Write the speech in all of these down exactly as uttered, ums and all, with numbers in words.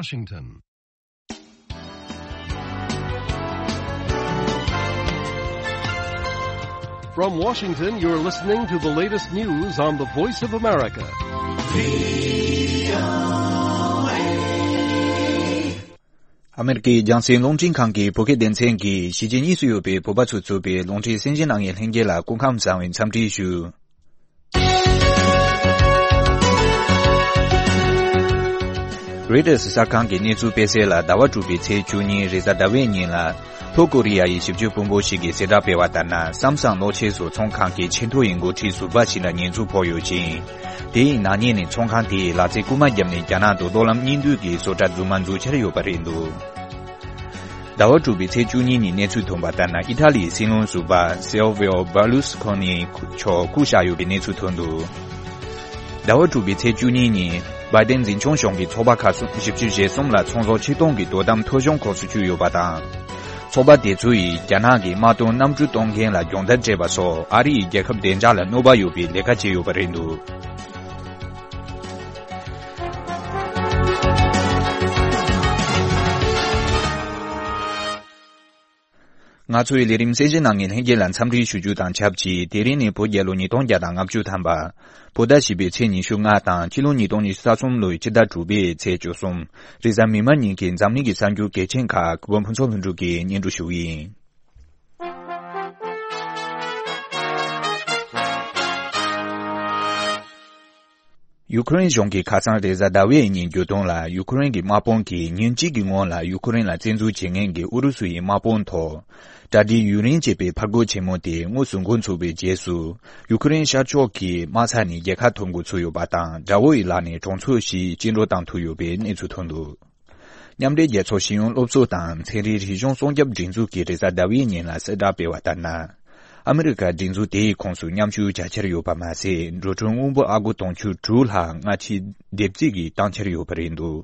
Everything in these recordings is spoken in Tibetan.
Washington. From Washington, you're listening to the latest news on the Voice of America. ཨ་མེ་རི་ཀའི་རྒྱང་སྲིང་རླུང་འཕྲིན་ཁང་གི་བོད་སྐད་སྡེ་ཚན་གྱིས་གཞིས་བྱེས་གཉིས་སུ་ཡོད་པའི་བོད་པ་ཚོས་གཙོས་པའི་རླུང་འཕྲིན་གསན་མཁན་རྣམས་ལྷན་རྒྱས་ལ་སྐུ་ཁམས་བཟང་བའི་འཚམས་འདྲི་ཞུ། རོའི་ཊར་གསར་ཁང་གི་གནས་ཚུལ་སྤེལ་གསལ་ལ། ཟླ་བ་དྲུག་པའི་ཚེས་བཅུ་གཉིས་རེས་གཟའ་ཟླ་བའི་ཉིན་ལ། ལྷོ་ཀོ་རི་ཡ་ཡི་ཞིབ་དཔྱོད་དཔོན་པོ་ཞིག་གིས་གསལ་བསྒྲགས་སྤེལ་བ་ལྟར་ན། སམ་སང་གློག་ཆས་བཟོ་ཚོང་ཁང་གི་ཆེས་མཐོ་ཡི་འགོ་ཁྲིད་ཟུར་པ་ཞིག་ལ་ཉེས་འཛུགས་ཕོག་ཡོད་ཅིང་། དེ་ཡི་ནག་ཉེས་ནི་ཚོང་ཁང་དེས་ལག་རྩལ་རྐུ་མ་བརྒྱབ་ནས་རྒྱ་ནག་ཏུ་ཏོག་ལམ་གཉིས་འདུས་ཀྱི་བཟོ་གྲྭ་རྫུན་མ་འཛུགས་འཆར་ཡོད་པ་རེད་འདུག་ཟླ་བ་དྲུག་པའི་ཚེས་བཅུ་གཉིས་ཉིན་གནས་ཚུལ་ཐོན་པ་ལྟར་ན། ཨི་ཐ་ལིའི་སྲིད་བློན་ཟུར་པ་སེལ་ཝིའོ་བར་ལུས་ཁོ་ནི་མཆོག་བཀུག་བཞག་ཡོད་པའི་གནས་ཚུལ་ཐོན་འདུག་ཟླ་བ་དྲུག་པའི་ཚེས་བཅུ་གཉིས་ཉིན་བྷའི་ཏན་འཛིན་སྐྱོང་གཞུང་གི་ཚོགས་པ་ཁག་གསུམ་བཞི་བཅུ་ཞེ་གསུམ་ལ་ཚོང་ཟོག་ཕྱིར་གཏོང་གི་དོ་དམ་ཐོ་གཞུང་ཁོངས་སུ་ཚུད་ཡོད་པ་དང་། ཚོགས་པ་དེ་ཚོ་ཡིས་རྒྱ་ནག་གི་དམག་དོན་གནམ་གྲུ་གཏོང་མཁན་ལ་སྦྱོང་བརྡར་སྤྲད་པ་སོགས་ཨ་རི་ཡི་རྒྱལ་ཁབ་བདེ་འཇགས་ལ་གནོད་པ་ཡོད་པའི་ལས་ཀ་བྱས་ཡོད་པ་རེད་འདུག་ང་ཚོའི་ལས་རིམ་གསན་མཁན་རྣམས་ཀྱི་ལྷན་རྒྱས་ལ་འཚམས་འདྲི་ཞུ་རྒྱུ་དང་ཆབས་ཅིག་དེ་རིང་ནི་བོད་རྒྱལ་ལོ་ཉིས་སྟོང་བརྒྱ་དང་ལྔ་བཅུ་ཐམ་པ། བོད་ཟླ་བཞི་པའི་ཚེས་ཉི་ཤུ་ལྔ་དང་ཕྱི་ལོ་ཉིས་སྟོང་ཉི་ཤུ་རྩ་གསུམ་ལོའི་ཕྱི་ཟླ་དྲུག་པའི་ཚེས་བཅུ་གསུམ། རེས་གཟའ་མིག་དམར་ཉིན་གྱི་འཛམ་གླིང་གི་གསར་འགྱུར་གལ་ཆེན་ཁག་གུས་པ་ཕུན་ཚོགས་ལྷུན་གྲུབ་ཀྱིས་སྙན་སྒྲོན་ཞུ་གི་ཡིན། ཡུ་ཁུ་རེན་གཞུང་གིས་ཁ་སང་རེས་གཟའ་ཟླ་བའི་ཉིན་བརྗོད་དོན་ལ། ཡུ་ཁུ་རེན་གྱི་དམག་དཔུང་གིས་ཉིན་གཅིག་གི་སྔོན་ལ་ཡུ་ཁུ་རེན་ལ་བཙན་འཛུལ་བྱེད་མཁན་གྱི་ཨུ་རུ་སུ་ཡི་དམག་དཔུང་ཐོག་གྲ་སྒྲིག་ཡུན་རིང་བྱས་པའི་ཕར་རྒོལ་ཆེན་མོ་དེ་དངོས་སུ་འགོ་ཚུགས་པའི་རྗེས་སུ། ཡུ་ཁུ་རེན་ཤར་ཕྱོགས་ཀྱི་དམག་ས་ནས་རྒྱལ་ཁ་ཐོབ་འགོ་ཚུགས་ཡོད་པ་དང་། དགྲ་བོ་ཡི་ལག་ནས་གྲོང་ཚོ་བཞི་བཅིངས་འགྲོལ་བཏང་ཐུབ་ཡོད་པའི་གནས་ཚུལ་ཐོན་འདུག་མཉམ་འབྲེལ་རྒྱལ་ཚོགས་ཤེས་ཡོན་སློབ་ཚོགས་དང་ཚན་རིག་རིག་གཞུང་སྲུང་སྐྱོབ་སྒྲིག་འཛུགས་ཀྱིས་རེས་གཟའ་ཟླ་བའི་ཉིན་ལ་གསལ་བསྒྲགས་སྤེལ་བ་ལྟར་ན། ཨ་མི་རི་ཀ་སྒྲིག་འཛུགས་དེའི་ཁོངས་སུ་མཉམ་ཞུགས་བྱ་འཆར་ཡོད་པ་མ་ཟད། འགྲོ་གྲོན་དངུལ་འབོར་ཨ་སྒོར་དུང་ཕྱུར་དྲུག་ལྷག་སྔ་ཕྱི་སྡེབ་རྩིས་ཀྱིས་བཏང་འཆར་ཡོད་པ་རེད་འདུག་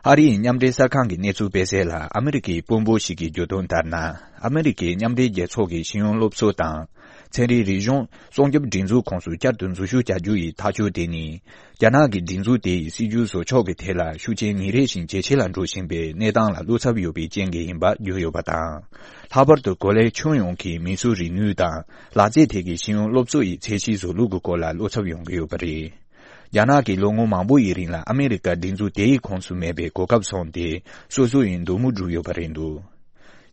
ཨ་རིའི་མཉམ་འབྲེལ་གསར་ཁང་གི་གནས་ཚུལ་སྤེལ་གསལ་ལ། ཨ་མི་རི་ཀའི་དཔོན་པོ་ཞིག་གིས་བརྗོད་དོན་ལྟར་ན། ཨ་མི་རི་ཀའི་མཉམ་འབྲེལ་རྒྱལ་ཚོགས་ཀྱི་ཤེས་ཡོན་སློབ་གསོ་དང་། ཚན་རིག་རིག་གཞུང་སྲུང་སྐྱོབ་སྒྲིག་འཛུགས་ཁོངས་སུ་བསྐྱར་དུ་འཛུལ་ཞུགས་བྱ་རྒྱུ་ཡི་ཐག་གཅོད་དེ་ནི། རྒྱ་ནག་གི་སྒྲིག་འཛུགས་དེ་ཡི་སྲིད་ཇུས་བཟོ་ཕྱོགས་ཀྱི་ཐད་ལ་ཤུགས་རྐྱེན་ཉིན་རེ་བཞིན་ཇེ་ཆེ་ལ་འགྲོ་བཞིན་པའི་གནས་སྟངས་ལ་བློ་འཚབ་ཡོད་པའི་རྐྱེན་གྱིས་ཡིན་པ་བརྗོད་ཡོད་པ་དང་། ལྷག་པར་དུ་གོ་ལའི་ཁྱོན་ཡོངས་ཀྱི་མིས་བཟོས་རིག་ནུས་དང་ལག་རྩལ་ཐད་ཀྱི་ཤེས་ཡོན་སློབ་གསོ་ཡི་ཚད་གཞི་བཟོ་ལུགས་ཀྱི་སྐོར་ལ་བློ་འཚབ་ཡོང་གི་ཡོད་པ་རེད། རྒྱ་ནག་གིས་ལོ་ངོ་མང་པོ་ཡི་རིང་ལ་ཨ་མེ་རི་ཀ་སྒྲིག་འཛུགས་དེའི་ཁོངས་སུ་མེད་པའི་གོ་སྐབས་བཟུང་སྟེ། སོ་སོ་ཡི་འདོད་མོས་བསྒྲུབས་ཡོད་པ་རེད་འདུག་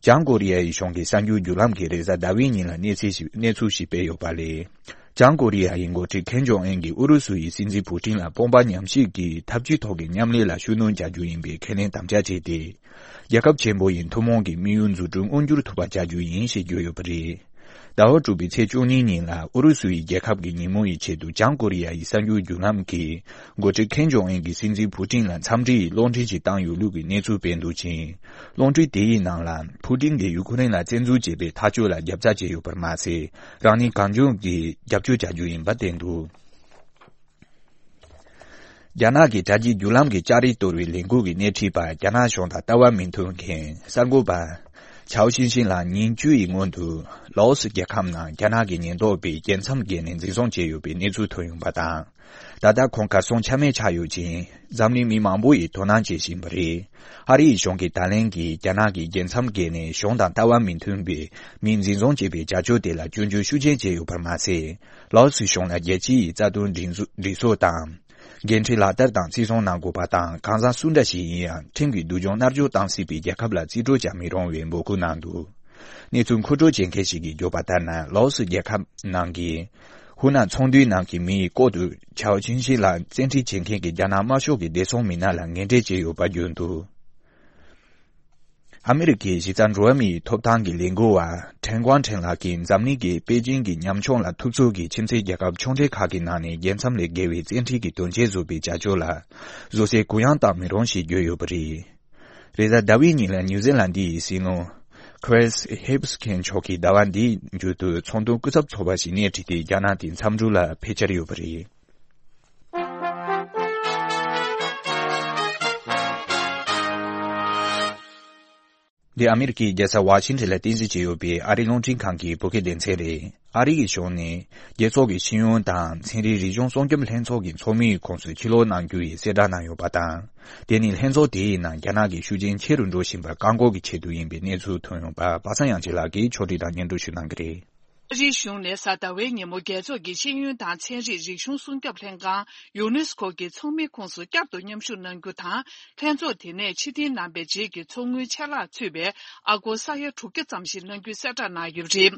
བྱང་ཀོ་རི་ཡ་ཡི་གཞུང་གིས་གསར་འགྱུར་བརྒྱུད་ལམ་གྱིས་རེས་གཟའ་ཟླ་བའི་ཉིན་ལ་གནས་ཚུལ་ཞིག་གནས་ཚུལ་ཞིག་སྤེལ་ཡོད་པ་ལས། བྱང་ཀོ་རི་ཡ་ཡི་འགོ་ཁྲིད་ཁེམ་ཇོང་ཨན་གྱིས་ཨུ་རུ་སུ་ཡི་སྲིད་འཛིན་ཕུ་ཏིན་ལ་དཔུང་པ་མཉམ་གཤིབ་ཀྱིས་འཐབ་ཇུས་ཐོག་གི་མཉམ་ལས་ལ་ཤུགས་སྣོན་བྱ་རྒྱུ་ཡིན་པའི་ཁས་ལེན་དམ་བཅའ་བྱས་ཏེ། རྒྱལ་ཁབ་ཆེན་པོ་ཡི་ཐུན་མོང་གི་དམིགས་ཡུལ་འཛུགས་སྐྲུན་མངོན་འགྱུར་ཐུབ་པ་བྱ་རྒྱུ་ཡིན་ཞེས་བརྗོད་ཡོད་པ་རེད། ཟླ་བ་དྲུག་པའི་ཚེས་བཅུ་གཉིས་ཉིན་ལ་ཨུ་རུ་སུ་ཡི་རྒྱལ་ཁབ་ཀྱི་ཉིན་མོ་ཡི་ཆེད་དུ་བྱང་ཀོ་རི་ཡ་ཡི་གསར་འགྱུར་བརྒྱུད་ལམ་གྱིས། འགོ་ཁྲིད་ཁེམ་ཇོང་ཨན་གྱིས་སྲིད་འཛིན་ཕུ་ཏིན་ལ་འཚམས་འདྲི་ཡི་གློག་འཕྲིན་ཞིག་བཏང་ཡོད་ལུགས་ཀྱི་གནས་ཚུལ་སྤེལ་འདུག་ཅིང་། གློག་འཕྲིན་དེ་ཡི་ནང་ལ་ཕུ་ཏིན་གྱིས་ཡུ་ཁུ་རེན་ལ་བཙན་འཛུལ་བྱས་པའི་ཐག་གཅོད་ལ་རྒྱབ་རྩ་བྱས་ཡོད་པར་མ་ཟད། རང་ཉིད་གང་བྱུང་གིས་རྒྱབ་སྐྱོར་བྱ་རྒྱུ་ཡིན་པ་བསྟན་འདུག་རྒྱ་ནག་གི་དྲ་རྒྱའི་བརྒྱུད་ལམ་གྱི་ལྕགས་རི་གཏོར་བའི་ལས་འགུལ་གྱི་སྣེ་ཁྲིད་པ་རྒྱ་ནག་གཞུང་དང་ལྟ་བ་མི་མཐུན་མཁན་གསར་འགོད་པ་ཆའོ་ཆིན་ཤིན་ལགས་ཉིན་བཅུ་ཡི་སྔོན་དུ་ལའོ་སི་རྒྱལ་ཁབ་ནང་རྒྱ་ནག་གི་ཉེན་རྟོག་པས་རྒྱལ་མཚམས་བརྒལ་ནས་འཛིན་བཟུང་བྱས་ཡོད་པའི་གནས་ཚུལ་ཐོན་ཡོང་པ་དང་། ད་ལྟ་ཁོང་གར་སོང་ཆ་མེད་ཆགས་ཡོད་ཅིང་། འཛམ་གླིང་མི་མང་པོ་ཡིས་དོ་སྣང་བྱེད་བཞིན་པ་རེད། ཨ་རིའི་གཞུང་གིས་ད་ལན་གྱི་རྒྱ་ནག་གི་རྒྱལ་མཚམས་བརྒལ་ནས་གཞུང་དང་ལྟ་བ་མི་མཐུན་པའི་མི་འཛིན་བཟུང་བྱས་པའི་བྱ་སྤྱོད་དེ་ལ་སྐྱོན་བརྗོད་ཤུགས་ཆེན་བྱས་ཡོད་པར་མ་ཟད། ལའོ་སི་གཞུང་ལ་རྒྱལ་སྤྱི་ཡི་རྩ་དོན་སྒྲིག་འཛུགས་སྒྲིག་སྲོལ་དང་། འགན་འཁྲི་ལག་བསྟར་དང་བརྩི་སྲུང་གནང་དགོས་པ་དང་། གང་ཟག་སུ་འདྲ་ཞིག་ཡིན་ཡང་ཁྲིམས་ཀྱི་སྡུག་སྦྱོང་མནར་གཅོད་བཏང་སྲིད་པའི་རྒྱལ་ཁབ་ལ་རྩིས་སྤྲོད་བྱ་མི་རུང་བའི་འབོད་སྐུལ་གནང་འདུག་གནས་ཚུལ་མཁོ་སྤྲོད་བྱེད་མཁན་ཞིག་གིས་བརྗོད་པ་ལྟར་ན། ལའོ་སི་རྒྱལ་ཁབ་ནང་གི་ཧུ་ནན་ཚོང་འདུས་ནང་གི་མིའི་ལྐོག་ཏུ་ཆའོ་ཆིན་ཤིན་ལ་བཙན་ཁྲིད་བྱེད་མཁན་གྱི་རྒྱ་ནག་དམར་ཤོག་གི་བདེ་སྲུང་མི་སྣ་ལ་ངན་འབྲེལ་བྱས་ཡོད་པ་བརྗོད་འདུག་ཨ་མི་རི་ཀའི་གཞི་རྩ་འགྲོ་བ་མིའི་ཐོབ་ཐང་གི་ལས་འགུལ་བ་ཁྲེན་ཀོང་ཁྲེན་ལགས་ཀྱིས་འཛམ་གླིང་གི་པེ་ཅིང་གི་ཉམ་ཆུང་ལ་ཐུབ་ཚོད་ཀྱིས་ཁྱིམ་མཚེས་རྒྱལ་ཁབ་ཆུང་གྲས་ཁག་གི་ནང་ནས་རྒྱལ་མཚམས་ལས་བརྒལ་བའི་བཙན་ཁྲིད་ཀྱི་དོན་རྐྱེན་བཟོ་བའི་བྱ་སྤྱོད་ལ་བཟོད་བསྲན་གུ་ཡངས་བཏང་མི་རུང་ཞེས་བརྗོད་ཡོད་པ་རེད། རེས་གཟའ་ཟླ་བའི་ཉིན་ལ་ནིའུ་ཛི་ལན་ཌི་ཡི་སྲིད་བློན་ཁི་རིས་ཧིབ་སི་མཁན་མཆོག་གིས་ཟླ་བ་འདིའི་མཇུག་ཏུ་ཚོང་དོན་སྐུ་ཚབ་ཚོགས་པ་ཞིག་སྣེ་ཁྲིད་དེ་རྒྱ་ནག་དེ་མཚམས་འབྲུ་ལ་ཕེབས་འཆར་ཡོད་པ་རེད། འདི་ཨ་མི་རི་ཀའི་རྒྱལ་ས་ཝ་ཤིང་ཊོན་ལ་རྟེན་གཞི་བྱས་ཡོད་པའི་ཨ་རིའི་རླུང་འཕྲིན་ཁང་གི་བོད་སྐད་སྡེ་ཚན་རེད། ཨ་རི་ཡི་གཞུང་ནས་རྒྱལ་ཚོགས་ཀྱི་ཤེས་ཡོན་དང་ཚན་རིག་རིག་གཞུང་སྲུང་སྐྱོབ་ལྷན་ཚོགས་ཀྱི་ཚོགས་མིའི་ཁོངས་སུ་ཕྱིར་ལོག་གནང་རྒྱུ་ཡི་གསལ་བསྒྲགས་གནང་ཡོད་པ་དང་། དེ་ནི་ལྷན་ཚོགས་དེའི་ནང་རྒྱ་ནག་གི་ཤུགས་རྐྱེན་ཆེ་རུ་འགྲོ་བཞིན་པར་བཀག་འགོག་གི་ཆེད་དུ་ཡིན་པའི་གནས་ཚུལ་ཐོན་ཡོང་པ། པ་སངས་དབྱངས་ཅན་ལགས་ཀྱིས་ཕྱོགས་སྒྲིག་དང་སྙན་སྒྲོན་ཞུ་གནང་གི་རེད། ཨ་རིའི་གཞུང་ནས་གཟའ་ཟླ་བའི་ཉིན་མོ་རྒྱལ་ཚོགས་ཀྱི་ཤེས་ཡོན་དང་ཚན་རིག་རིག་གཞུང་སྲུང་སྐྱོབ་ལྷན་ཁང་ཡུ་ནེ་སི་ཁོ་གི་ཚོགས་མིའི་ཁོངས་སུ་བསྐྱར་དུ་མཉམ་ཞུགས་གནང་རྒྱུ་དང་། ལྷན་ཚོགས་དེ་ནས་ཕྱིར་འཐེན་གནང་པའི་རྗེས་ཀྱི་ཚོགས་དངུལ་ཆད་ལྷག་ཚུད་པའི་ཨ་སྒོར་ས་ཡ་དྲུག་བརྒྱ་ཙམ་ཞིག་གནང་རྒྱུའི་གསལ་བསྒྲགས་གནང་ཡོད་པ་རེད།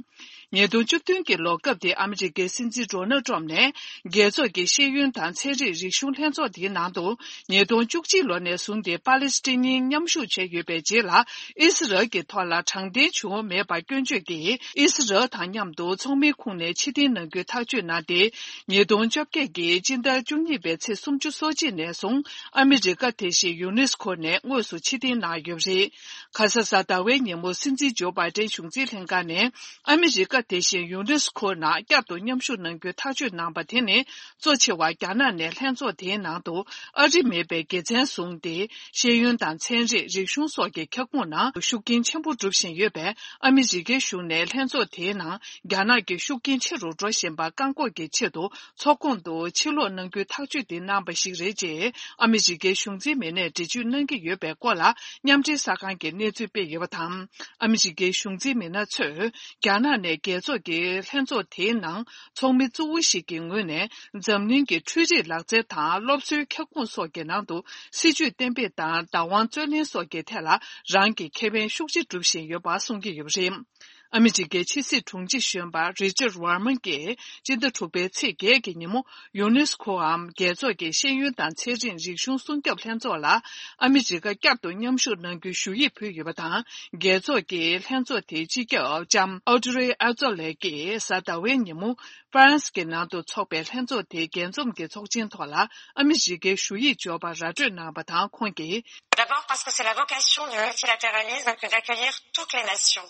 ཉིས་སྟོང་བཅུ་བདུན་གྱི་ལོ་སྐབས་དེ་ཨ་མི་རི་ཀའི་སྲིད་འཛིན་ཌོ་ནལ་ཊམ་ནས་རྒྱལ་ཚོགས་ཀྱི་ཤེས་ཡོན་དང་ཚན་རིག་རིག་གཞུང་ལྷན་ཚོགས་དེའི་ནང་དུ། ཉིས་སྟོང་བཅུ་གཅིག་ལོ་ནས་བཟུང་སྟེ་པ་ལི་སི་ཐན་གཉིས་མཉམ་ཞུགས་བྱས་ཡོད་པའི་རྗེས་ལ། ཨི་སི་རལ་གྱི་ཐོག་ལ་དྲང་བདེན་བྱུང་མེད་པར་སྐྱོན་བརྗོད་ཀྱིས་ཨི་སི་རལ་དང་མཉམ་དུ་ཚོགས་མིའི་ཁོངས་ནས་ཕྱིར་འཐེན་གནང་རྒྱུའི་ཐག་གཅོད་གནང་སྟེ། ཉིས་སྟོང་བཅོ་བརྒྱད་ཀྱི་སྤྱི་ཟླ་བཅུ་གཉིས་པའི་ཚེས་སུམ་ཅུ་སོ་གཅིག་ནས་བཟུང་ཨ་མི་རི་ཀ་དེ་བཞིན་ཡུ་ནེ་སི་ཁོ་ནས་དངོས་སུ་ཕྱིར་འཐེན་གནང་ཡོད་པ་རེད། ཁ་ས་གཟའ་ཟླ་བའི་ཉིན་མོ་སྲིད་འཛིན་ཇོ་བྷའི་ཏན་གཞུང་འཛིན་ལྷན་ཁང་ནས་ཨ་མི་རི་ཀ་དེ་བཞིན་ཡུ་ནེ་སི་ཁོ་ནང་བསྐྱར་དུ་མཉམ་ཞུགས་གནང་རྒྱུའི་ཐག་གཅོད་གནང་པ་དེ་ནི། གཙོ་ཆེ་བ་རྒྱ་ནག་ནས་ལྷན་ཚོགས་དེའི་ནང་དུ་ཨ་རི་མེད་པའི་དགེ་མཚན་བཟུང་སྟེ། ཤེས་ཡོན་དང་ཚན་རིག་རིག་གཞུང་སོགས་ཀྱི་ཁྱབ་ཁོངས་ནང་ཤུགས་རྐྱེན་ཆེན་པོ་སྒྲུབ་བཞིན་ཡོད་པས། ཨ་མི་རི་ཀའི་གཞུང་ནས་ལྷན་ཚོགས་དེའི་ནང་རྒྱ་ནག་གི་ཤུགས་རྐྱེན་ཆེ་རུ་འགྲོ་བཞིན་པ་བཀག་འགོག་གི་ཆེད་དུ་ཚོགས་ཁོངས་དུ་ཕྱིར་ལོག་གནང་རྒྱུའི་ཐག་གཅོད་དེ་གནང་པ་ཞིག་རེད་ཅེས་ཨ་མི་རི་ཀའི་གཞུང་འཛིན་མི་སྣས་འགྲེལ་བརྗོད་གནང་གི་ཡོད་པའི་སྐོར་ལ། མཉམ་འབྲེལ་གསར་ཁང་གིས་གནས་ཚུལ་སྤེལ་ཡོད་པ་དང་། ཨ་མི་རི་ཀའི་གཞུང་འཛིན་མི་སྣ་ཚོས་རྒྱ་ནག་ནས་རྒྱལ་ཚོགས་ཀྱི་ལྷན་ཚོགས་དེའི་ནང་ཚོགས་མི་གཙོ་བོ་ཞིག་གི་ངོས་ནས། འཛམ་གླིང་གི་འཕྲུལ་རིག་ལག་རྩལ་དང་སློབ་གསོའི་ཁྱབ་ཁོངས་སོགས་ཀྱི་ནང་དུ་སྲིད་ཇུས་གཏན་འབེབས་དང་བདག་དབང་རྩོད་ལེན་སོགས་ཀྱི་ཐད་ལ་རང་གི་ཁེ་ཕན་ཤུགས་ཆེ་སྒྲུབ་བཞིན་ཡོད་པ་གསུང་གི་ཡོད་པ་རེད། ཨ་མི་རི་ཀའི་ཕྱི་སྲིད་དྲུང་ཆེ་གཞོན་པ་རི་ཅར་ཝར་མན་གྱིས་སྤྱི་ཟླ་དྲུག་པའི་ཚེས་བརྒྱད་ཀྱི་ཉིན་མོ་ཡུ་ནེ་སི་ཁོའམ་རྒྱལ་ཚོགས་ཀྱི་ཤེས་ཡོན་དང་ཚན་རིག་རིག་གཞུང་སྲུང་སྐྱོབ་ལྷན་ཚོགས་ལ་ཨ་མི་རི་ཀ་བསྐྱར་དུ་མཉམ་ཞུགས་གནང་རྒྱུའི་ཞུ་ཡིག་ཕུལ་ཡོད་པ་དང་། རྒྱལ་ཚོགས་ཀྱི་ལྷན་ཚོགས་དེའི་སྤྱི་ཁྱབ་ལྕམ་ཨོ་ཏྲེ་ཨ་ཛོ་ལེ་གིས་གཟའ་ཟླ་བའི་ཉིན་མོ། ཧྥ་རན་སི་གི་ནང་དུ་འཚོགས་པའི་ལྷན་ཚོགས་དེའི་རྒྱས་འཛོམས་ཀྱི་ཚོགས་ཆེན་ཐོག་ལ་ཨ་མི་རི་ཀའི་ཞུ་ཡིག་འབྱོར་བ་ར་སྤྲོད་གནང་བ་དང་། ཁོང་གིས། D'abord parce que c'est la vocation du multilatéralisme que d'accueillir toutes les nations,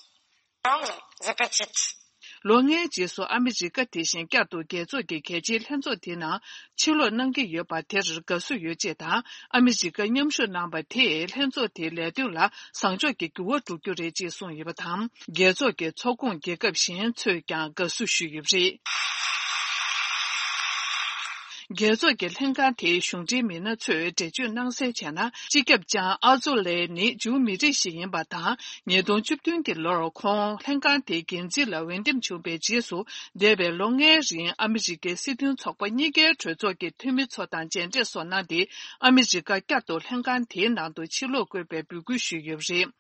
grandes et petites. ལོ་ལྔའི་རྗེས་སུ་ཨ་མི་རི་ཀ་དེ་བཞིན་བསྐྱར་དུ་རྒྱལ་ཚོགས་ཀྱི་གལ་ཆེའི་ལྷན་ཚོགས་དེ་ནང་ཕྱིར་ལོག་གནང་གི་ཡོད་པ་དེར་དགའ་བསུ་ཡོད་ཅེས་དང་། ཨ་མི་རི་ཀ་མཉམ་ཞུགས་གནང་པ་དེས་ལྷན་ཚོགས་དེའི་ལས་དོན་ལ་བཟང་ཕྱོགས་ཀྱི་འགྱུར་བ་འགྲོ་རྒྱུ་རེད་ཅེས་གསུངས་ཡོད་པ་དང་། རྒྱལ་ཚོགས་ཀྱི་ཚོགས་ཁོངས་རྒྱལ་ཁབ་གཞན་ཚོས་ཀྱང་དགའ་བསུ་ཞུས་ཡོད་པ་རེད། རྒྱལ་ཚོགས་ཀྱི་ལྷན་ཁང་དེའི་གཞུང་འབྲེལ་མི་སྣ་ཚོས་འགྲེལ་བརྗོད་གནང་གསལ་བྱས་ན། སྤྱི་ཁྱབ་ལྕམ་ཨ་ཛོ་ལེ་ནི་ཇུའུ་མི་རིགས་ཤིག་ཡིན་པ་དང་། ཉིས་སྟོང་བཅུ་བདུན་གྱི་ལོར་ཁོང་ལྷན་ཁང་དེའི་འགན་འཛིན་ལ་འོས་འདེམས་བྱུང་བའི་རྗེས་སུ། འདས་པའི་ལོ་ལྔའི་རིང་ཨ་མི་རི་ཀའི་སྲིད་དོན་ཚོགས་པ་གཉིས་ཀའི་གྲོས་ཚོགས་ཀྱི་འཐུས་མི་ཚོ་དང་མཇལ་འཕྲད་སོགས་གནང་སྟེ། ཨ་མི་རི་ཀ་བསྐྱར་དུ་ལྷན་ཁང་དེའི་ནང་དུ་ཕྱིར་ལོག་དགོས་པའི་འབོད་སྐུལ་ཞུས་ཡོད་པ་རེད།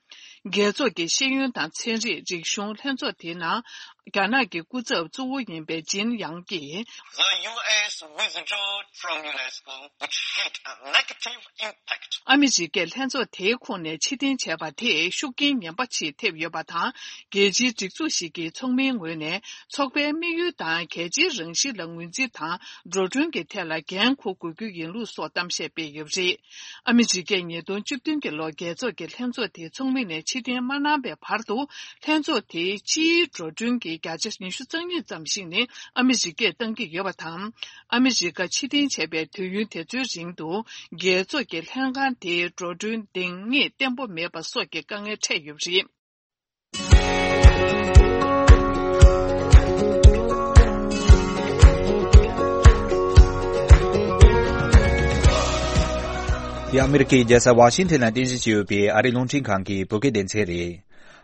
རྒྱལ་ཚོགས་ཀྱི་ཤེས་ཡོན་དང་ཚན་རིག་རིག་གཞུང་ལྷན་ཚོགས་དེའི་ནང་། རྒྱ་ནག་གི་སྐུ་ཚབ་གཙོ་བོ་ཡིན་པའི་ཇིན་ཡང་གིས། The U S withdrew from UNESCO, which had a negative impact. ཨ་མི་རི་ཀས་ལྷན་ཚོགས་དེའི་ཁོངས་ནས་ཕྱིར་འཐེན་བྱས་པ་དེས་ཤུགས་རྐྱེན་ངན་པ་ཞིག་ཐེབས་ཡོད་པ་དང་། རྒྱལ་སྤྱིའི་སྒྲིག་འཛུགས་ཤིག་གི་ཚོགས་མིའི་ངོས་ནས་ཚོགས་པའི་དམིགས་ཡུལ་དང་གལ་ཆེའི་རང་བཞིན་ལ་ངོས་འཛིན་དང་འགྲོ་གྲོན་གྱི་ཐད་ལ་འགན་འཁུར་དགོས་རྒྱུ་ཡིན་ལུགས་སོགས་གཏམ་བཤད་སྤེལ་ཡོད་པ་རེད། ཨ་མི་རི་ཀས་ཉིས་སྟོང་བཅུ་བདུན་གྱི་ལོར་རྒྱལ་ཚོགས་ཀྱི་ལྷན་ཚོགས་དེའི་ཚོགས་མི་ནས་ཕྱིར་འཐེན་མ་གནང་བའི་བར་དུ། ལྷན་ཚོགས་དེའི་སྤྱིའི་འགྲོ་གྲོན་གྱི་བརྒྱ་ཆ་ཉི་ཤུ་རྩ་གཉིས་ཙམ་ཞིག་ནི་ཨ་མི་རི་ཀས་བཏང་གི་ཡོད་པ་དང་། ཨ་མི་རི་ཀ་ཕྱིར་འཐེན་བྱས་པའི་དུས་ཡུན་དེ་ཚོའི་རིང་དུ། རྒྱལ་ཚོགས་ཀྱི་ལྷན་ཁང་དེའི་འགྲོ་གྲོན་འདང་ངེས་བརྟན་པོ་མེད་པ་སོགས་ཀྱི་དཀའ་ངལ་འཕྲད་ཡོད་པ་རེད། འདི་ཨ་མི་རི་ཀའི་རྒྱལ་ས་ཝ་ཤིང་ཊོན་ལ་རྟེན་གཞི་བྱས་ཡོད་པའི་ཨ་རིའི་རླུང་འཕྲིན་ཁང་གི་བོད་སྐད་སྡེ་ཚན་རེད།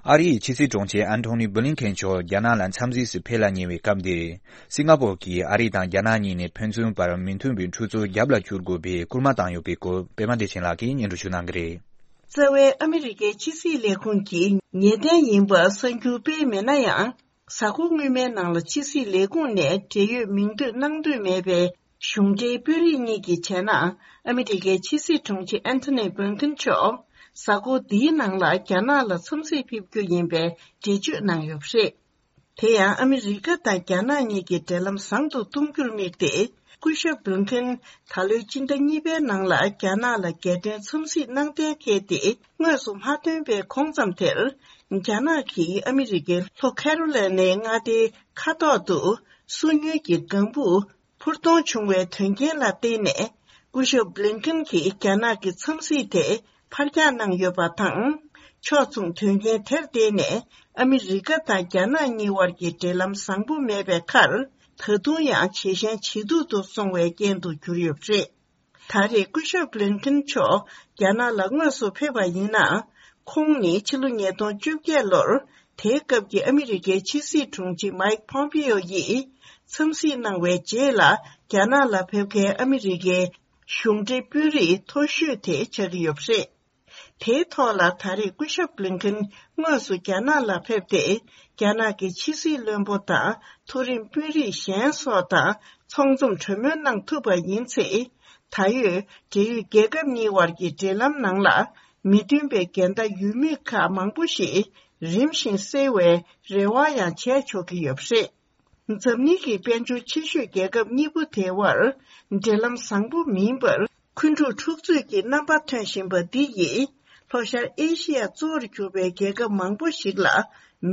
ཨ་རིའི་ཕྱི་སྲིད་དྲུང་ཆེ་ཨན་ཐོ་ནི་བྷི་ལིན་ཁེན་མཆོག་རྒྱ་ནག་ལ་འཚམས་གཟིགས་སུ་ཕེབས་ལ་ཉེ་བའི་སྐབས་འདིར། སིང་ག་པོར་གྱིས་ཨ་རི་དང་རྒྱ་ནག་གཉིས་ནས་ཕན་ཚུན་བར་མི་མཐུན་པའི་འཁྲུག་རྩོད་རྒྱབ་ལ་བསྐྱུར་དགོས་པའི་སྐུལ་མ་བཏང་ཡོད་པའི་སྐོར། པད་མ་བདེ་ཆེན་ལགས་ཀྱིས་སྙན་སྒྲོན་ཞུ་གནང་གི་རེད། རྩ་བའི་ཨ་མི་རི་ཀའི་ཕྱི་སྲིད་ལས་ཁུངས་ཀྱི་ངེས་གཏན་ཡིན་པ་གསར་འགྱུར་སྤེལ་མེད་ན་ཡང་། གཟའ་འཁོར་སྔོན་མའི་ནང་ལ་ཕྱི་སྲིད་ལས་ཁུངས་ནས་འབྲེལ་ཡོད་མིང་འདོན་གནང་འདོད་མེད་པའི་གཞུང་འབྲེལ་དཔོན་རིགས་གཉིས་ཀྱི་བྱས་ན། ཨ་མི་རི་ཀའི་ཕྱི་སྲིད་དྲུང་ཆེ་ཨན་ཐོ་ནི་བྷི་ལིན་ཁེན་མཆོག་གཟའ་འཁོར་འདིའི་ནང་ལ་རྒྱ་ནག་ལ་འཚམས་གཟིགས་ཕེབས་རྒྱུ་ཡིན་པའི་འགྲེལ་བརྗོད་གནང་ཡོད་པ་རེད། དེ་ཡང་ཨ་མི་རི་ཀ་དང་རྒྱ་ནག་གཉིས་ཀྱི་འབྲེལ་ལམ་བཟང་དུ་གཏོང་རྒྱུར་དམིགས་ཏེ། སྐུ་ཞབས་བྷི་ལིན་ཁེན་ད་ལོའི་སྤྱི་ཟླ་གཉིས་པའི་ནང་ལ་རྒྱ་ནག་ལ་རྒྱལ་དོན་འཚམས་གཟིགས་གནང་གཏན་འཁེལ་ཏེ། དངོས་སུ་མ་ཐོན་པའི་གོང་ཙམ་དེར། རྒྱ་ནག་གིས་ཨ་མི་རི་ཀའི་ལྷོ་ཁེ་རོ་ལེ་ནའི་མངའ་སྡེའི་མཁའ་ཐོག་ཏུ་སོ་ཉུལ་གྱི་ལྒང་བུ་འཕུར་གཏོང་བྱུང་བའི་དོན་རྐྱེན་ལ་བརྟེན་ནས། སྐུ་ཞབས་བྷི་ལིན་ཁེན་གྱིས་རྒྱ་ནག་གི་འཚམས་གཟིགས་དེ་ཕར་འགྱངས་གནང་ཡོད་པ་དང་། ཕྱོགས་མཚུངས་དོན་རྐྱེན་དེར་བརྟེན་ནས་ཨ་མི་རི་ཀ་དང་རྒྱ་ནག་གཉིས་དབར་གྱི་འབྲེལ་ལམ་བཟང་པོ་མེད་པའི་ཁར། ད་དུང་ཡང་ཇེ་ཞན་ཇེ་སྡུག་ཏུ་སོང་བའི་རྐྱེན་དུ་གྱུར་ཡོད་པ་རེད། ད་རེས་སྐུ་ཞབས་བྷི་ལིན་ཀིན་མཆོག་རྒྱ་ནག་ལ་དངོས་སུ་ཕེབས་པ་ཡིན་ན། ཁོང་ནི་ཕྱི་ལོ་ཉིས་སྟོང་བཅོ་བརྒྱད་ལོར་དེའི་སྐབས་ཀྱི་ཨ་མི་རི་ཀའི་ཕྱི་སྲིད་དྲུང་ཆེ་མའིག་ཕོམ་པེ་ཡོ་ཡིས་འཚམས་གཟིགས་གནང་བའི་རྗེས་ལ། རྒྱ་ནག་ལ་ཕེབས་མཁན་ཨ་མི་རི་ཀའི་གཞུང་འབྲེལ་དཔོན་རིགས་མཐོ་ཤོས་དེ་ཆགས་ཀྱི་ཡོད་པ་རེད། དེའི་ཐོག་ལ་ད་རེས་སྐུ་ཞབས་བྷི་ལིན་ཀིན་དངོས་སུ་རྒྱ་ནག་ལ་ཕེབས་ཏེ། རྒྱ་ནག་གི་ཕྱི་སྲིད་བློན་པོ་དང་མཐོ་རིམ་དཔོན་རིགས་གཞན་སོགས་དང་ཚོགས་འཛོམས་གྲོས་མོལ་གནང་ཐུབ་པ་ཡིན་ཚེ། ད་ཡོད་འབྲེལ་ཡོད་རྒྱལ་ཁབ་གཉིས་དབར་གྱི་འབྲེལ་ལམ་ནང་ལ་མི་མཐུན་པའི་འགལ་ཟླ་ཡོད་མེད་ཁག་མང་པོ་ཞིག་རིམ་བཞིན་སེལ་བའི་རེ་བ་ཡང་བྱས་ཆོག་གི་ཡོད་པ་རེད། འཛམ་གླིང་གི་དཔལ་འབྱོར་ཆེ་ཤོས་རྒྱལ་ཁབ་གཉིས་པོ་དེའི་དབར་འབྲེལ་ལམ་བཟང་པོ་མིན་པར། འཁོན་འཁྲུག་འཁྲུག་རྩོད་ཀྱི་རྣམ་པ་ཐོན་བཞིན་པ་འདི་ཡིས། ལྷོ་ཤར་ཨེ་ཤི་ཡ་གཙོ་བོར་གྱུར་པའི་རྒྱལ་ཁབ་མང་པོ་ཞིག་ལ་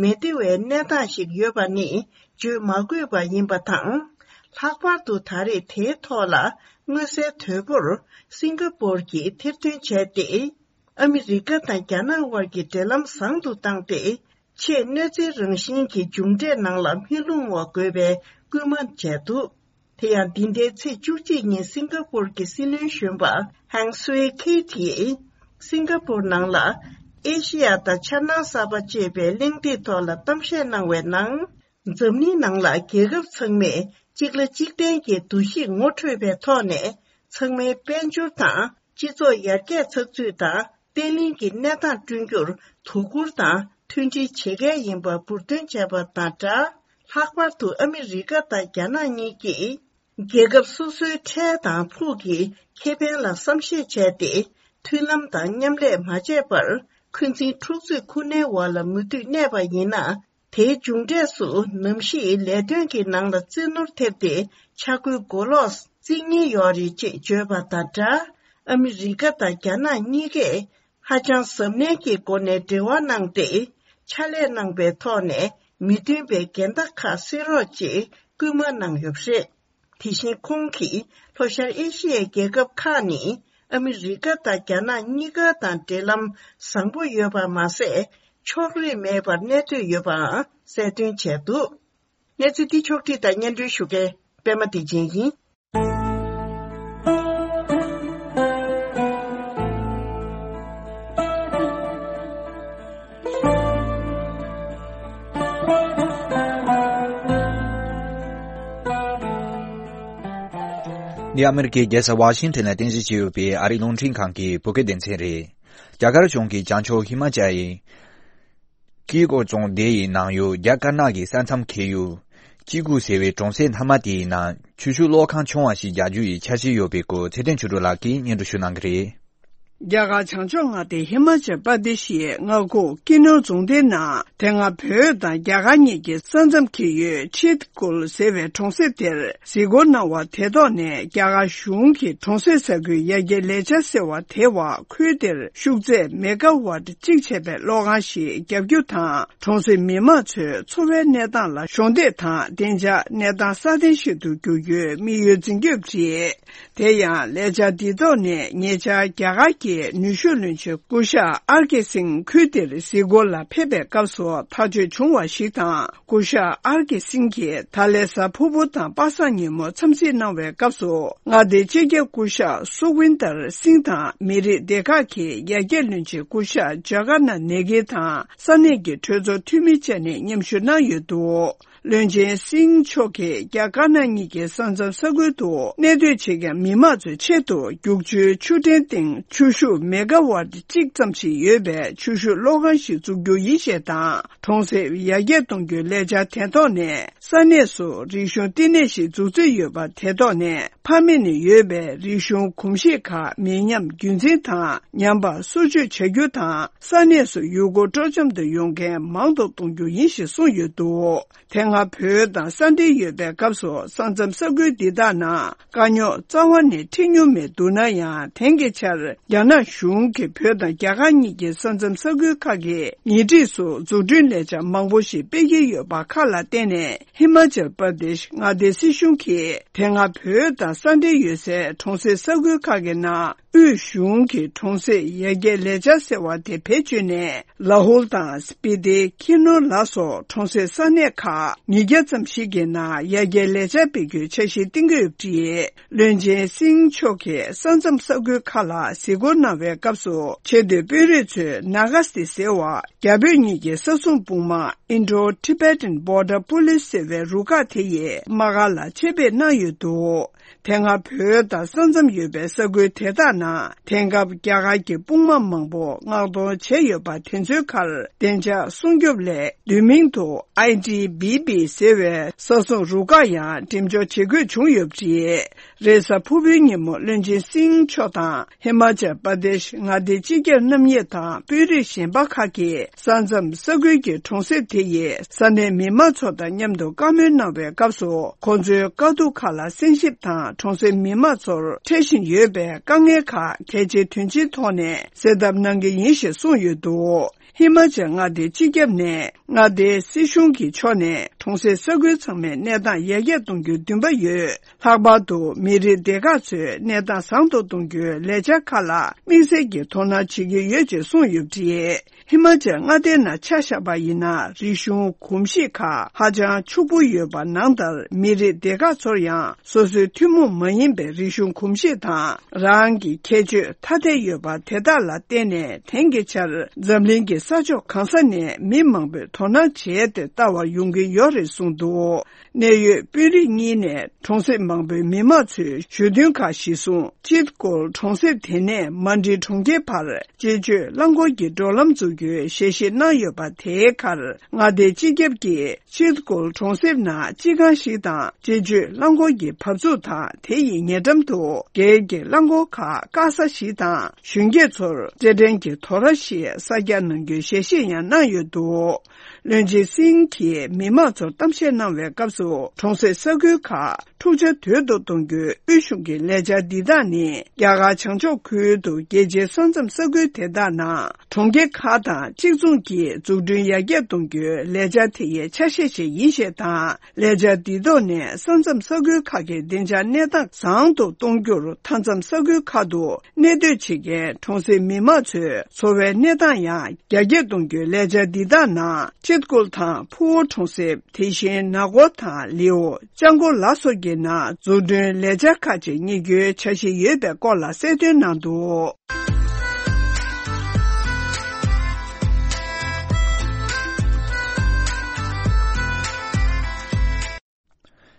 མི་བདེ་བའི་གནས་སྟངས་ཤིག་ཡོད་པ་ནི་བརྗོད་མ་དགོས་པ་ཡིན་པ་དང་། ལྷག་པར་དུ་ད་རེས་དེའི་ཐོག་ལ་མངོན་གསལ་དོད་པོར་སིང་ག་པོར་གྱིས་ཐེར་འདོན་བྱས་ཏེ། ཨ་མི་རི་ཀ་དང་རྒྱ་ནག་དབར་གྱི་འབྲེལ་ལམ་བཟང་དུ་བཏང་སྟེ། ཆེས་གནོད་འཚེའི་རང་བཞིན་གྱི་མཇུག་འབྲས་ནང་ལ་མི་ལྷུང་བ་དགོས་པའི་སྐུལ་མ་བྱས་འདུག་དེ་ཡང་འདི་ཟླའི་ཚེས་བཅུ་གཅིག་ཉིན་སིང་ག་པོར་གྱི་སྲིད་བློན་གཞོན་པ་ཧང་སུའེ་ཁེ་ཏིས། སིང་ག་པོར་ནང་ལ་ཨེ་ཤེ་ཡ་དང་ཕྱག་ནང་གསར་པ་ཅེས་པའི་གླེང་སྟེགས་ཐོག་ལ་གཏམ་བཤད་གནང་བའི་ནང་། འཛམ་གླིང་ནང་ལ་རྒྱལ་ཁབ་ཚང་མས་གཅིག་ལ་གཅིག་བརྟེན་གྱི་འདུ་ཤེས་ངོ་འཕྲོད་པའི་ཐོག་ནས། ཚང་མའི་དཔལ་འབྱོར་དང་སྤྱི་ཚོགས་ཡར་རྒྱས་ཚགས་ཚུད་དང་། བརྟན་ལྷིང་གི་གནས་སྟངས་བསྐྲུན་རྒྱུར་དོ་ཁུར་དང་མཐུན་སྒྲིལ་བྱེད་གལ་ཡིན་པ་འབུར་འདོན་བྱས་པ་དང་སྦྲགས། ལྷག་པར་དུ་ཨ་མི་རི་ཀ་དང་རྒྱ་ནག་གཉིས་ཀྱིས་རྒྱལ་ཁབ་སོ་སོའི་འཕྲལ་དང་ཕུགས་ཀྱི་ཁེ་ཕན་ལ་བསམ་ཤེས་བྱས་ཏེ། མཐུན་ལམ་དང་མཉམ་ལས་མ་བྱས་པར། འཁོན་འཛིན་འཁྲུག་རྩོད་ཁོ་ནའི་འོག་ལ་མུ་མཐུད་གནས་པ་ཡིན་ན། དེའི་མཇུག་འབྲས་སུ་ནམ་ཞིག་ལས་དོན་གྱི་ནང་ལ་རྩིས་ནོར་ཐེབས་ཏེ་ཆག་སྒོའི་མགོ་ལོག་བརྩིག་ཉེན་ཡོད་རེད་ཅེས་བརྗོད་པ་དང་སྦྲགས། ཨ་མི་རི་ཀ་དང་རྒྱ་ནག་གཉིས་ཀས་ཧ་ཅང་གཟབ་ནན་གྱི་སྒོ་ནས་འབྲེལ་བ་གནང་སྟེ། ཕྱག་ལས་གནང་པའི་ཐོག་ནས་མི་མཐུན་པའི་འགལ་ཟླ་ཁག་སེལ་རོགས་ཅེས་སྐུལ་མ་གནང་ཡོད་པ་རེད། དེ་བཞིན་ཁོང་གིས་ལྷོ་ཤར་ཨེ་ཤི་ཡའི་རྒྱལ་ཁབ་ཁག་ནི་ཨ་མི་རི་ཀ་དང་རྒྱ་ནག་གཉིས་ཀ་དང་འབྲེལ་ལམ་བཟང་པོ་ཡོད་པ་མ་ཟད། ཕྱོགས་རིས་མེད་པར་གནས་སྡོད་ཡོད་པའང་གསལ་སྟོན་བྱས་འདུག་གནས་ཚུལ་འདི་ཕྱོགས་བསྒྲིགས་དང་སྙན་སྒྲོན་ཞུ་མཁན་པད་མ་བདེ་ཆེན་ཡིན། འདི་ཨ་མི་རི་ཀའི་རྒྱལ་ས་ཝ་ཤིང་ཊོན་ལ་རྟེན་གཞི་བྱས་ཡོད་པའི་ཨ་རིའི་རླུང་འཕྲིན་ཁང་གི་བོད་སྐད་སྡེ་ཚན་རེད། རྒྱ་གར་གཞུང་གིས་བྱང་ཕྱོགས་ཧི་མ་ཅལ་གྱི་ཀི་ཀོ་རྫོང་སྡེ་ཡི་ནང་ཡོད་རྒྱ་དཀར་ནག་གི་ས་མཚམས་འཁེལ་ཡུལ་ཅི་གུ་ཟེར་བའི་གྲོང་གསེབ་མཐའ་མ་དེའི་ནང་ཆུ་ཤུགས་གློག་ཁང་ཆུང་བ་ཞིག་རྒྱག་རྒྱུ་ཡི་འཆར་གཞི་ཡོད་པའི་སྐོར་ཚེ་བརྟན་ཆོས་སྒྲོན་ལགས་ཀྱིས་སྙན་སྒྲོན་ཞུ་གནང་གི་རེད། རྒྱ་གར་བྱང་ཕྱོགས་མངའ་སྡེ་ཧི་མ་ཅལ་པར་དེ་ཤི་ཡའི་མངའ་ཁུལ་ཀི་ནོར་རྫོང་སྡེའི་ནང་དེ་སྔ་བོད་དང་རྒྱ་གར་གཉིས་ཀྱི་ས་མཚམས་འཁེལ་ཡུལ་ཆེད་ཁུལ་ཟེར་བའི་གྲོང་གསེབ་དེར་གཟིགས་སྐོར་གནང་བ་དེ་ཐོག་ནས། རྒྱ་གར་གཞུང་གིས་གྲོང་གསེབ་ས་ཁུལ་ཡར་རྒྱས་ལས་འཆར་ཟེར་བ་དེའི་འོག་ཁུལ་དེར་ཤུགས་ཚད་མེ་ག་ཝཊ་གཅིག་བྱས་པའི་གློག་ཁང་ཞིག་བརྒྱབ་རྒྱུ་དང་། གྲོང་གསེབ་མི་མང་ཚོའི་འཚོ་བའི་གནས་སྟངས་ལ་གཞོགས་འདེགས་དང་བདེ་འཇགས་གནས་སྟངས་སྲ་བརྟན་ཞིག་ཏུ་འགྱུར་རྒྱུའི་དམིགས་ཡུལ་འཛིན་གྱི་ཡོད་པ་རེད། དེ་ཡང་ལས་འཆར་འདིའི་ཐོག་ནས་ཉེ་ཆར་རྒྱ་གར་གྱི་ནུས་ཤུགས་བློན་ཆེན་སྐུ་ཞབས་ཨར་ཀེ་སིང་ཁུལ་དེར་གཟིགས་སྐོར་ལ་ཕེབས་པའི་སྐབས་སུ་ཐག་གཅོད་བྱུང་བ་ཞིག་དང་། སྐུ་ཞབས་ཨར་ཀེ་སིང་གིས་ད་ལན་གཟའ་ཕུར་བུ་དང་པ་སངས་ཉིན་མོ་འཚམས་གཟིགས་གནང་བའི་སྐབས་སུ། མངའ་སྡེའི་སྤྱི་ཁྱབ་སྐུ་ཞབས་སུ་ཝིན་དར་སིང་དང་མི་རིགས་སྡེ་ཁག་གི་ཡར་རྒྱས་བློན་ཆེན་སྐུ་ཞབས་ཇ་ག་ན་ནེ་གི་དང་ས་གནས་ཀྱི་གྲོས་ཚོགས་འཐུས་མི་བཅས་ནས་མཉམ་ཞུགས་གནང་ཡོད་འདུག་བློན་ཆེན་སིང་མཆོག་གིས་རྒྱ་དཀར་ནག་གཉིས་ཀྱི་ས་མཚམས་ས་ཁུལ་དུ་གནས་སྡོད་བྱེད་མཁན་མི་མང་ཚོའི་ཆེད་དུ་རྒྱུག་ཆུའི་ཆུ་ཕྲན་སྟེང་ཆུ་ཤུགས་མེ་ག་ཝཊ་གཅིག་ཙམ་ཞིག་ཡོད་པའི་ཆུ་ཤུགས་གློག་ཁང་ཞིག་འཛུགས་རྒྱུ་ཡིན་ཞེས་དང་། གྲོང་གསེབ་ཡར་རྒྱས་གཏོང་རྒྱུའི་ལས་འཆར་དེ་ཐོག་ནས་ས་གནས་སུ་རིག་གཞུང་བསྟི་གནས་ཤིག་འཛུགས་རྩིས་ཡོད་པ་དེ་ཐོག་ནས། ཕ་མེས་ནས་ཡོད་པའི་རིག་གཞུང་གོམས་གཤིས་ཁག་མི་ཉམས་རྒྱུན་འཛིན་དང་ཉམས་པ་སོར་ཆུད་བྱ་རྒྱུ་དང་། ས་གནས་སུ་ཡུལ་སྐོར་སྤྲོ་འཆམ་དུ་ཡོང་མཁན་མང་དུ་གཏོང་རྒྱུ་ཡིན་ཞེས་གསུངས་ཡོད་འདུག་དེ་སྔ་བོད་དང་ས་འབྲེལ་ཡོད་པའི་སྐབས་སུ་ས་མཚམས་ས་ཁུལ་འདི་དག་ནང་དཀའ་རྙོག་རྩ་བ་ནས་འཕྲད་མྱོང་མེད་འདུག་ན་ཡང་། དེང་གི་ཆར་རྒྱ་ནག་གཞུང་གིས་བོད་དང་རྒྱ་གར་གཉིས་ཀྱི་ས་མཚམས་ས་ཁུལ་ཁག་གི་ཉེ་འཁྲིས་སུ་འཛུགས་སྐྲུན་ལས་འཆར་མང་པོ་ཞིག་སྤེལ་གྱི་ཡོད་པ་ཁག་ལ་བརྟེན་ནས། ཧི་མ་ཅལ་པར་དེཤ་མངའ་སྡེའི་སྲིད་གཞུང་གིས་དེ་སྔ་བོད་དང་ས་འབྲེལ་ཡོད་སའི་གྲོང་གསེབ་ས་ཁུལ་ཁག་གི་ནང་ དབུས་གཞུང་གི་གྲོང་གསེབ་ཡར་རྒྱས་ལས་འཆར་ཟེར་བ་དེ་བེད་སྤྱོད་ནས། ལ་ཧུལ་དང་སྤི་ཏི། ཁྱི་ནུར་ལ་སོགས་གྲོང་གསེབ་ས་གནས་ཁག་ཉིས་བརྒྱ་ཙམ་ཞིག་གི་ནང་ཡར་རྒྱས་ལས་འཆར་སྤེལ་རྒྱུའི་འཆར་གཞི་བཏིང་གི་ཡོད་པ་རེད། བློན་ཆེན་སིང་མཆོག་གིས་ས་མཚམས་ས་ཁུལ་ཁག་ལ་གཟིགས་སྐོར་གནང་བའི་སྐབས་སུ། ཆེས་མཐོའི་དཔོན་རིགས་ཚོས་ནཱ་ག་སི་ཏི་ཟེར་བ། རྒྱ་བོད་གཉིས་ཀྱི་ས་སྲུང་དཔུང་དམག Indo-Tibetan Border Police ཟེར་བའི་རུ་ཁག་དེ་ཡི་དམག་སྒར་ལ་ཆེད་ཕེབས་གནང་ཡོད་འདུག་དེ་སྔ་བོད་དང་ས་མཚམས་ཡོད་པའི་ས་ཁུལ་དེ་དག་ནང་དེང་སྐབས་རྒྱ་གར་གྱི་དཔུང་དམག་མང་པོ་མངགས་གཏོང་བྱས་ཡོད་པ་དེ་ཚོའི་ཁར་བདེ་འཇགས་སྲུང་སྐྱོབ་སླད། བསྡུས་མིང་དུ་ཨའི་ཊི་བི་བི་ཟེར་བའི་ས་སྲུང་རུ་ཁག་ཡང་འགྲེམས་འཇོག་བྱེད་དགོས་བྱུང་ཡོད་པ་རེད། རེས་གཟའ་ཕུར་བུའི་ཉིན་མོ་བློན་ཆེན་སིང་མཆོག་དང་། ཧི་མ་ཅལ་པར་དེཤ་མངའ་སྡེའི་སྤྱི་ཁྱབ་རྣམ་གཉིས་དང་དཔོན་རིགས་གཞན་པ་ཁག་གིས་ས་མཚམས་ས་ཁུལ་གྱི་གྲོང་གསེབ་དེ་ཡི་ས་གནས་མི་མང་ཚོ་དང་མཉམ་དུ་བཀའ་མོལ་གནང་བའི་སྐབས་སུ། ཁོང་ཚོའི་དཀའ་སྡུག་ཁག་ལ་གསན་ཞིབ་དང་། གྲོང་གསེབ་མི་མང་ཚོར་འཕྲད་བཞིན་ཡོད་པའི་དཀའ་ངལ་ཁག་གལ་ཆེ་དོན་ཆེའི་ཐོག་ནས་སེལ་ཐབས་གནང་གི་ཡིན་ཞེས་གསུངས་ཡོད་འདུག་ཧི་མ་ཅལ་མངའ་སྡེའི་སྤྱི་ཁྱབ་ནས། མངའ་སྡེའི་སྲིད་གཞུང་གི་ཕྱོགས་ནས་གྲོང་གསེབ་ས་ཁུལ་ཚང་མའི་གནས་སྟངས་ཡར་རྒྱས་གཏོང་རྒྱུའི་འདུན་པ་ཡོད། ལྷག་པར་དུ་མི་རིགས་སྡེ་ཁག་ཚོའི་གནས་སྟངས་བཟང་དུ་གཏོང་རྒྱུའི་ལས་འཆར་ཁག་ལ་དམིགས་བསལ་གྱི་དོ་སྣང་བྱེད་ཀྱི་ཡོད་ཅེས་གསུངས་ཡོད་པ་རེད། ཧི་མ་ཅལ་མངའ་སྡེའི་ནང་ཆ་བཞག་པ་ཡིན་ན། རིག་གཞུང་གོམས་གཤིས་ཁག་ཧ་ཅང་ཕྱུག་པོ་ཡོད་པ་ནང་ལྟར། མི་རིགས་སྡེ་ཁག་ཚོར་ཡང་སོ་སོའི་ཐུན་མོང་མ་ཡིན་པའི་རིག་གཞུང་གོམས་གཤིས་དང་། རང་གི་ཁྱད་ཆོས་ཐ་དད་ཡོད་པ་དེ་དག་ལ་བརྟེན་ནས། དེང་གི་ཆར་འཛམ་གླིང་གི་ས་ཕྱོགས་གང་ས་ནས་མི་མང་པོས་དོ་སྣང་བྱས་ཏེ་ལྟ་བར་ཡོང་གི་ཡོད་རེད་གསུངས་འདུག་གནད་ཡོད་དཔོན་རིགས་གཉིས་ནས་གྲོང་གསེབ་མང་པོའི་མི་མང་ཚོའི་ཞུ་འདུན་ཁག་གཞིར་བཟུང་། ཅིད་ཀོལ་གྲོང་གསེབ་དེ་ནས་མན་ཌི་གྲོང་ཁྱེར་བར་སྤྱི་སྤྱོད་རླངས་འཁོར་གྱི་འགྲོ་ལམ་འཛུགས་རྒྱུའི་ཞལ་བཞེས་གནང་ཡོད་པ་དེའི་ཁར། མངའ་སྡེའི་སྤྱི་ཁྱབ་ཀྱིས་ཅིད་ཀོལ་གྲོང་གསེབ་ནང་སྤྱི་ཁང་ཞིག་དང་། སྤྱི་སྤྱོད་རླངས་འཁོར་གྱི་བབས་ཚུགས་དང་། དེ་ཡི་ཉེ་འགྲམ་དུ་སྒེར་གྱི་རླངས་འཁོར་ཁག་བཀག་ས་ཞིག་དང་། གཞོན་སྐྱེས་ཚོར་རྩེད་འགྲན་གྱི་དོ་ར་ཞིག་གསར་རྒྱག་གནང་རྒྱུའི་ཞལ་བཞེས་ཡང་གནང་ཡོད་འདུག་བློན་ཆེན་སིང་གིས་མི་མང་ཚོར་གཏམ་བཤད་གནང་བའི་སྐབས་སུ། གྲོང་གསེབ་ས་ཁུལ་ཁག་འཁྲུག་ཆ་དོད་དུ་གཏོང་རྒྱུའི་དབུས་གཞུང་གི་ལས་འཆར་འདི་དག་ནི། རྒྱ་གར་བྱང་ཕྱོགས་ཁུལ་དུ་རྒྱལ་སྤྱིའི་ས་མཚམས་ས་ཁུལ་དེ་དག་ནང་གྲོང་ཁྱེར་ཁག་དང་གཅིག་མཚུངས་ཀྱིས་འཛུགས་སྐྲུན་ཡར་རྒྱས་གཏོང་རྒྱུའི་ལས་འཆར་དེ་ཡི་ཆ་ཤས་ཤིག་ཡིན་ཞེས་དང་། ལས་འཆར་འདི་ཐོག་ནས་ས་མཚམས་ས་ཁུལ་ཁག་གི་བདེ་འཇགས་གནས་སྟངས་བཟང་དུ་གཏོང་རྒྱུར། མཐའ་མཚམས་ས་ཁུལ་ཁག་ཏུ་གནས་སྡོད་བྱེད་མཁན་གྲོང་གསེབ་མི་མང་ཚོའི་འཚོ་བའི་གནས་སྟངས་ཡང་རྒྱ་སྐྱེད་གཏོང་རྒྱུའི་ལས་འཆར་འདི་དག་ནང་ཅིད་ཀོལ་དང་ཕུ་བོ་གྲོང་གསེབ། དེ་བཞིན་ན་གོར་དང་ལིའོ། ལྕང་སྒོ་ལ་སོགས་ཀྱི་ནང་འཛུགས་སྐྲུན་ལས་འཆར་ཁག་ཅིག་གཉེར་རྒྱུའི་འཆར་གཞི་ཡོད་པའི་སྐོར་ལ་གསལ་སྟོན་གནང་འདུག་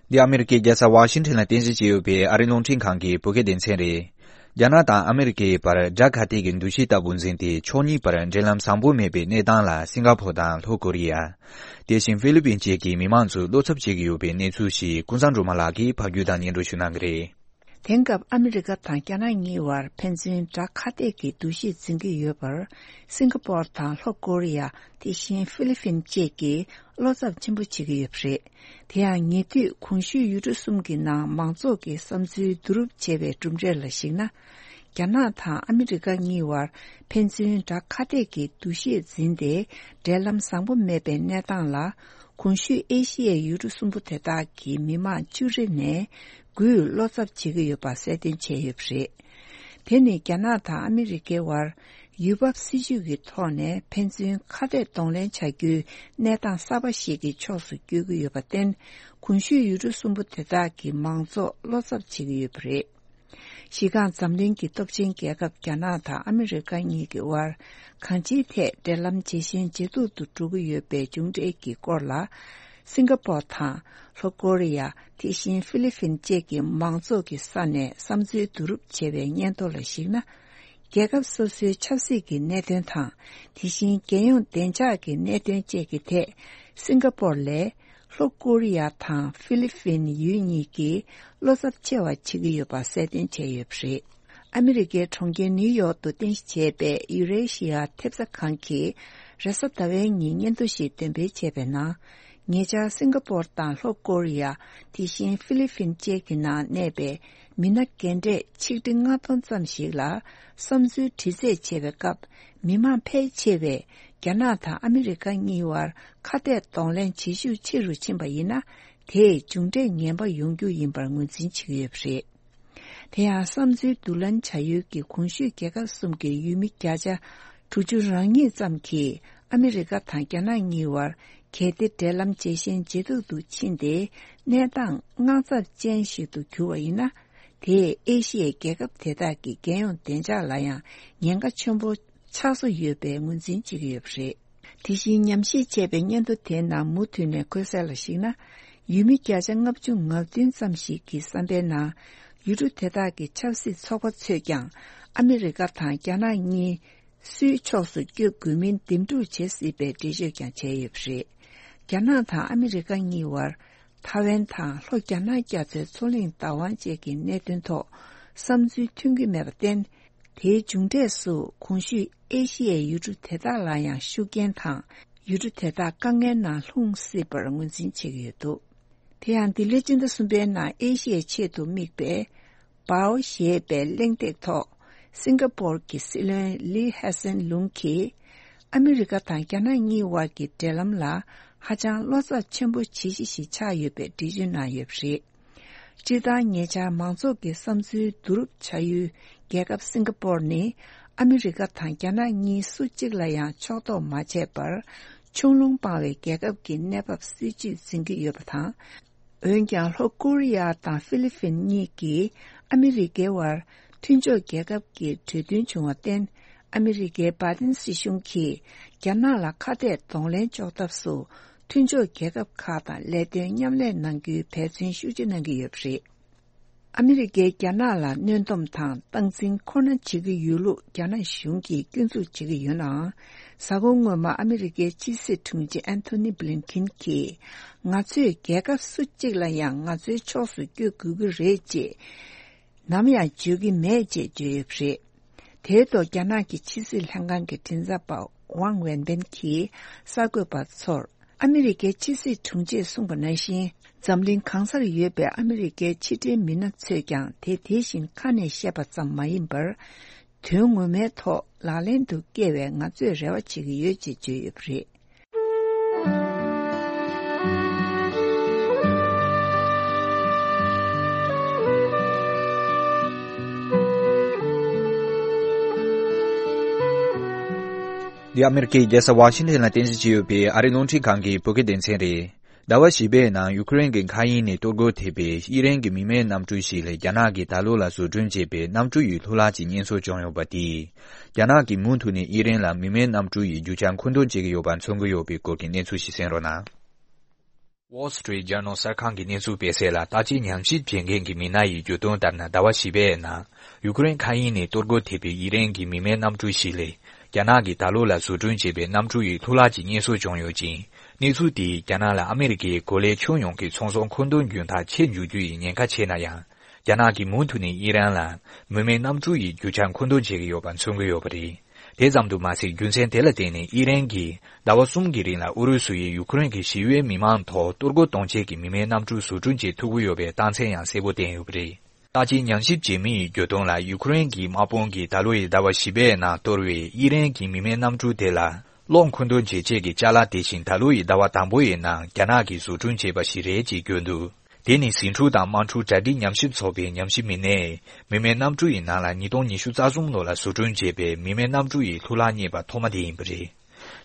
འདི་ཨ་མི་རི་ཀའི་རྒྱལ་ས་ཝ་ཤིང་ཊོན་ལ་རྟེན་གཞི་བྱས་ཡོད་པའི་ཨ་རིའི་རླུང་འཕྲིན་ཁང་གི་བོད་སྐད་སྡེ་ཚན་རེད། རྒྱ་ནག་དང་ཨ་མི་རི་ཀའི་བར་དགྲ་ཁ་གཏད་ཀྱི་འདུ་ཤེས་ལྟ་བུ་འཛིན་ཏེ། ཕྱོགས་གཉིས་བར་འབྲེལ་ལམ་བཟང་པོ་མེད་པའི་གནས་སྟངས་ལ། སིང་ག་ཕོར་དང་ལྷོ་ཀོ་རི་ཡ། དེ་བཞིན་ཧྥི་ལི་པིན་བཅས་ཀྱི་མི་མང་ཚོས་བློ་འཚབ་བྱེད་ཀྱི་ཡོད་པའི་གནས་ཚུལ་ཞིག་ཀུན་བཟང་སྒྲོལ་མ་ལགས་ཀྱིས་ཕབ་སྒྱུར་དང་སྙན་སྒྲོན་ཞུ་གནང་གི་རེད། དེང་སྐབས་ཨ་མི་རི་ཀ་དང་རྒྱ་ནག་གཉིས་བར་ཕན་ཚུན་དགྲ་ཁ་གཏད་ཀྱི་འདུ་ཤེས་འཛིན་གྱི་ཡོད་པར། སིང་ག་པོར་དང་ལྷོ་ཀོ་རི་ཡ། དེ་བཞིན་ཧྥི་ལི་ཕིན་བཅས་ཀྱིས་བློ་འཚབ་ཆེན་པོ་བྱེད་ཀྱི་ཡོད་པ་རེད། དེ་ཡང་ཉེ་དུས་གོང་ཞུས་ཡུལ་གྲུ་གསུམ་གྱི་ནང་མང་ཚོགས་ཀྱི་བསམ་ཚུལ་བསྡུ་རུབ་བྱས་པའི་གྲུབ་འབྲས་ལ་གཞིགས་ན། རྒྱ་ནག་དང་ཨ་མི་རི་ཀ་གཉིས་བར་ཕན་ཚུན་དགྲ་ཁ་གཏད་ཀྱི་འདུ་ཤེས་འཛིན་ཏེ། འབྲེལ་ལམ་བཟང་པོ་མེད་པའི་གནས་སྟངས་ལ། གོང་ཞུས་ཨེ་ཤི་ཡའི་ཡུལ་གྲུ་གསུམ་པོ་དེ་དག་གི་མི་མང་བཅུ་རེ་ནས་དགུས་བློ་འཚབ་བྱེད་ཀྱི་ཡོད་པ་གསལ་སྟོན་བྱས་ཡོད་པ་རེད། དེ་ནི་རྒྱ་ནག་དང་ཨ་མི་རི་ཀའི་བར་ཡུལ་བབ་སྲིད་ཇུས་ཀྱི་ཐོག་ནས་ཕན་ཚུན་ཁ་གཏད་གདོང་ལེན་བྱ་རྒྱུའི་གནས་སྟངས་གསར་པ་ཞིག་གི་ཕྱོགས་སུ་བསྐྱོད་ཀྱི་ཡོད་པར་བརྟེན། གོང་ཞུས་ཡུལ་གྲུ་གསུམ་པོ་དེ་དག་གི་མང་ཚོགས་བློ་འཚབ་བྱེད་ཀྱི་ཡོད་པ་རེད། གཞི་རྐང་འཛམ་གླིང་གི་སྟོབས་ཆེན་རྒྱལ་ཁབ་རྒྱ་ནག་དང་ཨ་མི་རི་ཀ་གཉིས་ཀྱི་དབར་གང་ཅིའི་ཐད་འབྲེལ་ལམ་ཇེ་ཞན་ཇེ་སྡུག་ཏུ་འགྲོ་གི་ཡོད་པའི་མཇུག་འབྲས་ཀྱི་སྐོར་ལ། སིང་ག་པོར་དང་ལྷོ་ཀོ་རི་ཡ། དེ་བཞིན་ཧྥི་ལི་ཕིན་བཅས་ཀྱི་མང་ཚོགས་ཀྱི་ས་ནས་བསམ་ཚུལ་བསྡུ་རུབ་བྱས་པའི་སྙན་ཐོ་ལ་གཞིགས་ན། རྒྱལ་ཁབ་སོ་སོའི་ཆབ་སྲིད་ཀྱི་གནད་དོན་དང་། དེ་བཞིན་རྒྱལ་ཡོངས་བདེ་འཇགས་ཀྱི་གནད་དོན་བཅས་ཀྱི་ཐད། སིང་ག་པོར་ལས་ལྷོ་ཀོ་རི་ཡ་དང་ཧྥི་ལི་ཕིན་ཡུལ་གཉིས་ཀྱིས་བློ་འཚབ་ཆེ་བ་བྱེད་ཀྱི་ཡོད་པ་གསལ་སྟོན་བྱས་ཡོད་པ་རེད། ཨ་མི་རི་ཀའི་གྲོང་ཁྱེར་ནིའུ་ཡོག་ཏུ་རྟེན་གཞི་བྱས་པའི་ཡུ་རེ་ཤི་ཡ་ཐེབས་རྩ་ཁང་གིས་རེས་གཟའ་ཟླ་བའི་ཉིན་སྙན་ཐོ་ཞིག་འདོན་སྤེལ་བྱས་པའི་ནང་། ཉེ་ཆར་སིང་ག་པོར་དང་ལྷོ་ཀོ་རི་ཡ། དེ་བཞིན་ཧྥི་ལི་ཕིན་བཅས་ཀྱི་ནང་གནས་པའི་མི་སྣ་རྒན་གྲས་ཆིག་ཁྲི་ལྔ་སྟོང་ཙམ་ཞིག་ལ་བསམ་ཚུལ་དྲི་རྩད་བྱས་པའི་སྐབས། མི་མང་ཕལ་ཆེ་བས་རྒྱ་ནག་དང་ཨ་མི་རི་ཀ་གཉིས་བར་ཁ་གཏད་གདོང་ལེན་བྱེད་ཤུགས་ཆེ་རུ་ཕྱིན་པ་ཡིན་ན། དེས་མཇུག་འབྲས་ངན་པ་ཡོང་རྒྱུ་ཡིན་པར་ངོས་འཛིན་བྱེད་ཀྱི་ཡོད་པ་རེད། དེ་ཡང་བསམ་ཚུལ་བསྡུ་ལེན་བྱ་ཡུལ་གྱི་གོང་ཞུས་རྒྱལ་ཁབ་གསུམ་གྱི་ཡུལ་མི་བརྒྱ་ཆ་དྲུག་ཅུ་རང་ཉིད་ཙམ་གྱིས་ཨ་མི་རི་ཀ་དང་རྒྱ་ནག་གཉིས་བར་གལ་ཏེ་འབྲེལ་ལམ་ཇེ་ཞན་ཇེ་སྡུག་ཏུ་ཕྱིན་ཏེ་གནས་སྟངས་དངངས་འཚབ་ཅན་ཞིག་ཏུ་གྱུར་བ་ཡིན་ན། དེས་ཨེ་ཤི་ཡའི་རྒྱལ་ཁབ་དེ་དག་གི་རྒྱལ་ཡོངས་བདེ་འཇགས་ལ་ཡང་ཉེན་ཁ་ཆེན་པོ་ཆགས་བཟོ་ཡོད་པའི་ངོས་འཛིན་བྱེད་ཀྱི་ཡོད་པ་རེད། དེ་བཞིན་ཉམས་ཞིབ་བྱས་པའི་སྙན་ཐོ་དེའི་ནང་མུ་མཐུད་ནས་འཁོད་གསལ་ལ་གཞིགས་ན། ཡུལ་མི་བརྒྱ་ཆ་ལྔ་བཅུ་ང་བདུན་ཙམ་ཞིག་གི་བསམ་པའི་ནང་། ཡུལ་གྲུ་དེ་དག་གི་ཆབ་སྲིད་ཚོགས་པ་ཚོས་ཀྱང་ཨ་མི་རི་ཀ་དང་རྒྱ་ནག་གཉིས་སུའི་ཕྱོགས་སུ་བསྐྱོད་དགོས་མིན་འདེམས་སྒྲུག་བྱེད་སྲིད་པའི་འགྲེལ་བརྗོད་ཀྱང་བྱས་ཡོད་པ་རེད། རྒྱ་ནག་དང་ཨ་མི་རི་ཀ་གཉིས་བར་ཐའེ་ཝན་དང་ལྷོ་རྒྱ་ནག་རྒྱ་མཚོའི་མཚོ་གླིང་བདག་དབང་བཅས་ཀྱི་གནད་དོན་ཐོག་བསམ་ཚུལ་མཐུན་གྱི་མེད་པར་བརྟེན། དེའི་མཇུག་འབྲས་སུ་གོང་ཞུས་ཨེ་ཤི་ཡའི་ཡུལ་གྲུ་དེ་དག་ལ་ཡང་ཤུགས་རྐྱེན་དང་། ཡུལ་གྲུ་དེ་དག་དཀའ་ངལ་ནང་ལྷུང་སྲིད་པར་ངོས་འཛིན་བྱེད་ཀྱི་ཡོད་འདུག་དེ་ཡང་འདི་ལོའི་སྤྱི་ཟླ་གསུམ་པའི་ནང་ཨེ་ཤི་ཡའི་ཆེད་དུ་དམིགས་པའི་པའོ་ཞེས་པའི་གླེང་སྟེགས་ཐོག་སིང་ག་པོར་གྱི་སྲིད་བློན་ལི་ཧེ་སན་ལུང་གིས། ཨ་མི་རི་ཀ་དང་རྒྱ་ནག་གཉིས་བར་གྱི་འབྲེལ་ལམ་ལ་ཧ་ཅང་བློ་འཚབ་ཆེན་པོ་བྱེད་གཞི་ཞིག་ཆགས་ཡོད་པའི་འགྲེལ་བརྗོད་གནང་ཡོད་པ་རེད། སྤྱིར་བཏང་ཉེ་ཆར་མང་ཚོགས་ཀྱི་བསམ་ཚུལ་བསྡུ་རུབ་བྱ་ཡུལ་རྒྱལ་ཁབ་སིང་ག་པོར་ནི་ཨ་མི་རི་ཀ་དང་རྒྱ་ནག་གཉིས་སུ་གཅིག་ལ་ཡང་ཕྱོགས་གཏོགས་མ་བྱས་པར་ཆུང་ལུང་སྤངས་པའི་རྒྱལ་ཁབ་ཀྱི་གནས་བབ་སྲིད་ཇུས་འཛིན་གྱི་ཡོད་པ་དང་། འོན་ཀྱང་ལྷོ་ཀོ་རི་ཡ་དང་ཧྥི་ལི་ཕིན་གཉིས་ཀྱིས་ཨ་མི་རི་ཀའི་བར་མཐུན་ཕྱོགས་རྒྱལ་ཁབ་ཀྱི་གྲོས་མཐུན་བྱུང་བར་བརྟེན། ཨ་མི་རི་ཀའི་བྷའི་ཏིན་སྲིད་གཞུང་གིས་རྒྱ་ནག་ལ་ཁ་གཏད་གདོང་ལེན་གཅོག་ཐབས་སུ་མཐུན་ཕྱོགས་རྒྱལ་ཁབ་ཁག་དང་ལས་དོན་མཉམ་ལས་གནང་རྒྱུའི་འབད་བརྩོན་ཤུགས་ཆེ་གནང་གི་ཡོད་པ་རེད། ཨ་མི་རི་ཀས་རྒྱ་ནག་ལ་གནོན་སྡོམ་དང་སྟངས་འཛིན་ཁོ་ན་བྱེད་ཀྱི་ཡོད་ལུགས་རྒྱ་ནག་གཞུང་གིས་སྐྱོན་འཛུགས་བྱེད་ཀྱི་ཡོད་ནའང་། གཟའ་འཁོར་སྔོན་མ་ཨ་མི་རི་ཀའི་ཕྱི་སྲིད་དྲུང་ཆེ་ཨན་ཐོ་ནི་བྷི་ལིན་ཁིན་གྱིས། ང་ཚོས་རྒྱལ་ཁབ་སུ་གཅིག་ལ་ཡང་ང་ཚོའི་ཕྱོགས་སུ་བསྐྱོད་དགོས་ཀྱི་རེད་ཅེས་ནམ་ཡང་བརྗོད་ཀྱི་མེད་ཅེས་བརྗོད་ཡོད་པ་རེད། དེའི་ཐོག་རྒྱ་ནག་གི་ཕྱི་སྲིད་ལྷན་ཁང་གི་མགྲིན་ཚབ་པ་ཝང་ཝེན་པེན་གྱིས་གསར་འགོད་པ་ཚོར། ཨ་མི་རི་ཀའི་ཕྱི་སྲིད་དྲུང་ཆེས་གསུངས་པ་ནང་བཞིན། འཛམ་གླིང་གང་སར་ཡོད་པའི་ཨ་མི་རི་ཀའི་ཕྱི་འབྲེལ་མི་སྣ་ཚོས་ཀྱང་དེ་དེ་བཞིན་ཁ་ནས་བཤད་པ་ཙམ་མ་ཡིན་པར། དོན་ངོ་མའི་ཐོག་ལག་ལེན་དུ་བསྐྱལ་བའི་ང་ཚོས་རེ་བ་བྱེད་ཀྱི་ཡོད་ཅེས་བརྗོད་ཡོད་པ་རེད། འདི་ཨ་མེ་རི་ཁའི་རྒྱལ་ས་ཝ་ཤིང་ཊོན་ལ་རྟེན་གཞི་བྱས་ཡོད་པའི་ཨ་རིའི་རླུང་འཕྲིན་ཁང་གི་བོད་སྐད་སྡེ་ཚན་རེད། ཟླ་བ་བཞི་པའི་ནང་ཡུ་ཀེ་རེན་གྱི་མཁའ་དབྱིངས་ནས་གཏོར་རྒོལ་ཐེབས་པའི་དབྱི་རན་གྱི་མི་མེད་གནམ་གྲུ་ཞིག་ལ་རྒྱ་ནག་གིས་ད་ལོ་ལ་བཟོ་སྐྲུན་བྱས་པའི་གནམ་གྲུ་ཡི་ལྷུ་ལག་ཅིག་རྙེད་སོར་བྱུང་ཡོད་པ་དེས། རྒྱ་ནག་གིས་མུ་མཐུད་ནས་དབྱི་རན་ལ་མི་མེད་གནམ་གྲུ་ཡི་རྒྱུ་ཆ་མཁོ་འདོན་བྱེད་ཀྱི་ཡོད་པ་མཚོན་གྱི་ཡོད་པའི་སྐོར་གྱི་གནས་ཚུལ་ཞིག་གསན་རོགས་གནང་། Wall Street Journal གསར་ཁང་གི་གནས་ཚུལ་སྤེལ་གསལ་ལ། བརྟག་དཔྱད་ཉམས་ཞིབ་བྱེད་མཁན་གྱི་མི་སྣ་ཡི་བརྗོད་དོན་ལྟར་ན། ཟླ་བ་བཞི་པའི་ནང་ཡུ་ཀེ་རེན་མཁའ་དབྱིངས་ནས་གཏོར་རྒོལ་ཐེབས་པའི་དབྱི་རན་གྱི་མི་མེད་གནམ་གྲུ་ཞིག་ལས། རྒྱ་ནག་གིས་ད་ལོ་ལ་བཟོ་སྐྲུན་བྱས་པའི་གནམ་གྲུ་ཡི་ལྷུ་ལག་ཅིག་རྙེད་སོར་བྱུང་ཡོད་ཅིང་། གནས་ཚུལ་དེས་རྒྱ་ནག་ལ་ཨ་མེ་རི་ཀའི་གོ་ལའི་ཁྱོན་ཡོངས་ཀྱི་ཚོང་ཟོག་མཁོ་འདོན་རྒྱུན་ཐག་ཆད་འཇུག་རྒྱུ་ཡི་ཉེན་ཁ་ཆེ་ན་ཡང་། རྒྱ་ནག་གིས་མུ་མཐུད་ནས་དབྱི་རན་ལ་མི་མེད་གནམ་གྲུ་ཡི་རྒྱུ་ཆ་མཁོ་འདོན་བྱེད་ཀྱི་ཡོད་པ་མཚོན་གྱི་ཡོད་པ་རེད། དེ་ཙམ་དུ་མ་ཟད། རྒྱུ་མཚན་དེ་ལ་བརྟེན་ནས་དབྱི་རན་གྱིས་ཟླ་བ་གསུམ་གྱི་རིང་ལ་ཨུ་རུ་སུ་ཡིས་ཡུ་ཀེ་རེན་གྱི་ཞི་གཡོག་མི་མང་ཐོག་གཏོར་རྒོལ་གཏོང་ཆེད་ཀྱི་མི་མེད་གནམ་གྲུ་བཟོ་སྐྲུན་བྱེད་ཐུབ་ཀྱི་ཡོད་པའི་རྟགས་མཚན་ཡང་གསལ་པོ་བསྟན་ཡོད་པ་རེད། བརྟག་དཔྱད་ཉམས་ཞིབ་བྱེད་མི་ཡི་བརྗོད་དོན་ལ། ཡུ་ཀེ་རེན་གྱི་དམག་དཔུང་གིས་ད་ལོ་ཡི་ཟླ་བ་བཞི་པའི་ནང་གཏོར་བའི་དབྱི་རན་གྱི་མི་མེད་གནམ་གྲུ་དེ་ལ་གློག་མཁོ་འདོན་བྱེད་ཆེད་ཀྱི་ཅ་ལག་དེ་བཞིན་ད་ལོ་ཡི་ཟླ་བ་དང་པོ་ཡི་ནང་རྒྱ་ནག་གིས་བཟོ་སྐྲུན་བྱས་པ་ཞིག་རེད་ཅེས་བརྗོད་འདུག་དེ་ནི་ཟིང་འཁྲུག་དང་དམག་འཁྲུག་གྲ་སྒྲིག་ཉམས་ཞིབ་ཚོགས་པའི་ཉམས་ཞིབ་མི་སྣས། མི་མེད་གནམ་གྲུ་ཡི་ནང་ལ་ཉིས་སྟོང་ཉི་ཤུ་རྩ་གསུམ་ལོ་ལ་བཟོ་སྐྲུན་བྱས་པའི་མི་མེད་གནམ་གྲུ་ཡི་ལྷུ་ལག་རྙེད་པ་ཐོག་མ་དེ་ཡིན་པ་རེད།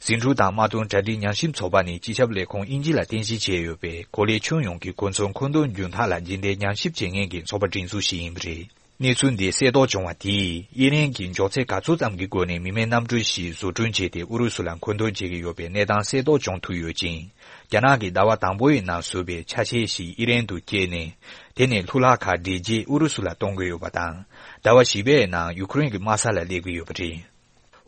ཟིང་འཁྲུག་དང་དམག་དོན་གྲ་སྒྲིག་ཉམས་ཞིབ་ཚོགས་པ་ནི་སྤྱི་ཁྱབ་ལས་ཁུངས་དབྱིན་ཇི་ལ་རྟེན་གཞི་བྱས་ཡོད་པའི་གོ་ལའི་ཁྱོན་ཡོངས་ཀྱི་གོ་མཚོན་མཁོ་འདོན་རྒྱུན་ཐག་ལ་རྗེས་འདེད་ཉམས་ཞིབ་བྱེད་མཁན་གྱི་ཚོགས་པ་སྒྲིག་འཛུགས་ཤིག་ཡིན་པ་རེད། གནས་ཚུལ་འདི་གསལ་རྟོགས་བྱུང་བ་དེས། དབྱི་རན་གྱིས་མགྱོགས་ཚད་ག་ཚོད་ཙམ་གྱི་སྒོ་ནས་མི་མེད་གནམ་གྲུ་ཞིག་བཟོ་སྐྲུན་བྱས་ཏེ་ཨུ་རུ་སུ་ལ་མཁོ་འདོན་བྱེད་ཀྱི་ཡོད་པའི་གནས་སྟངས་གསལ་རྟོགས་བྱུང་ཐུབ་ཡོད་ཅིང་། རྒྱ་ནག་གིས་ཟླ་བ་དང་པོའི་ནང་བཟོས་པའི་ཆ་ཤས་ཤིག་དབྱི་རན་དུ་བསྐྱལ་ནས། དེ་ནས་ལྷུ་ལག་ཁག་སྒྲིལ་རྗེས་ཨུ་རུ་སུ་ལ་གཏོང་གི་ཡོད་པ་དང་། ཟླ་བ་བཞི་པའི་ནང་ཡུ་ཀེ་རེན་གྱི་དམག་ས་ལ་སླེབས་ཀྱི་ཡོད་པ་རེད།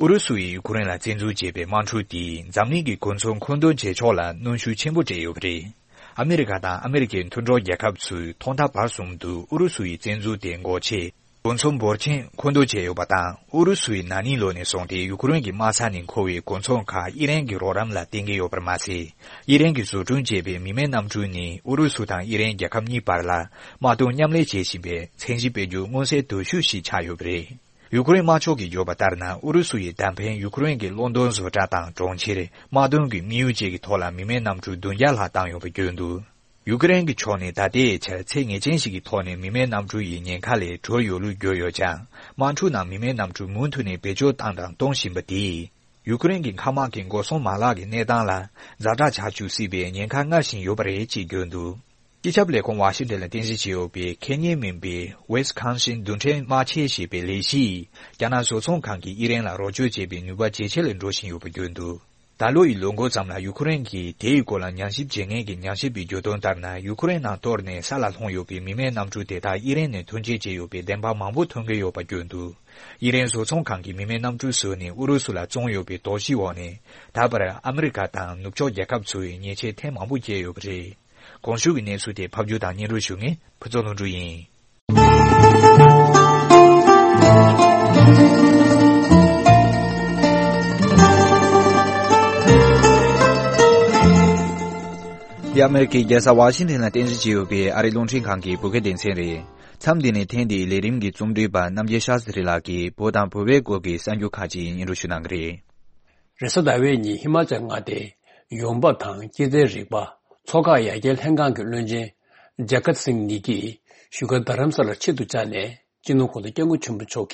ཨུ་རུ་སུ་ཡིས་ཡུ་ཀེ་རེན་ལ་བཙན་འཛུལ་བྱས་པའི་དམག་འཁྲུག་དེས་འཛམ་གླིང་གི་གོ་མཚོན་མཁོ་འདོན་བྱེད་ཕྱོགས་ལ་གནོན་ཤུགས་ཆེན་པོ་སྤྲད་ཡོད་པ་རེད། ཨ་མེ་རི་ཁ་དང་ཨ་མེ་རི་ཁའི་མཐུན་གྲོགས་རྒྱལ་ཁབ་ཚོས་ཐོག་མཐའ་བར་གསུམ་དུ་ཨུ་རུ་སུ་ཡི་བཙན་འཛུལ་དེ་འགོག་ཆེད་གོ་མཚོན་འབོར་ཆེན་མཁོ་འདོན་བྱས་ཡོད་པ་དང་། ཨུ་རུ་སུ་ཡིས་ན་ནིང་ལོ་ནས་བཟུང་སྟེ་ཡུ་ཀེ་རེན་གྱི་དམག་ས་ནས་མཁོ་བའི་གོ་མཚོན་ཁག་དབྱི་རན་གྱི་རོགས་རམ་ལ་བརྟེན་གྱི་ཡོད་པར་མ་ཟད། དབྱི་རན་གྱིས་བཟོ་སྐྲུན་བྱས་པའི་མི་མེད་གནམ་གྲུ་ནི་ཨུ་རུ་སུ་དང་དབྱི་རན་རྒྱལ་ཁབ་གཉིས་བར་ལ་དམག་དོན་མཉམ་ལས་བྱེད་བཞིན་པའི་མཚན་གཞི་སྤེལ་རྒྱུ་མངོན་གསལ་དོད་ཤོས་ཤིག་ཆགས་ཡོད་པ་རེད། ཡུ་ཀེ་རེན་དམར་ཕྱོགས་ཀྱིས་བརྗོད་པ་ལྟར་ན། ཨུ་རུ་སུ་ཡི་ད་ཕན་ཡུ་ཀེ་རེན་གྱི་གློག་འདོན་བཟོ་གྲྭ་དང་གྲོང་ཁྱེར། དམག་དོན་གྱི་དམིགས་ཡུལ་བཅས་ཀྱི་ཐོག་ལ་མི་མེད་གནམ་གྲུ་བདུན་བརྒྱ་ལྷག་བཏང་ཡོད་པ་བརྗོད་འདུག་ཡུ་ཀེ་རེན་གྱི་ཕྱོགས་ནས་ད་ལྟའི་ཆར་ཚད་ངེས་ཅན་ཞིག་གི་ཐོག་ནས་མི་མེད་གནམ་གྲུ་ཡི་ཉེན་ཁ་ལས་གྲོལ་ཡོད་ལུགས་བརྗོད་ཡོད་ཀྱང་། དམག་འཁྲུག་ནང་མི་མེད་གནམ་གྲུ་མུ་མཐུད་ནས་བེད་སྤྱོད་བཏང་དང་གཏོང་བཞིན་པ་དེས། ཡུ་ཀེ་རེན་གྱི་མཁའ་དམག་གི་འགོག་སྲུང་མ་ལག་གི་གནས་སྟངས་ལ་ཛ་དྲག་ཆགས་འཇུག་སྲིད་པའི་ཉེན་ཁ་སྔར་བཞིན་ཡོད་པ་རེད་ཅེས་བརྗོད་འདུག་སྤྱི་ཁྱབ་ལས་ཁུངས་ཝ་ཤིང་ཏན་ལ་རྟེན་གཞི་བྱས་ཡོད་པའི་ཁེ་ཉེན་མིན་པའི་Wisconsin་རྡུལ་ཕྲན་དམག་ཆས་ཞེས་པའི་ལས་གཞི་ཡིས། རྒྱ་ནག་བཟོ་ཚོང་ཁང་གིས་ཨི་རན་ལ་རོགས་སྐྱོར་བྱེད་པའི་ནུས་པ་ཇེ་ཆེ་ལ་འགྲོ་བཞིན་ཡོད་པ་བརྗོད་འདུག་ད་ལོ་ཡི་ལོ་འགོ་ཙམ་ལ་ཡུ་ཁུ་རེན་གྱིས་དེའི་སྐོར་ལ་ཉམས་ཞིབ་བྱེད་མཁན་གྱི་ཉམས་ཞིབ་པའི་བརྗོད་དོན་ལྟར་ན། ཡུ་ཁུ་རེན་ནང་གཏོར་ནས་ས་ལ་ལྷུང་ཡོད་པའི་མི་མེད་གནམ་གྲུ་དེ་དག་ཨི་རན་ནས་ཐོན་སྐྱེད་བྱས་ཡོད་པའི་བདེན་དཔང་མང་པོ་ཐོན་གྱི་ཡོད་པ་བརྗོད་འདུག་ཨི་རན་བཟོ་ཚོང་ཁང་གིས་མི་མེད་གནམ་གྲུ་བཟོས་ནས་ཨུ་རུ་སུ་ལ་བཙོངས་ཡོད་པའི་དོགས་གཞིའི་འོག་ནས། ད་བར་ཨ་མི་རི་ཀ་དང་ནུབ་ཕྱོགས་རྒྱལ་ཁབ་ཚོས་ཉེས་ཆད་ཐེངས་མང་པོ་བཅད་ཡོད་པ་རེད། གོང་ཞུས་ཀྱི་གནས་ཚུལ་དེ་ཕབ་སྒྱུར་དང་སྙན་སྒྲོན་ཞུ་མཁན་ཕུན་ཚོགས་ལྷུན་གྲུབ་ཡིན། འདི་ཨ་མེ་རི་ཁའི་རྒྱལ་ས་ཝ་ཤིང་ཏན་ལ་རྟེན་གཞི་བྱས་ཡོད་པའི་ཨ་རིའི་རླུང་འཕྲིན་ཁང་གི་བོད་སྐད་སྡེ་ཚན་རེད། མཚམས་འདི་ནས་ཐེངས་འདིའི་ལས་རིམ་གྱི་རྩོམ་སྒྲིག་པ་རྣམ་རྒྱལ་ཤཱ་སི་རི་ལགས་ཀྱིས་བོད་དང་བོད་པའི་སྐོར་གྱི་གསར་འགྱུར་ཁག་ཅིག་སྙན་སྒྲོན་ཞུ་གནང་གི་རེད། རེས་གཟའ་ཟླ་བའི་ཉིན་ཧི་མ་ཅལ་མངའ་སྡེའི་ཡོང་འབབ་དང་སྐྱེད་ཚལ་རིག་པ་མཚོ་འགག་ཡར་རྒྱས་ལྷན་ཁང་གི་བློན་ཆེན་ཇ་ཀཏ་སིང་ནི་ཀིས་བཞུགས་སྒར་རྡ་རམ་ས་ལར་ཆེད་དུ་བཅར་ནས་སྤྱི་ནོར་གོང་ས་སྐྱབས་མགོན་ཆེན་པོ་མཆོག་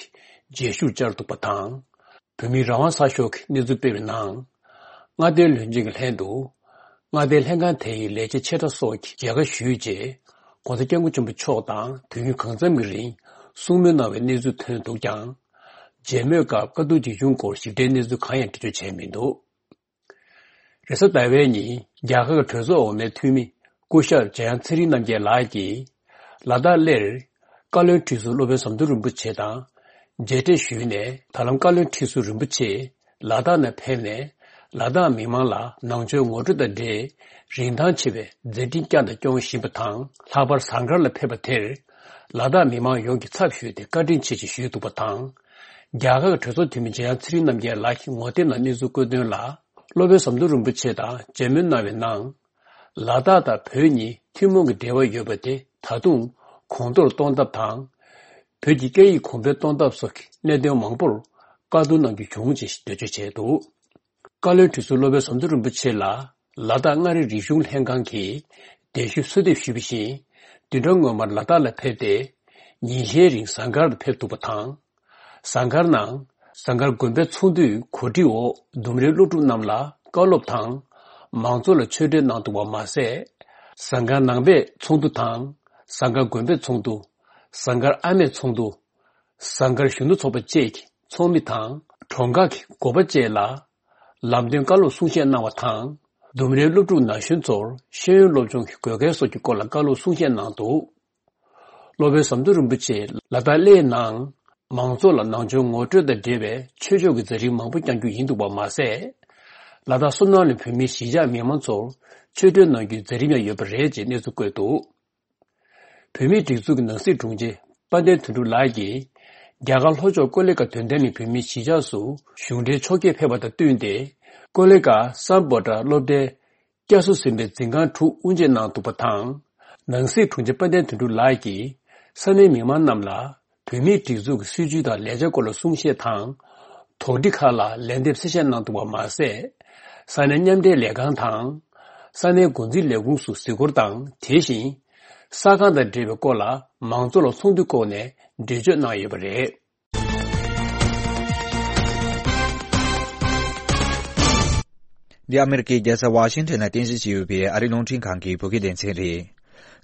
གི་མཇལ་ཞུར་བཅར་འདུག་པ་དང་། བོད་མིའི་རང་དབང་གསར་ཤོག་གིས་གནས་ཚུལ་སྤེལ་བའི་ནང་། མངའ་སྡེའི་བློན་ཆེན་གྱི་ལྷན་དུ། མངའ་སྡེའི་ལྷན་ཁང་དེ་ཡི་ལས་བྱེད་ཆེ་ཕྲ་སོགས་ཀྱིས་མཇལ་ཁ་ཞུས་རྗེས། གོང་ས་སྐྱབས་མགོན་ཆེན་པོ་མཆོག་དང་དུས་ཡུན་གང་འཚམ་གྱི་རིང་གསུང་མོལ་གནང་བའི་གནས་ཚུལ་ཐོན་འདུག་ཀྱང་། མཇལ་མོལ་སྐབས་བཀའ་བསྡུར་ཇི་བྱུང་སྐོར་ཞིབ་ཕྲའི་གནས་ཚུལ་གང་ཡང་འགྲེལ་བརྗོད་བྱས་མི་འདུག་རེས་གཟའ་ཟླ་བའི་ཉིན་རྒྱ་གར་གྱི་གྲོས་ཚོགས་འོག་མའི་འཐུས་མི་སྐུ་ཞབས་འཇམ་དབྱངས་ཚེ་རིང་རྣམ་རྒྱལ་ལགས་ཀྱིས་ལ་དྭགས་གླེར་བཀའ་བློན་ཁྲི་ཟུར་སློབ་དཔོན་ཟམ་གདོང་རིན་པོ་ཆེ་དང་མཇལ་འཕྲད་ཞུས་ནས། ད་ལམ་བཀའ་བློན་ཁྲི་ཟུར་རིན་པོ་ཆེ་ལ་དྭགས་ནང་ཕེབས་ནས། ལ་དྭགས་མི་མང་ལ་ནང་ཆོས་ངོ་སྤྲོད་དང་འབྲེལ་རིན་ཐང་ཆེ་བའི་མཛད་འཕྲིན་བསྐྱངས་དང་སྐྱོང་བཞིན་པ་དང་། ལྷག་པར་ཟངས་དཀར་ལ་ཕེབས་པ་དེར་ལ་དྭགས་མི་མང་ཡོངས་ཀྱིས་ཚབ་ཞུས་ཏེ་བཀའ་དྲིན་ཆེ་ཞེས་ཞུས་འདུག་པ་དང་། རྒྱ་གར་གྱི་གྲོས་ཚོགས་འཐུས་མི་འཇམ་དབྱངས་ཚེ་རིང་རྣམ་རྒྱལ་ལགས་ཀྱིས་ངོ་དེབ་ནང་གནས་ཚུལ་བཀོད་དོན་ལ། སློབ་དཔོན་ཟམ་གདོང་རིན་པོ་ཆེ་དང་མཇལ་མོལ་གནང་བའི་ནང་། ལ་དྭགས་དང་བོད་གཉིས་ཐུན་མོང་གི་འབྲེལ་བ་ཡོད་པ་དེ་ད་དུང་གོང་མཐོར་གཏོང་ཐབས་དང་། བོད་ཀྱི་སྐད་ཡིག་གོང་འཕེལ་གཏོང་ཐབས་སོགས་ཀྱི་གནད་དོན་མང་པོར་བཀའ་བསྡུར་གནང་རྒྱུ་བྱུང་ཅེས་འགྲེལ་བརྗོད་བྱས་འདུག་བཀའ་བློན་ཁྲི་ཟུར་སློབ་དཔོན་ཟམ་གདོང་རིན་པོ་ཆེ་ལ་ལ་དྭགས་མངའ་རིས་རིག་གཞུང་ལྷན་ཁང་གིས་གདན་ཞུའི་གསོལ་འདེབས་ཞུས་པ་བཞིན། བདུན་ཕྲག་སྔོན་མར་ལ་དྭགས་ལ་ཕེབས་ཏེ། ཉིན་ཤས་རིང་ཟངས་དཀར་དུ་ཕེབས་འདུག་པ་དང་། ཟངས་དཀར་ནང་ཟངས་དཀར་དགོན་པའི་ཚོགས་འདུའི་གོ་སྒྲིག་འོག་ལྡུམ་རའི་སློབ་ཕྲུག་རྣམས་ལ་བཀའ་སློབ་དང་། མང་ཚོགས་ལ་ཆོས་འབྲེལ་གནང་འདུག་པ་མ་ཟད། ཟངས་དཀར་ནང་པའི་ཚོགས་འདུ་དང་། ཟངས་དཀར་དགོན་པའི་ཚོགས་འདུ། ཟངས་དཀར་ཨ་མའི་ཚོགས་འདུ། ཟངས་དཀར་གཞོན་ནུ་ཚོགས་པ་བཅས་ཀྱི་ཚོགས་མི་དང་། གྲོང་ཁག་གི་འགོ་པ་བཅས་ལ་ལམ་སྟོན་བཀའ་སློབ་གསུང་བཤད་གནང་བ་དང་། ལྡུམ་རའི་སློབ་ཕྲུག་ན་གཞོན་ཚོར་ཤེས་ཡོན་སློབ་སྦྱོང་གི་དགོས་གལ་སོགས་ཀྱི་སྐོར་ལ་བཀའ་སློབ་གསུང་བཤད་གནང་འདུག་སློབ་དཔོན་ཟམ་གདོང་རིན་པོ་ཆེས་ལ་དྭགས་གླེའི་ནང་མང་ཚོགས་ལ་ནང་ཆོས་ངོ་སྤྲོད་དང་འབྲེལ་བའི་ཆོས་ཕྱོགས་ཀྱི་མཛད་རིམ་མང་པོ་བསྐྱངས་རྒྱུ་ཡིན་འདུག་པ་མ་ཟད། ལ་དྭགས་བསོད་ནམས་གླིང་བོད་མིའི་གཞིས་ཆགས་མི་མང་ཚོར་ཆོས་འབྲེལ་གནང་རྒྱུའི་མཛད་རིམ་ཡང་ཡོད་པ་རེད་ཅེས་གནས་ཚུལ་བཀོད་འདུག་བོད་མིའི་སྒྲིག་འཛུགས་ཀྱི་ནང་སྲིད་དྲུང་ཆེ་དཔལ་ལྡན་དོན་གྲུབ་ལགས་ཀྱིས་རྒྱ་གར་ལྷོ་ཕྱོགས་ཀོ་ལི་གྷལ་དོན་ལྡན་གླིང་བོད་མིའི་གཞིས་ཆགས་སུ་གཞུང་འབྲེལ་ཕྱོགས་བསྐྱོད་ཕེབས་པ་དང་བསྟུན་ཏེ། ཀོ་ལི་གྷལ་སམ་བྷོ་ཊ་སློབ་གྲྭའི་བསྐྱར་གསོ་ཟིན་པའི་འཛིན་ཁང་དྲུག་དབུ་འབྱེད་གནང་འདུག་པ་དང་། ནང་སྲིད་དྲུང་ཆེ་དཔལ་ལྡན་དོན་གྲུབ་ལགས་ཀྱིས་ས་གནས་མི་མང་རྣམས་ལ་བོད་མིའི་སྒྲིག་འཛུགས་ཀྱི་སྲིད་བྱུས་དང་ལས་འཆར་སྐོར་ལ་གསུང་བཤད་དང་། དོགས་འདྲི་ཁག་ལ་ལན་འདེབས་གསལ་བཤད་གནང་འདུག་པ་མ་ཟད། ས་གནས་མཉམ་འབྲེལ་ལས་ཁང་དང་། ས་གནས་འགོ་འཛིན་ལས་ཁུངས་སུ་གཟིགས་སྐོར་དང་། དེ་བཞིན་ས་ཁང་དང་འབྲེལ་བའི་སྐོར་ལ་མང་ཚོགས་ལ་ཚོགས་འདུའི་སྐོར་ནས་འགྲེལ་བརྗོད་གནང་ཡོད་པ་རེད། འདི་ཨ་མེ་རི་ཀའི་རྒྱལ་ས་ཝ་ཤིང་ཊོན་ལ་རྟེན་གཞི་བྱས་ཡོད་པའི་ཨ་རིའི་རླུང་འཕྲིན་ཁང་གི་བོད་སྐད་སྡེ་ཚན་རེད།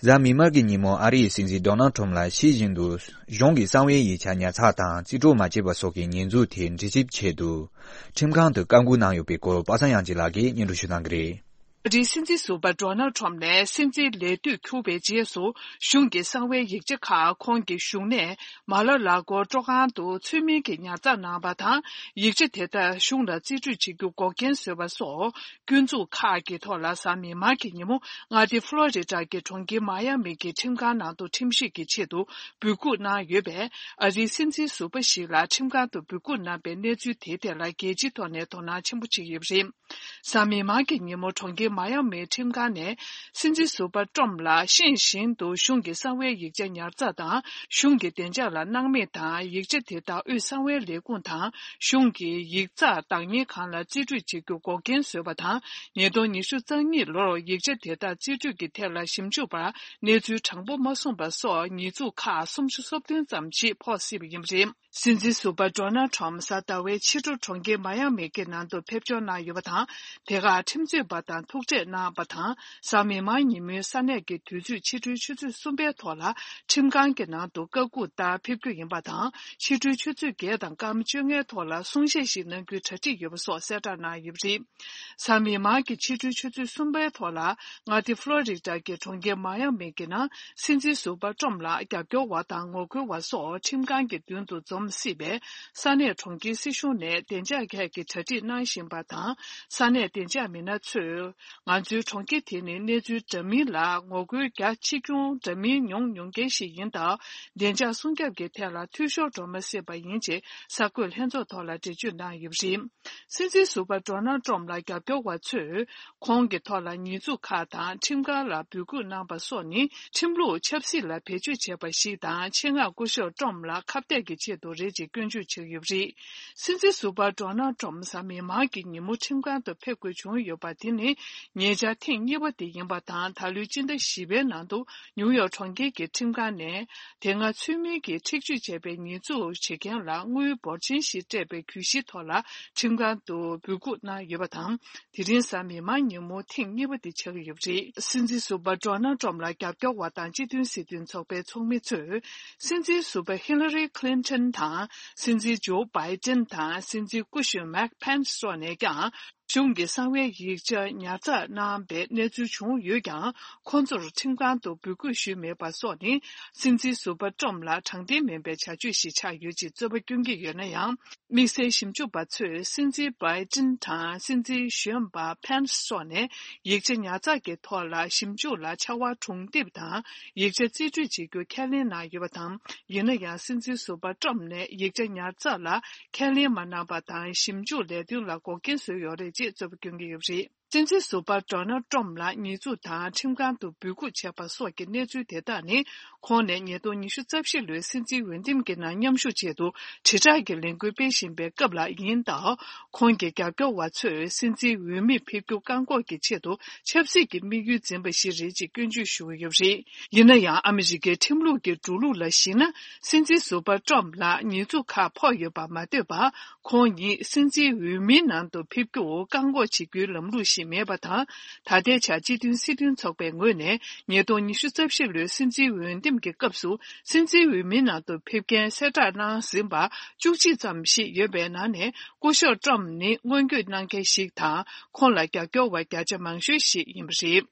གཟའ་མིག་དམར་གྱི་ཉིན་མོ་ཨ་རིའི་སྲིད་འཛིན་ཌོ་ནལ་ཊམ་ལ་ཤེས་བཞིན་དུ་གཞུང་གི་གསང་བའི་ཡིག་ཆ་ཉར་ཚགས་དང་རྩིས་སྤྲོད་མ་བྱས་པ་སོགས་ཀྱི་ཉེས་འཛུགས་དེ་འདྲི་ཞིབ་ཆེད་དུ་ཁྲིམས་ཁང་དུ་བཀའ་འགུག་གནང་ཡོད་པའི་སྐོར་པ་སངས་དབྱངས་སྐྱིད་ལགས་ཀྱིས་སྙན་སྒྲོན་ཞུ་གནང་གི་རེད། ཨ་རིའི་སྲིད་འཛིན་ཟུར་པ་ཌོ་ནལ་ཁྲོམ་ནས་སྲིད་འཛིན་ལས་དུས་འཁྱུར་བའི་རྗེས་སུ། གཞུང་གི་གསང་བའི་ཡིག་ཆ་ཁག་ཁོང་གི་བཞུགས་གནས་མ་ལ་ལ་གོ་སྤྲོ་ཁང་དུ་ཚུལ་མིན་གྱིས་ཉར་ཚགས་གནང་བ་དང་། ཡིག་ཆ་དེ་དག་གཞུང་ལ་རྩིས་སྤྲོད་བྱེད་རྒྱུ་འགོག་རྐྱེན་བཟོས་པ་སོགས་སྐྱོན་འཛུགས་ཁག་གི་ཐོག་ལ། གཟའ་མིག་དམར་གྱི་ཉིན་མོ་མངའ་སྡེ་ཕློ་རི་ཌ་གི་གྲོང་ཁྱེར་མ་ཡ་མི་གི་ཁྲིམས་ཁང་ནང་དུ་ཁྲིམས་ཞིབ་ཀྱི་ཆེད་དུ་འབོད་འགུག་གནང་ཡོད་པས། ཨ་རིའི་སྲིད་འཛིན་ཟུར་པ་ཞིག་ལ་ཁྲིམས་ཁང་དུ་འབོད་འགུག་གནང་པའི་གནས་ཚུལ་དེའི་ཐད་ལ་རྒྱལ་སྤྱིའི་ཐོག་ནས་དོ་སྣང་ཆེན་པོ་བྱེད་ཀྱི་ཡོད་པ་རེད། གཟའ་མིག་དམར་གྱི་ཉིན་མོ་གྲོང་ཁྱེར། མ་ཡ་མིའི་ཁྲིམས་ཁང་ནས་སྲིད་འཛིན་ཟུར་པ་ཀྲོམ་ལ་ཤེས་བཞིན་དུ་གཞུང་གི་གསང་བའི་ཡིག་ཆ་ཉར་ཚགས་དང་གཞུང་གི་བདེ་འཇགས་ལ་སྣང་མེད་དང་། ཡིག་ཆ་དེ་དག་དབུས་གསང་བའི་ལས་ཁུངས་དང་གཞུང་གི་ཡིག་ཚགས་བདག་གཉེར་ཁང་ལ་རྩིས་སྤྲོད་བྱེད་རྒྱུ་འགོག་རྐྱེན་བཟོས་པ་དང་། ཉིས་སྟོང་ཉི་ཤུ་རྩ་གཉིས་ལོར་ཡིག་ཆ་དེ་དག་རྩིས་སྤྲོད་ཀྱི་ཐད་ལ་ཞིབ་འཇུག་པར་གནས་ཚུལ་དྲང་པོ་མ་གསུངས་པ་སོགས་ཉེས་འཛུགས་ཁག་སུམ་ཅུ་སོ་བདུན་ཙམ་ཞིག་ཕོག་སྲིད་པ་ཡིན་པ་རེད། སྲིད་འཛིན་ཟུར་པ་ཌོ་ནལ་ཊམ་གཟའ་ཟླ་བའི་ཕྱི་དྲོ་གྲོང་ཁྱེར་མ་ཡ་མི་གྱི་ནང་དུ་ཕེབས་འབྱོར་གནང་ཡོད་པ་དང་། དེ་ཁར་ཁྲིམས་རྩོད་པ་དང་ཐུག་འཕྲད་གནང་བ་དང་། གཟའ་མིག་དམར་ཉིན་མོའི་ས་གནས་ཀྱི་དུས་ཚོད་ཕྱི་དྲོའི་ཆུ་ཚོད་གསུམ་པའི་ཐོག་ལ་ཁྲིམས་ཁང་གི་ནང་དུ་བཀའ་འགུག་ལྟར་ཕེབས་རྒྱུ་ཡིན་པ་དང་། ཕྱི་དྲོའི་ཆུ་ཚོད་བརྒྱད་དང་སྐར་མ་བཅོ་ལྔའི་ཐོག་ལ་གསུང་བཤད་ཞིག་གནང་རྒྱུའི་གྲ་སྒྲིག་ཡོད་པ་སོགས་གསལ་བསྒྲགས་གནང་ཡོད་པ་རེད། གཟའ་མིག་དམར་གྱི་ཕྱི་དྲོའི་ཆུ་ཚོད་གསུམ་པའི་ཐོག་ལ། མངའ་སྡེ་ཕློ་རི་ཌ་གྱི་གྲོང་ཁྱེར་མ་ཡ་མི་གི་ནང་སྲིད་འཛིན་ཟུར་པ་ཀྲོམ་ལ་རྒྱབ་སྐྱོར་བ་དང་ངོ་རྒོལ་བ་སོགས་ཁྲིམས་ཁང་གི་མདུན་དུ་འཛོམས་སྲིད་པས། ས་གནས་གྲོང་ཁྱེར་སྲིད་གཞུང་ནས་བདེ་འཇགས་སྐད་ཀྱི་གྲ་སྒྲིག་གནང་བཞིན་པ་དང་། ས་གནས་བདེ་འཇགས་མི་སྣ་ཚོས། ང་ཚོའི་གྲོང་ཁྱེར་དེ་ནི་གནས་ཚུལ་འདྲ་མིན་ལ་ངོ་རྒོལ་རྒྱ་ཆེ་ཆུང་འདྲ་མིན་མྱོང་མྱོང་མཁན་ཞིག་ཡིན་སྟབས། བདེ་འཇགས་སྲུང་སྐྱོབ་ཀྱི་ཐད་ལ་འཐུས་ཤོར་འགྲོ་མ་སྲིད་པ་ཡིན་ཅེས་གསར་འགོད་ལྷན་ཚོགས་ཐོག་ལ་འགྲེལ་བརྗོད་གནང་ཡོད་པ་རེད། སྲིད་འཛིན་ཟུར་པ་ཌོ་ནལ་ཊམ་ལ་རྒྱབ་སྐྱོར་བ་ཚོས་ཁོང་གི་ཐོག་ལ་ཉེས་འཛུགས་ཁག་དང་ཁྲིམས་འགལ་ལ་འབོད་སྐུལ་གནང་པ་སོགས་ནི་ཁྲིམས་ལུགས་ཆབ་སྲིད་ལ་བེད་སྤྱོད་བྱས་པ་ཞིག་དང་། ཆེད་མངགས་སྐུ་ཞབས་ཊམ་ལ་ཁ་གཏད་ཀྱི་ཆེད་དུ་རེད་ཅེས་སྐྱོན་བརྗོད་བྱས་ཡོད་པ་རེད། སྲིད་འཛིན་ཟུར་པ་ཌོ་ནལ་ཊམ་གཟའ་མིག་དམར་གྱི་ཉིན་མོ་ཁྲིམས་ཁང་དུ་ཕེབས་དགོས་བྱུང་ཡོད་པ་དེ་ནི་ཉེ་ཆར་ཐེངས་གཉིས་པ་དེ་ཡིན་པ་དང་། ད་ལོའི་སྤྱི་ཟླ་བཞི་པའི་ནང་དུ་ནིའུ་ཡོག་གྲོང་ཁྱེར་གྱི་ཁྲིམས་ཁང་ནས། དེ་སྔ་ཚུལ་མིན་གྱིས་འཁྲིག་སྤྱོད་བྱས་པའི་ཉེས་འཛུགས་བྱེད་མཁན་ལ་དངུལ་འབོར་ཆེན་ཞིག་སྤྲད་པའི་གྱོད་གཞིའི་ཐོག་ལ་ཁྲིམས་ཁང་དུ་འབོད་འགུག་གནང་ཡོད་པ་དང་། དེ་རིང་གཟའ་མིག་དམར་ཉིན་མོ་ཐེངས་གཉིས་པ་དེ་ཆགས་ཀྱི་ཡོད་པ་རེད། སྲིད་འཛིན་ཟུར་པ་ཌོ་ནལ་ཊམ་ལ་རྒྱབ་སྐྱོར་བ་དང་སྤྱི་མཐུན་སྲིད་དོན་ཚོགས་པའི་ཚོགས་མི་ཚོས། སྲིད་འཛིན་ཟུར་པ་ཧི་ལ་རི་ཁི་ལིན་ཊོན་དང་། སྲིད་འཛིན་ཇོ་བྷའི་ཏིན་དང་། སྲིད་འཛིན་སྐུ་ཞབས་མེག་ཕེན་སི་སོགས་ནས་ཀྱང་། གཞུང་གི་གསང་བའི་ཡིག་ཆ་ཉར་ཚགས་གནང་པའི་གནས་ཚུལ་བྱུང་ཡོད་ཀྱང་། ཁོང་ཚོར་ཁྲིམས་ཁང་དུ་འབོད་སྐུལ་ཞུས་མེད་པ་སོགས་ནི། སྲིད་འཛིན་ཟུར་པ་ཊམ་ལ་དྲང་བདེན་མིན་པའི་བྱ་སྤྱོད་ཞིག་ཆགས་ཡོད་ཅེས་རྩོད་པ་སྐྱོན་གྱི་ཡོད་ན་ཡང་། དམིགས་བསལ་ཞིབ་འཇུག་པ་ཚོས་སྲིད་འཛིན་བྷའི་ཏིན་དང་སྲིད་འཛིན་གཞོན་པ་ཕེན་སི་སོགས་ནས་ཡིག་ཆ་ཉར་ཚགས་ཀྱི་ཐོག་ལ་ཞིབ་འཇུག་ལ་ཕྱར་བ་གྲུ་འདེབས་དང་། ཡིག་ཆ་རྩིས་སྤྲོད་བྱེད་རྒྱུ་ཁས་ལེན་གནང་ཡོད་པ་དང་། ཡིན་ན་ཡང་། སྲིད་འཛིན་ཟུར་པ་ཊམ་ནས་ཡིག་ཆ་ཉར་ཚགས་ལ་ཁས་ལེན་མ་གནང་པ་དང་། ཞིབ་འཇུག་ལས་དོན་ལ་འགོག་རྐྱེན་བཟོས་ཡོད་རེད་ཅེས་རྩོད་པ་སྐྱོན་གྱི་ཡོད་པ་རེད། སྲིད་འཛིན་ཟུར་པ་ཌོ་ནལ་ཊམ་ལ་ཉེས་འཛུགས་དང་ཁྲིམས་ཁང་དུ་འབོད་འགུག་བྱས་པ་སོགས་ཀྱི་གནས་ཚུལ་དེ་དག་ནི། ཁོང་ནས་ཉིས་སྟོང་ཉི་ཤུ་རྩ་བཞི་ལོའི་སྲིད་འཛིན་འོས་འདེམས་ཀྱི་ནང་མཉམ་ཞུགས་ཆེད་དུ་དྲིལ་བསྒྲགས་ཀྱི་ལས་འགུལ་སྤེལ་བཞིན་པའི་སྐབས་ལ་ཡིན་སྟབས། ཁོང་གི་རྒྱབ་སྐྱོར་བ་ཚོས་སྲིད་འཛིན་འོས་མིར་ཕེབས་རྒྱུ་བཀག་འགོག་གི་ཆེད་དུ་ཆབ་སྲིད་ཀྱི་དམིགས་ཡུལ་འཛིན་པ་ཞིག་རེད་ཅེས་སྐྱོན་བརྗོད་ཞུ་གི་ཡོད་པ་རེད། ཡིན་ན་ཡང་། ཨ་མི་རི་ཀའི་ཁྲིམས་ལུགས་ཀྱི་འགྲོ་ལུགས་ལ་གཞིགས་ན། སྲིད་འཛིན་ཟུར་པ་ཊམ་ལ་ཉེས་འཛུགས་ཁག་ཕོག་ཡོད་པ་མ་ལྟོས་པར། ཁོང་ཉིད་སྲིད་འཛིན་འོས་མིའི་ནང་དུ་ཕེབས་རྒྱུར་བཀག་འགོག་བྱེད་རྒྱུའི་ལམ་ལུགས་ཤིག་མེད་པ་དང་། ད་ལྟའི་ཆར་སྤྱི་མཐུན་སྲིད་དོན་ཚོགས་པའི་ངོས་ནས་ཉིས་སྟོང་ཉི་ཤུ་རྩ་བཞི་ལོའི་སྲིད་འཛིན་འོས་འདེམས་ཀྱི་སྐབས་སུ། སྲིད་འཛིན་འོས་མིའི་ནང་དུ་ཕེབས་མཁན་གསལ་བསྒྲགས་གནང་ཟིན་པ་བཅུ་གཅིག་ཙམ་ཞིག་ཡོད་པའི་ནང་ནས། སྐུ་ཞབས་ཊམ་ནི་སྔོན་སྐྱོད་གནང་མཁན་ཞིག་དང་། ཁོང་ལ་རྒྱབ་སྐྱོར་བ་བརྒྱ་ཆ་མང་ཤོས་ཤིག་ཡིན་པ་རེད།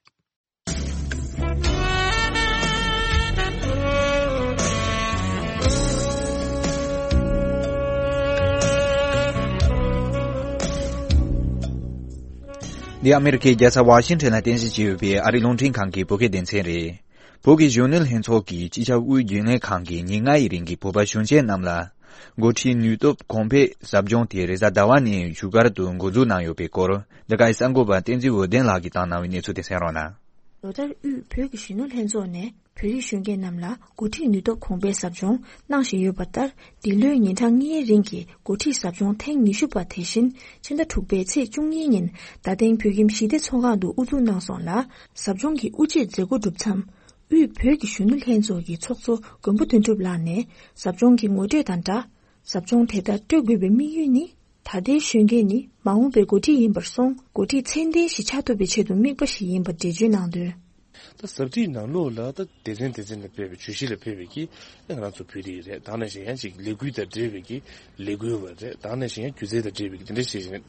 འདི་ཨ་མེ་རི་ཁའི་རྒྱལ་ས་ཝ་ཤིང་ཊོན་ལ་རྟེན་གཞི་བྱས་ཡོད་པའི་ཨ་རིའི་རླུང་འཕྲིན་ཁང་གི་བོད་སྐད་སྡེ་ཚན་རེད། བོད་ཀྱི་གཞོན་ནུ་ལྷན་ཚོགས་ཀྱིས་སྤྱི་ཁྱབ་དབུས་རྒྱུན་ལས་ཁང་གིས་ཉིན་ལྔ་ཡི་རིང་གི་བོད་པ་གཞོན་སྐྱེས་རྣམས་ལ། འགོ་ཁྲིད་ནུས་སྟོབས་གོང་འཕེལ་ཟབ་སྦྱོང་དེ་རེས་གཟའ་ཟླ་བ་ནས་བཞུགས་སྒར་དུ་འགོ་འཛུགས་གནང་ཡོད་པའི་སྐོར། འདི་གའི་གསར་འགོད་པ་བསྟན་འཛིན་འོད་ལྡན་ལགས་ཀྱིས་བཏང་གནང་བའི་གནས་ཚུལ་དེ་གསན་རོགས་གནང་། ལོ་ལྟར་དབུས་བོད་ཀྱི་གཞོན་ནུ་ལྷན་ཚོགས་ནས་བོད་རིགས་གཞོན་སྐྱེས་རྣམས་ལ་འགོ་ཁྲིད་ནུས་སྟོབས་གོང་འཕེལ་ཟབ་སྦྱོང་གནང་བཞིན་ཡོད་པ་ལྟར། འདི་ལོའི་ཉིན་གྲངས་ལྔའི་རིང་གི་འགོ་ཁྲིད་ཟབ་སྦྱོང་ཐེངས་ཉི་ཤུ་པ་དེ་བཞིན་ཕྱི་ཟླ་དྲུག་པའི་ཚེས་བཅུ་གཉིས་ཉིན་རྡ་སྟེང་བོད་ཁྱིམ་ཞི་བདེ་ཚོགས་ཁང་དུ་དབུ་འཛུགས་གནང་སོང་ལ། ཟབ་སྦྱོང་གི་དབུ་འབྱེད་མཛད་སྒོ་གྲུབ་མཚམས། དབུས་བོད་ཀྱི་གཞོན་ནུ་ལྷན་ཚོགས་ཀྱི་ཚོགས་གཙོ་མགོན་པོ་དོན་གྲུབ་ལགས་ནས་ཟབ་སྦྱོང་གི་ངོ་སྤྲོད་དང་སྦྲགས། ཟབ་སྦྱོང་དེ་ལྟར་སྤྲོད་དགོས་པའི་དམིགས་ཡུལ་ནི། ད་ལྟའི་གཞོན་སྐྱེས་ནི་མ་འོངས་པའི་འགོ་ཁྲིད་ཡིན་པར་སོང་། འགོ་ཁྲིད་ཚད་ལྡན་ཞིག་ཆགས་ཐུབ་པའི་ཆེད་དུ་དམིགས་པ་ཞིག་ཡིན་པར་འགྲེལ་བརྗོད་གནང་དོན། ད་ཟབ་ཁྲིད་ནང་ལོགས་ལ་ད་སྡེ་ཚན་སྡེ་ཚན་ལ་ཕེབས་པའི་བརྗོད་གཞི་ལ་ཕེབས་པའི་གི་ང་རང་ཚོ་བོད་རིགས་རེད། ད་ནང་བཞིན་ཡང་ཅིག་ལས་འགུལ་དང་འབྲེལ་བའི་གི་ལས་འགུལ་བ་རེད། ད་ནང་བཞིན་ཡང་སྒྱུ་རྩལ་དང་འབྲེལ་བའི་གི་དེ་འདྲ་བྱས་བྱས་ནས་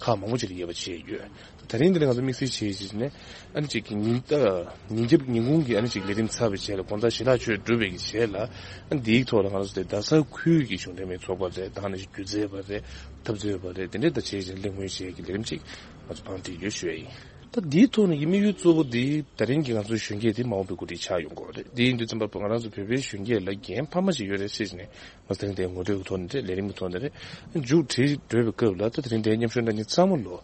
ཁག་མང་པོ་ཅིག་ལ་དབྱེ་བ་ཕྱེ་ཡོད། ད་རིང་འདི་ནས་ང་ཚོ་དམིགས་བསལ་བྱས་བྱས་ནས་ཨ་ནི་ཅིག་གི་ཉིན་ད་ཉིན་རྒྱབ་ཉིན་གུང་གི་ཨ་ནི་ཅིག་ལས་རིམ་ཚར་བའི་རྗེས་ལ་དགོང་དག་ཞལ་ལག་མཆོད་གྲུབ་པའི་གི་རྗེས་ལ་ཨ་ནི་འདིའི་ཐོག་ལ་ང་ཚོ་དེ་རྡ་ས་ཁུལ་གྱི་གཞུང་འབྲེལ་མིའི་ཚོགས་པ་རེད། ད་ནང་བཞིན་སྒྱུ་རྩལ་པ་རེད། འཐབ་རྩོད་པ་རེད། དེ་འདྲས་ད་བྱས་བྱས་གླེང་མོལ་བྱས་ཀྱི་ལས་རིམ་ཅིག་ང་ཚོ་བང་སྒྲིག་ཡོད་ཞུ་ཡ་ཡིན། ད་འདིའི་ཐོག་ནས་ཀྱི་དམིགས་ཡུལ་གཙོ་བོ་འདི་ད་རིང་གི་ང་ཚོའི་གཞོན་སྐྱེས་འདི་མ་འོངས་པའི་འགོ་ཁྲིད་ཆགས་ཡོང་གི་ཡོད་རེད། འདི་ཡིན་དུས་ཙམ་པ་ང་རང་ཚོ་བོད་པའི་གཞོན་སྐྱེས་ལ་འགན་འཕར་མ་ཞིག་ཡོད་རེད་ཟེར་ནས་མ་ཟད་དེ་ངོ་སྤྲོད་ཀྱི་ཐོག་ནས་རེད། ལས་རིམ་གྱི་ཐོག་ནས་རེད། མཇུག་སྒྲིལ་འགྲོ་བའི་སྐབས་ལ་ད་དེ་རིང་འདིའི་མཉམ་ཞུགས་གནང་མཁན་ཚང་མ་ལོ་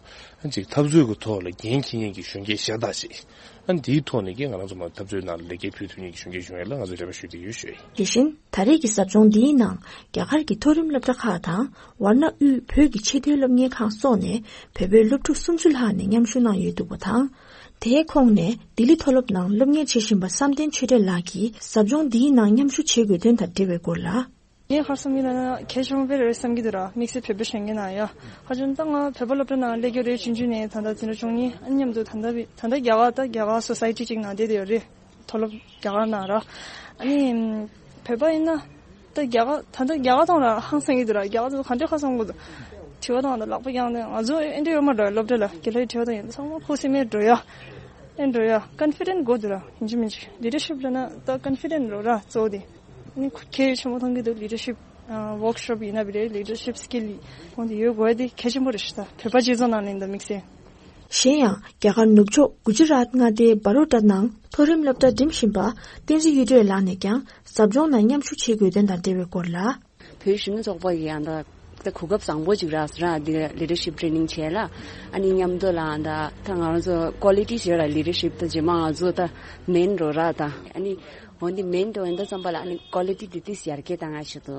ཅིག་འཐབ་རྩོད་ཀྱི་ཐོག་ལ་འགན་འཁྱེར་མཁན་གྱི་གཞོན་སྐྱེས་ཤ་སྟག་ཅིག་ཨ་འདིའི་ཐོག་ནས་ཀྱི་ང་རང་ཚོ་མ་འཐབ་རྩོད་ནང་ལ་ལེགས་སྐྱེས་ཕུལ་ཐུབ་མཁན་གྱི་གཞོན་སྐྱེས་གཞོན་ནུ་ལ་ང་ཚོས་འབྲེལ་བ་ཞུ་བསྡད་ཀྱི་ཡོད་ཞུ་ཡ་ཡིན། དེ་བཞིན་ད་རེས་ཀྱི་ཟབ་སྦྱོང་འདིའི་ནང་རྒྱ་གར་གྱི་མཐོ་རིམ་སློབ་གྲྭ་ཁག་དང་ཝར་ན་དབུས་བོད་ཀྱི་ཆེས་མཐོའི་སློབ་གཉེར་ཁང་སོགས་ནས་བོད་པའི་སློབ་ཕྲུག་སུམ་ཅུ་ལྷག་ནས་མཉམ་ཞུགས་གནང་ཡོད་འདུག་པ་དང་། དེའི་ཁོངས་ནས་ལྡི་ལི་མཐོ་སློབ་ནང་སློབ་གཉེར་བྱེད་བཞིན་པ་བསམ་གཏན་ཆོས་སྒྲོན་ལགས་ཀྱིས་ཟབ་སྦྱོང་འདིའི་ནང་མཉམ་ཞུགས་བྱེད་དགོས་དོན་དང་འབྲེལ་བའི་སྐོར་ལ། ངས་ཧ་བསམ་གྱི་ན་གལ་ཆེན་པོ་དཔེ་རེད་བསམ་གྱི་འདུག་ར། དམིགས་བསལ་བོད་པ་གཞོན་སྐྱེས་ནང་ཡ། ཧ་ཅང་ད་ང་བོད་པ་སློབ་གྲྭ་ནང་སླེབས་རྒྱུ་རེད། ཆུང་ཆུང་ནས་ད་ལྟ་འཛིན་གྲྭ་བཅུ་གཉིས་ཨ་མཉམ་དུ་ད་ལྟ་བི་ད་ལྟ་རྒྱ་གར་ད་རྒྱ་གར་སོ་སའི་ཊི་ཅིག་ནང་བསྡད་དེ་ཡོད་རེད། མཐོ་སློབ་རྒྱ་གར་ནང་ར། ཨ་ནི་བོད་པ་ཡིན་ན་ད་རྒྱ་གར་ད་ལྟ་རྒྱ་གར་ཐང་ར་ཧང་སང་གི་འདུག་ར། རྒྱ་གར་ཚོ་ག་འདྲ་ཁ་སང་གོ་འདུག་དྲི་བ་དང་ད་ལག་པ་བརྐྱངས་ནས་ང་ཚོ་ཨེ་འདྲ་ཡོད་མ་རེད། སློབ་གྲྭ་ལ་རྒྱ་ལོའི་དྲི་བ་དང་ཡིན་ཚང་མ་ཁུ་སིམ་མེར་འགྲོ་ཡ། ཨེ་འགྲོ་ཡ་ཀོན་ཕི་ཌེན་ཊི་དགོས་འདུག་ར། ཡིན་གཅིག་མིན་གཅིག་ལི་ཌར་ཤིབ་ལབ་ན་ད་ཀོན་ཕི་ཌེན་ཊི་རོ་ར་གཙོ་བོ་དེ། ནི་ཁུ་གལ་ཆེན་པོ་མཐོང་གི་འདུག་ལི་ཌར་ཤིབ་ཝོག་ཤོབ་ཡིན་ན་བི་རེད། ལི་ཌར་ཤིབ་སི་ཀིལ་ཡིན་ཁོང་དེ་ཡོད་དགོས་དེ་གལ་ཆེན་པོ་རེད་ཤག་ད་བོད་པ་སྤྱི་ཚོགས་ནང་ལ་ཡིན་ད་དམིགས་བསལ། གཞན་ཡང་རྒྱ་གར་ནུབ་ཕྱོགས་གུ་ཇི་རཱཏ་མངའ་སྡེའི་བ་རོ་ཌ་ནང་མཐོ་རིམ་སློབ་གྲྭ་འགྲིམ་བཞིན་པ་བསྟན་འཛིན་གཡུ་སྒྲོན་ལགས་ནས་ཀྱང་ཟབ་སྦྱོང་ནང་མཉམ་ཞུགས་བྱེད་དགོས་དོན་དང་འབྲེལ་བའི་སྐོར་ལ། བོད་གཞོན་ནུ་ཚོགས་པ་ཡི་ཡང་ད་ད་གོ་སྐབས་བཟང་པོ་ཅིག་རག་སོང་ར། འདི་ལི་ཌར་ཤིབ་ཊེ་ནིང་བྱས་ལ་ཨ་ནི་མཉམ་དུ་ལ་ད་ད་ང་རང་ཚོ་ཀོ་ལི་ཊི་ཞེས་ར་ལི་ཌར་ཤིབ་ད་རྗེས་མ་ང་ཚོ་ད་མེན་འགྲོ་ར་ད་ཨ་ནི་འོན་ཏེ་མེན་འགྲོ་ཡིན་ད་བསམ་པ་ལ་ཨ་ནི་ཀོ་ལི་ཊི་དེ་ཏིས་ཡར་རྒྱས་བཏང་ང་ཞིག་ཏུ་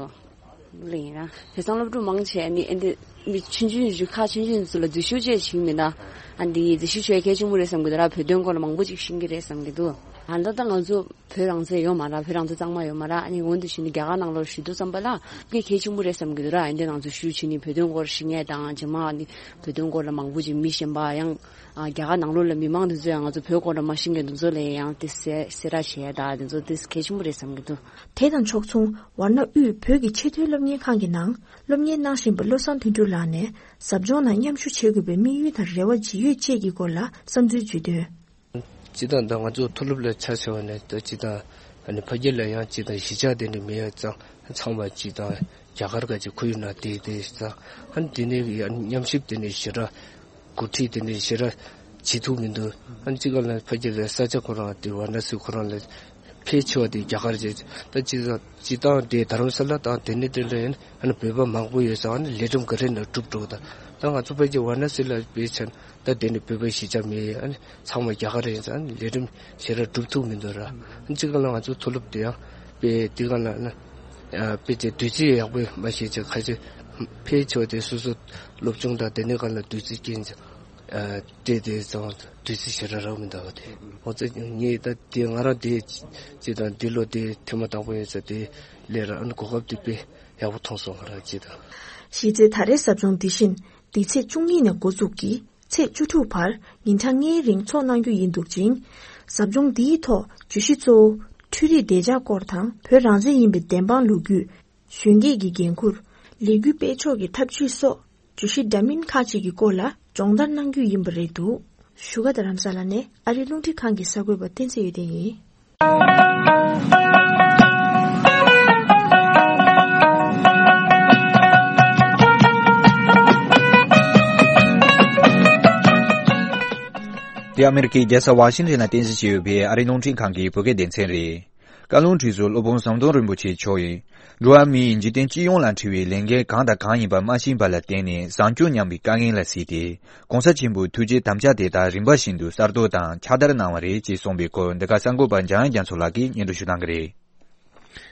ལེན་ར། དེང་སང་སློབ་ཕྲུག་མང་ཆེ་ཨ་ནི་ཨ་འདི་མི་ཆུང་ཆུང་ཡུལ་ཁ་ཆུང་ཆུང་ཚོ་ལ་འཛུལ་ཞུགས་བྱས་ཤིག་མི་ད་ཨ་འདི་འཛུལ་ཞུགས་བྱས་གལ་ཆེན་པོ་རེད་བསམ་གི་འདུག་ར། བོད་དོན་སྐོར་ལ་མང་པོ་ཅིག་ཤེས་ཀྱི་རེད་བསམ་གི་འདུག་ཨ་ད་ད་ང་ཚོ་བོད་རང་བཙན་ཡོད་མ་ར། བོད་རང་བཙན་གཙང་མ་ཡོད་མ་ར། ཨ་ནི་འོན་ཏེ་ཞུ་ནི་རྒྱ་གར་ནང་ལོགས་ཞུ་དུས་ཙམ་པ་ལ་དེ་གལ་ཆེན་པོ་རེད་བསམ་གི་འདུག་ར། ཨ་འདི་ནང་ཚོ་ཞུ་བྱེད་ནི་བོད་དོན་སྐོར་ཤེས་མཁན་དང་རྗེས་མ་ཨ་ནི་བོད་དོན་སྐོར་ལ་མང་པོ་ཅིག་མི་གཞན་པ་ཡང་ཨ་རྒྱ་གར་ནང་ལོགས་ལ་མི་མང་དེ་ཚོ་ཡང་ང་ཚོ་བོད་སྐོར་ལ་མ་ཤེས་མཁན་དེ་ཚོ་ལ་ཡང་དེ་གསལ་གསལ་བསྒྲགས་བྱེད་ཡ་ད་དེ་ཚོ་དེ་གལ་ཆེན་པོ་རེད་བསམ་གི་འདུག་དེ་དང་ཕྱོགས་མཚུངས་ཝར་ན་དབུས་བོད་ཀྱི་ཆེས་མཐོའི་སློབ་གཉེར་ཁང་གི་ནང་སློབ་གཉེར་གནང་བཞིན་པ་བློ་བཟང་དོན་གྲུབ་ལགས་ནས་ཟབ་སྦྱོང་ནང་མཉམ་ཞུགས་བྱེད་དགོས་པའི་དམིགས་ཡུལ་དང་རེ་བ་ཇི་ཡོད་བཅས་ཀྱི་སྐོར་ལ་བསམ་ཚུལ་བརྗོད་དོན། སྤྱིར་བཏང་ད་ང་ཚོ་མཐོ་སློབ་ལ་ཆ་བཞག་པ་ནས་ད་སྤྱིར་བཏང་ཨ་ནི་ཕ་གི་ལ་ཡང་སྤྱིར་བཏང་གཞིས་ཆགས་དེ་འདྲ་མེད་ཡ་ཙང་ཚང་མ་སྤྱིར་བཏང་རྒྱ་གར་ག་ཅིག་ཁོར་ཡུག་ནང་བསྡད་དེ་ཙང་ཨ་ནི་དེ་ནས་ཡང་མཉམ་ཞིབ་དེ་འདྲ་ཞེ་དྲག་འགོ་ཁྲིད་དེ་འདྲ་ཞེ་དྲག་བྱེད་ཐུབ་མི་འདུག་ཨ་ནི་གཅིག་ག་ལ་ཕ་གི་ལ་ས་ཆ་ཁོ་རང་དེ་ཝ་ར་ཎ་སི་ཁོ་རང་ལ་ཕལ་ཆེ་བ་དེ་རྒྱ་གར་རེད། ད་སྤྱིར་བཏང་སྤྱིར་བཏང་དེ་དྷ་རམ་ས་ལ་དང་དེ་ནས་དེ་འདྲ་ཡིན་ཨ་ནི་བོད་པ་མང་པོ་ཡོད་ཙང་ཨ་ནི་ལས་རིམ་ག་རེ་ནས་སྒྲུབ་འགྲོ་ད་ད་ང་ཚོ་ཕ་གི་ཝ་ར་ཎ་སི་ལ་བས་ཆ་ད་དེ་ནི་བོད་པའི་གཞིས་ཆགས་མེད། ཨ་ནི་ཚང་མ་རྒྱ་གར་ཡིན་ཙང་ཨ་ནི་ལས་རིམ་ཞེ་དྲག་སྒྲུབ་ཐུབ་མི་འདུག་ར། ཨ་ནི་གཅིག་ག་ལ་ང་ཚོ་མཐོ་སློབ་དེ་ཡང་དཔེ་དེ་ག་ལ་ཨ་ནི་དཔེ་དེ་དུས་ཚོད་ཡག་པོ་མ་ཤེས་ཅིག་ཁ་ཅིག་ཕལ་ཆེ་བ་དེ་སོ་སོ་སློབ་སྦྱོང་དང་དེ་ནས་ག་ལ་དུས་ཚོད་རྐྱེན་ཅིག་སྤྲད་དེ་ཙང་དུས་ཚོད་ཞེ་དྲག་རག་མི་འདུག་བ་དེ་ང་ཚོ་ངས་ད་དེ་ང་རང་དེ་ཅིག་དང་འདི་ལོ་དེ་ཐེངས་མ་དང་པོ་ཡིན་ཙང་དེ་ལས་ར་ཨ་ནི་གོ་སྐབས་དེ་དཔེ་ཡག་པོ་མཐོང་སོང་ང་རང་ཅིག་དང་། གཞི་རྩའི་ད་རེས་ཟབ་སྦྱོང་འདི་བཞིན་འདི་ཚེས་བཅུ་གཉིས་ནས་འགོ་འཛུགས་ཀྱིས་ཚེས་བཅུ་དྲུག་བར་ཉིན་གྲངས་ལྔའི་རིང་འཚོགས་གནང་རྒྱུ་ཡིན་འདུག་ཅིང་། ཟབ་སྦྱོང་འདིའི་ཐོག་བརྗོད་གཞི་གཙོ་བོ་འཕྲུལ་རིག་བདེ་འཇགས་སྐོར་དང་བོད་རང་བཙན་ཡིན་པའི་བདེན་དཔང་ལོ་རྒྱུས། གཞོན་སྐྱེས་ཀྱི་འགན་འཁུར། ལས་འགུལ་སྤེལ་ཕྱོགས་ཀྱི་ཐབས་ཇུས་སོགས་བརྗོད་གཞི་འདྲ་མིན་ཁག་ཅིག་གི་སྐོར་ལ་སྦྱོང་བརྡར་གནང་རྒྱུ་ཡིན་པ་རེད་འདུག་བཞུགས་སྒར་རྡ་རམ་ས་ལ་ནས་ཨ་རིའི་རླུང་འཕྲིན་ཁང་གི་གསར་འགོད་པ་བསྟན་འཛིན་ཡེ་ལྡན་ཡིན། འདི་ཨ་མེ་རི་ཁའི་རྒྱལ་ས་ཝ་ཤིང་ཊོན་ནས་རྟེན་གཞི་བྱས་ཡོད་པའི་ཨ་རིའི་རླུང་འཕྲིན་ཁང་གི་བོད་སྐད་སྡེ་ཚན་རེད། བཀའ་བློན་ཁྲི་ཟུར་སློབ་དཔོན་ཟམ་གདོང་རིན་པོ་ཆེ་མཆོག་གིས། འགྲོ་བ་མིའི་འཇིག་རྟེན་སྤྱི་ཡོངས་ལ་འཁྲི་བའི་ལས་འགན་གང་དང་གང་ཡིན་པ་མ་ཤེས་པ་ལ་བརྟེན་ནས་བཟང་སྤྱོད་ཉམས་པའི་དཀའ་ངལ་ལ་གཟིགས་ཏེ། ༸གོང་ས་ཆེན་པོའི་ཐུགས་རྗེའི་དམ་བཅའ་དེ་དག་རིམ་པ་བཞིན་དུ་གསར་གཏོད་དང་ཕྱག་བསྟར་གནང་བ་རེད་ཅེས་གསུངས་པའི་སྐོར། འདི་ག་གསར་འགོད་པ་འཇམ་དབྱངས་རྒྱ་མཚོ་ལགས་ཀྱིས་སྙན་སྒྲོན་ཞུ་གནང་གི་རེད།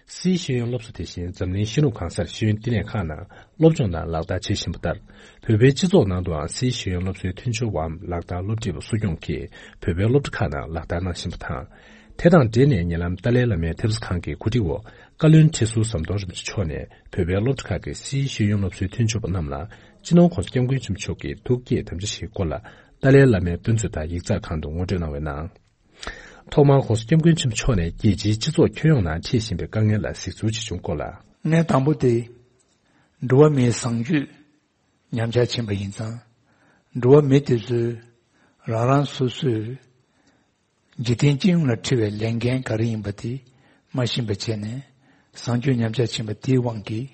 སིའི་ཤེས་ཡོན་སློབ་གསོ་དེ་བཞིན་འཛམ་གླིང་ཤེས་རིག་གང་སར་ཤེས་ཡོན་བསྟི་གནས་ཁག་ནང་སློབ་སྦྱོང་དང་ལག་བསྟར་བྱེད་བཞིན་པ་ལྟར། བོད་པའི་སྤྱི་ཚོགས་ནང་དུའང་སིའི་ཤེས་ཡོན་སློབ་གསོའི་མཐུན་སྦྱོར་བའམ་ལག་བསྟར་སློབ་ཁྲིད་པ་གསོ་སྐྱོང་གིས་བོད་པའི་སློབ་གྲྭ་ཁག་ནང་ལག་བསྟར་གནང་བཞིན་པ་དང་། དེ་དང་འབྲེལ་ནས་ཉེ་ལམ་ཏཱ་ལའི་བླ་མའི་ཐེབས་རྩ་ཁང་གི་གོ་སྒྲིག་འོག་བཀའ་བློན་ཁྲི་ཟུར་ཟམ་གདོང་རིན་པོ་ཆེ་མཆོག་ནས་བོད་པའི་སློབ་གྲྭ་ཁག་གི་སིའི་ཤེས་ཡོན་སློབ་གསོའི་མཐུན་སྦྱོར་པ་རྣམས་ལ་སྤྱི་ནོར་༸གོང་ས་༸སྐྱབས་མགོན་ཆེན་པོ་མཆོག་གི་ཐུགས་བསྐྱེད་དམ་བཅའ་བཞིའི་སྐོར་ལ་ཏཱ་ལའི་བླ་མའི་དཔེ་མཛོད་དང་ཡིག་ཚགས་ཁང་དུ་ངོ་སྤྲོད་གནང་བའི་ནང་། ཐོག་མར་༸གོང་ས་༸སྐྱབས་མགོན་ཆེན་པོ་མཆོག་ནས་རྒྱལ་སྤྱིའི་སྤྱི་ཚོགས་ཁྱོན་ཡོངས་ནང་འཕྲད་བཞིན་པའི་དཀའ་ངལ་ལ་གཟིགས་ཚུལ་ཇི་བྱུང་སྐོར་ལ། ངས་དང་པོ་དེ། འགྲོ་བ་མིའི་བཟང་སྤྱོད་ཉམས་ཆག་ཕྱིན་པ་ཡིན་ཙང་། འགྲོ་བ་མི་དེ་ཚོས་རང་རང་སོ་སོའི་འཇིག་རྟེན་སྤྱི་ཡོངས་ལ་འཁྲི་བའི་ལས་འགན་ག་རེ་ཡིན་པ་དེ་མ་ཤེས་པ་བྱས་ནས་བཟང་སྤྱོད་ཉམས་ཆག་ཕྱིན་པ་དེའི་དབང་གིས།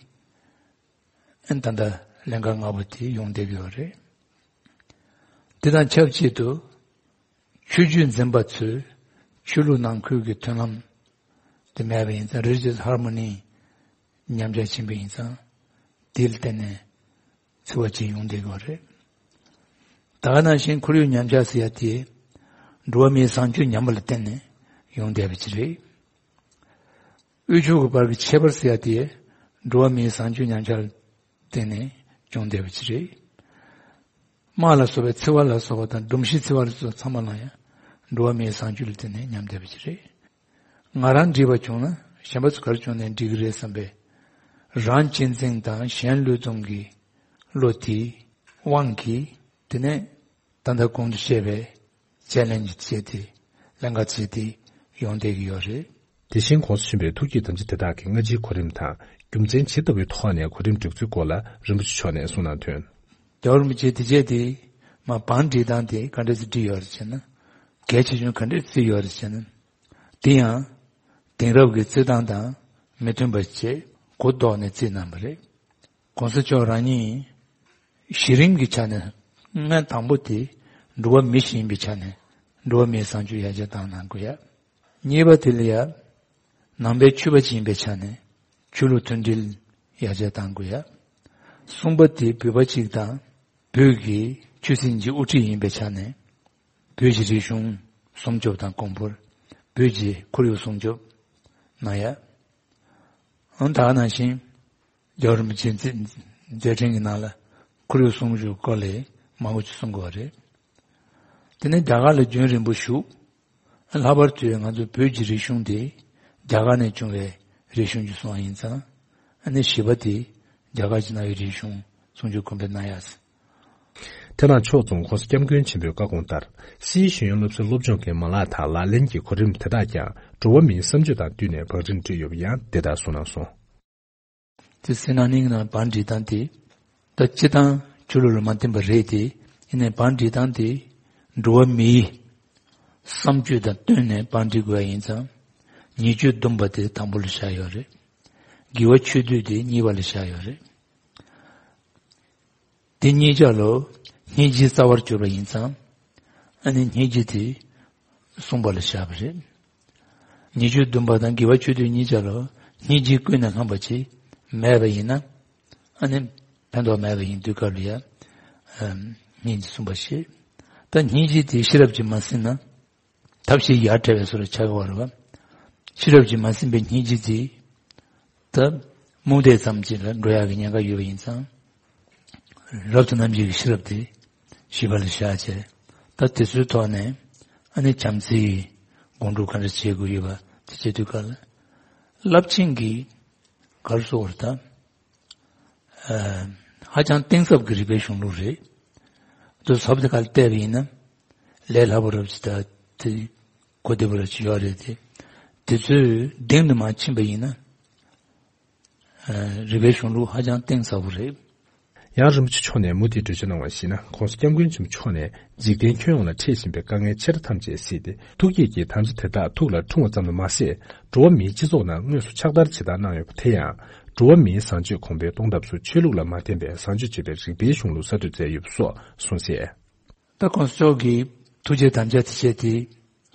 ཨ་ནི་ད་ལྟ་ལན་ཁག་ལྔ་པོ་དེ་ཡོང་བསྡད་ཀྱི་ཡོད་རེད། དེ་དང་ཆབས་ཅིག་ཏུ། ཆོས་བརྒྱུད་འཛིན་པ་ཚོས་ཆོས་ལུགས་ནང་ཁུལ་གྱི་མཐུན་ལམ་དེ་མེད་པ་ཡིན་ཙང་། རི་ལི་ཇི་ཡས་ཧར་མོ་ནི་ཉམས་ཆག་ཕྱིན་པ་ཡིན་ཙང་། དེ་ལ་བརྟེན་ནས་འཚེ་བ་ཅིག་ཡོང་བསྡད་ཡོད་རེད། ད་ག་ནང་བཞིན་ཁོར་ཡུག་ཉམས་ཆག་ཟེར་ཡ་དེ་འགྲོ་བ་མིའི་བཟང་སྤྱོད་ཉམས་པ་ལ་བརྟེན་ནས་ཡོང་བསྡད་པ་ཅིག་རེད། དབུལ་ཕྱུག་གི་བར་གྱི་ཁྱད་པར་ཟེར་ཡ་དེ་འགྲོ་བ་མིའི་བཟང་སྤྱོད་ཉམས་ཆག་ལ་བརྟེན་ནས་བྱུང་བསྡད་པ་ཅིག་རེད། དམག་ལ་སོགས་པའི་འཚེ་བ་ལ་སོགས་པ་དང་། སྒྲོམ་གཞི་འཚེ་བ་ལ་སོགས་པ་ཚང་མ་ལ་ཡང་འགྲོ་བ་མིའི་བཟང་སྤྱོད་ལ་བརྟེན་ནས་ཉམས་བསྡད་པ་ཅིག་རེད། ང་རང་འགྲིག་པ་བྱུང་ན་གཞན་པ་ཚོ་ག་རེ་བྱུང་ནའི་འགྲིག་གི་རེད་བསམ་པའི་རང་གཅེས་འཛིན་དང་གཞན་བློས་གཏོང་གི་བློ་དེའི་དབང་གིས། དེ་ནས་ད་ལྟ་གོང་དུ་བཤད་པའི་དཔྱད་གླེང་གི་བྱེད་དེ། ལྷན་ཁག་བྱེད་དེ་ཡོང་བསྡད་ཀྱི་ཡོད་རེད། དེ་བཞིན་གོང་དུ་ཞུས་པའི་ཐུགས་བསྐྱེད་དམ་བཅའ་དེ་དག་གི་སྔ་ཕྱིའི་གོ་རིམ་དང་། རྒྱུ་མཚན་ཇི་ལྟ་བུའི་ཐོག་ནས་གོ་རིམ་སྒྲིག་ཚུལ་སྐོར་ལ་རིན་པོ་ཆེ་མཆོག་ནས་གསུང་གནང་དོན། རྒྱལ་བ་རིན་པོ་ཆེས་དེ་རྗེས་དེ་མ་བང་སྒྲིག་སྟངས་དེ་ག་འདྲ་སེ་སྒྲིག་ཡོད་རེད་ཟེར་ན། གལ་ཆེ་ཆུང་ག་འདྲ་བརྩིས་ཡོད་རེད་ཟེར་ན། དེ་ཡང་དེང་རབས་ཀྱི་བརྩི་སྟངས་དང་མི་མཐུན་པ་བྱས་གོ་ལྡོག་ནས་བརྩིས་གནང་བ་རེད། གོང་ས་མཆོག་རང་ཉིད་གཞི་རིམ་གྱི་ཆ་ནས་སྔོན་དང་པོ་དེ་འགྲོ་བ་མི་ཞིག་ཡིན་པའི་ཆ་ནས་འགྲོ་བ་མིའི་བཟང་སྤྱོད་ཡར་རྒྱས་བཏང་གནང་དགོས་ཡ། གཉིས་པ་དེ་ལ་ཡ། ནང་པའི་ཆོས་པ་ཅིག་ཡིན་པའི་ཆ་ནས་ཆོས་ལུགས་མཐུན་སྒྲིལ་ཡར་རྒྱས་གཏང་དགོས་ཡ། གསུམ་པ་དེ་བོད་པ་ཅིག་དང་བོད་ཀྱི་ཆོས་སྲིད་ཀྱི་དབུ་ཁྲིད་ཡིན་པའི་ཆ་ནས་བོད་ཀྱི་རིག་གཞུང་སྲུང་སྐྱོབ་དང་གོང་བུར། བོད་ཀྱི་ཁོར་ཡུག་སྲུང་སྐྱོབ་གནང་ཡ། ཨང་། ད་ག་ནང་བཞིན་རྒྱལ་བ་རིན་པོ་ཆེའི་མཛད་མཛད་འཕྲིན་གྱི་ནང་ལ་ཁོར་ཡུག་སྲུང་སྐྱོབ་སྐོར་ལ་མང་པོ་ཅིག་གསུང་དགོས་པ་རེད། དེ་ནས་རྒྱ་གར་ལ་རྒྱུན་རིང་པོ་བཞུགས། ལྷག་པར་དུ་ང་ཚོ་བོད་ཀྱི་རིག་གཞུང་དེ་རྒྱ་གར་ནས་བྱུང་བའི་རིག་གཞུང་ཅིག་སོང་བ་ཡིན་ཙང་། ཨ་ནི་བཞི་པ་དེ་རྒྱ་གར་གྱི་གནའ་བོའི་རིག་གཞུང་སྲུང་སྐྱོབ་གོང་འཕེལ་གནང་ཡ། དེ་ནང་ཕྱོགས་མཚུངས་༸གོང་ས་༸སྐྱབས་མགོན་ཆེན་པོའི་བཀའ་དགོངས་ལྟར། སིའི་ཤེས་ཡོན་སློབ་གསོའི་སློབ་སྦྱོང་གི་མ་ལག་དང་ལག་ལེན་གྱི་གོ་རིམ་དེ་དག་ཀྱང་འགྲོ་བ་མིའི་བསམ་སྤྱོད་དང་བསྟུན་ནས་བང་སྒྲིག་བསྒྲིགས་ཡོད་པ་ཡང་འདི་ལྟར་གསུངས་གནང་སོང་། དེ་སི་ན་ནིང་ནང་བང་སྒྲིག་སྟངས་དེ། ད་སྤྱིར་བཏང་ཆོས་ལུགས་ལ་མ་བརྟེན་པ་རེད་དེ། ཡིན་ནའི་བང་སྒྲིག་སྟངས་དེ་འགྲོ་བ་མིའི་བསམ་སྤྱོད་དང་བསྟུན་ནས་བང་སྒྲིག་དགོས་པ་ཡིན་ཙང་། ཉེས་སྤྱོད་བསྡོམས་པ་དེ་དང་པོ་ལ་བཞག་ཡོད་རེད། དགེ་བ་ཆོས་སྡུད་དེ་གཉིས་པ་ལ་བཞག་ཡོད་རེད། དེ་གཉིས་ཆ་ལ་སྙིང་རྗེའི་རྩ་བར་གྱུར་པ་ཡིན་ཙང་། ཨ་ནི་སྙིང་རྗེ་དེ་གསུམ་པ་ལ་བཞག་པ་རེད། ཉེས་སྤྱོད་བསྡོམས་པ་དང་དགེ་བ་ཆོས་སྡུད་གཉིས་ཆ་ལ་སྙིང་རྗེ་ཀུན་ནས་བསླངས་པ་ཅིག་མེད་པ་ཡིན་ན། ཨ་ནི་ཕན་ཐོགས་མེད་པ་ཡིན་དུས་སྐབས་ལ་ཡ། ཨམ། སྙིང་རྗེ་གསུམ་པ་བྱེད། ད་སྙིང་རྗེ་དེ་ཤེས་རབ་ཀྱིས་མ་ཟིན་ན། ཐབས་ཤེས་ཡ་བྲལ་བའི་བཟོ་འདྲ་ཆགས་ཀྱི་ཡོད་རེད་པ། ཤེས་རབ་ཀྱིས་མ་ཟིན་པའི་སྙིང་རྗེ་དེ། ད་རྨོངས་དད་ཙམ་ཅིག་ལ་འགྲོ་ཡག་གི་ཉེན་ཁ་ཡོད་པ་ཡིན་ཙང་། རབ་ཏུ་རྣམ་འབྱེད་ཀྱི་ཤེས་རབ་དེ་བཞི་པ་ལ་བཞག་བྱས། ད་དེ་ཚོའི་ཐོག་ནས་ཨ་ནི་བྱམས་བརྩེའི་སྒོམ་སྒྲུབ་ག་འདྲ་བྱེད་དགོས་ཡོད་པ་དེ་བྱེད་དུས་སྐབས་ལ། རླབས་ཆེན་གྱི་ག་རེ་ཟེར་དགོས་རེད་ད། ཨ། ཧ་ཅང་གཏིང་ཟབ་ཀྱི་རིག་པའི་གཞུང་ལུགས་རེད། དུ་ཟབ་དེ་ག་ལ་བལྟས་པ་ཡིན་ན། ལས་སླ་པོ་རབ་ཅིག་དང་དེ་གོ་བདེ་པོ་རབ་ཅིག་ཡོད་རེད་དེ། དེ་ཚོའི་གཏིང་དུ་མར་ཕྱིན་པ་ཡིན་ན། ཨ། རིག་པའི་གཞུང་ལུགས་ཧ་ཅང་གཏིང་ཟབ་པོ་རེད། ཡང་རིན་པོ་ཆེ་མཆོག་ནས་མུ་མཐུད་འགྲེལ་བརྗོད་གནང་བར་གཞིགས་ན། ༸གོང་ས་༸སྐྱབས་མགོན་ཆེན་པོ་མཆོག་ནས་འཇིག་རྟེན་ཁྱོན་ཡོངས་ལ་འཕྲད་བཞིན་པའི་དཀའ་ངལ་ཆེ་ཕྲ་ཐམས་ཅད་བསལ་ཏེ། ཐུགས་བསྐྱེད་ཀྱི་དམ་བཅའ་དེ་དག་ཐུགས་ལ་འཁྲུངས་པ་ཙམ་དུ་མ་ཟད། འགྲོ་བ་མིའི་སྤྱི་ཚོགས་ནང་དངོས་སུ་ཕྱག་བསྟར་བྱེད་སྟངས་གནང་ཡོད་པ་དེ་ཡང་། འགྲོ་བ་མིའི་བཟང་སྤྱོད་གོང་འཕེལ་གཏོང་ཐབས་སུ་ཆོས་ལུགས་ལ་མ་བརྟེན་པའི་བཟང་སྤྱོད་ཅེས་པའི་རིག་པའི་གཞུང་ལུགས་གསར་གཏོད་མཛད་ཡོད་པ་སོགས་གསུངས་གསལ། ད་༸གོང་ས་མཆོག་གིས་ཐུགས་བསྐྱེད་དམ་བཅའ་དེ་བྱས་ཏེ་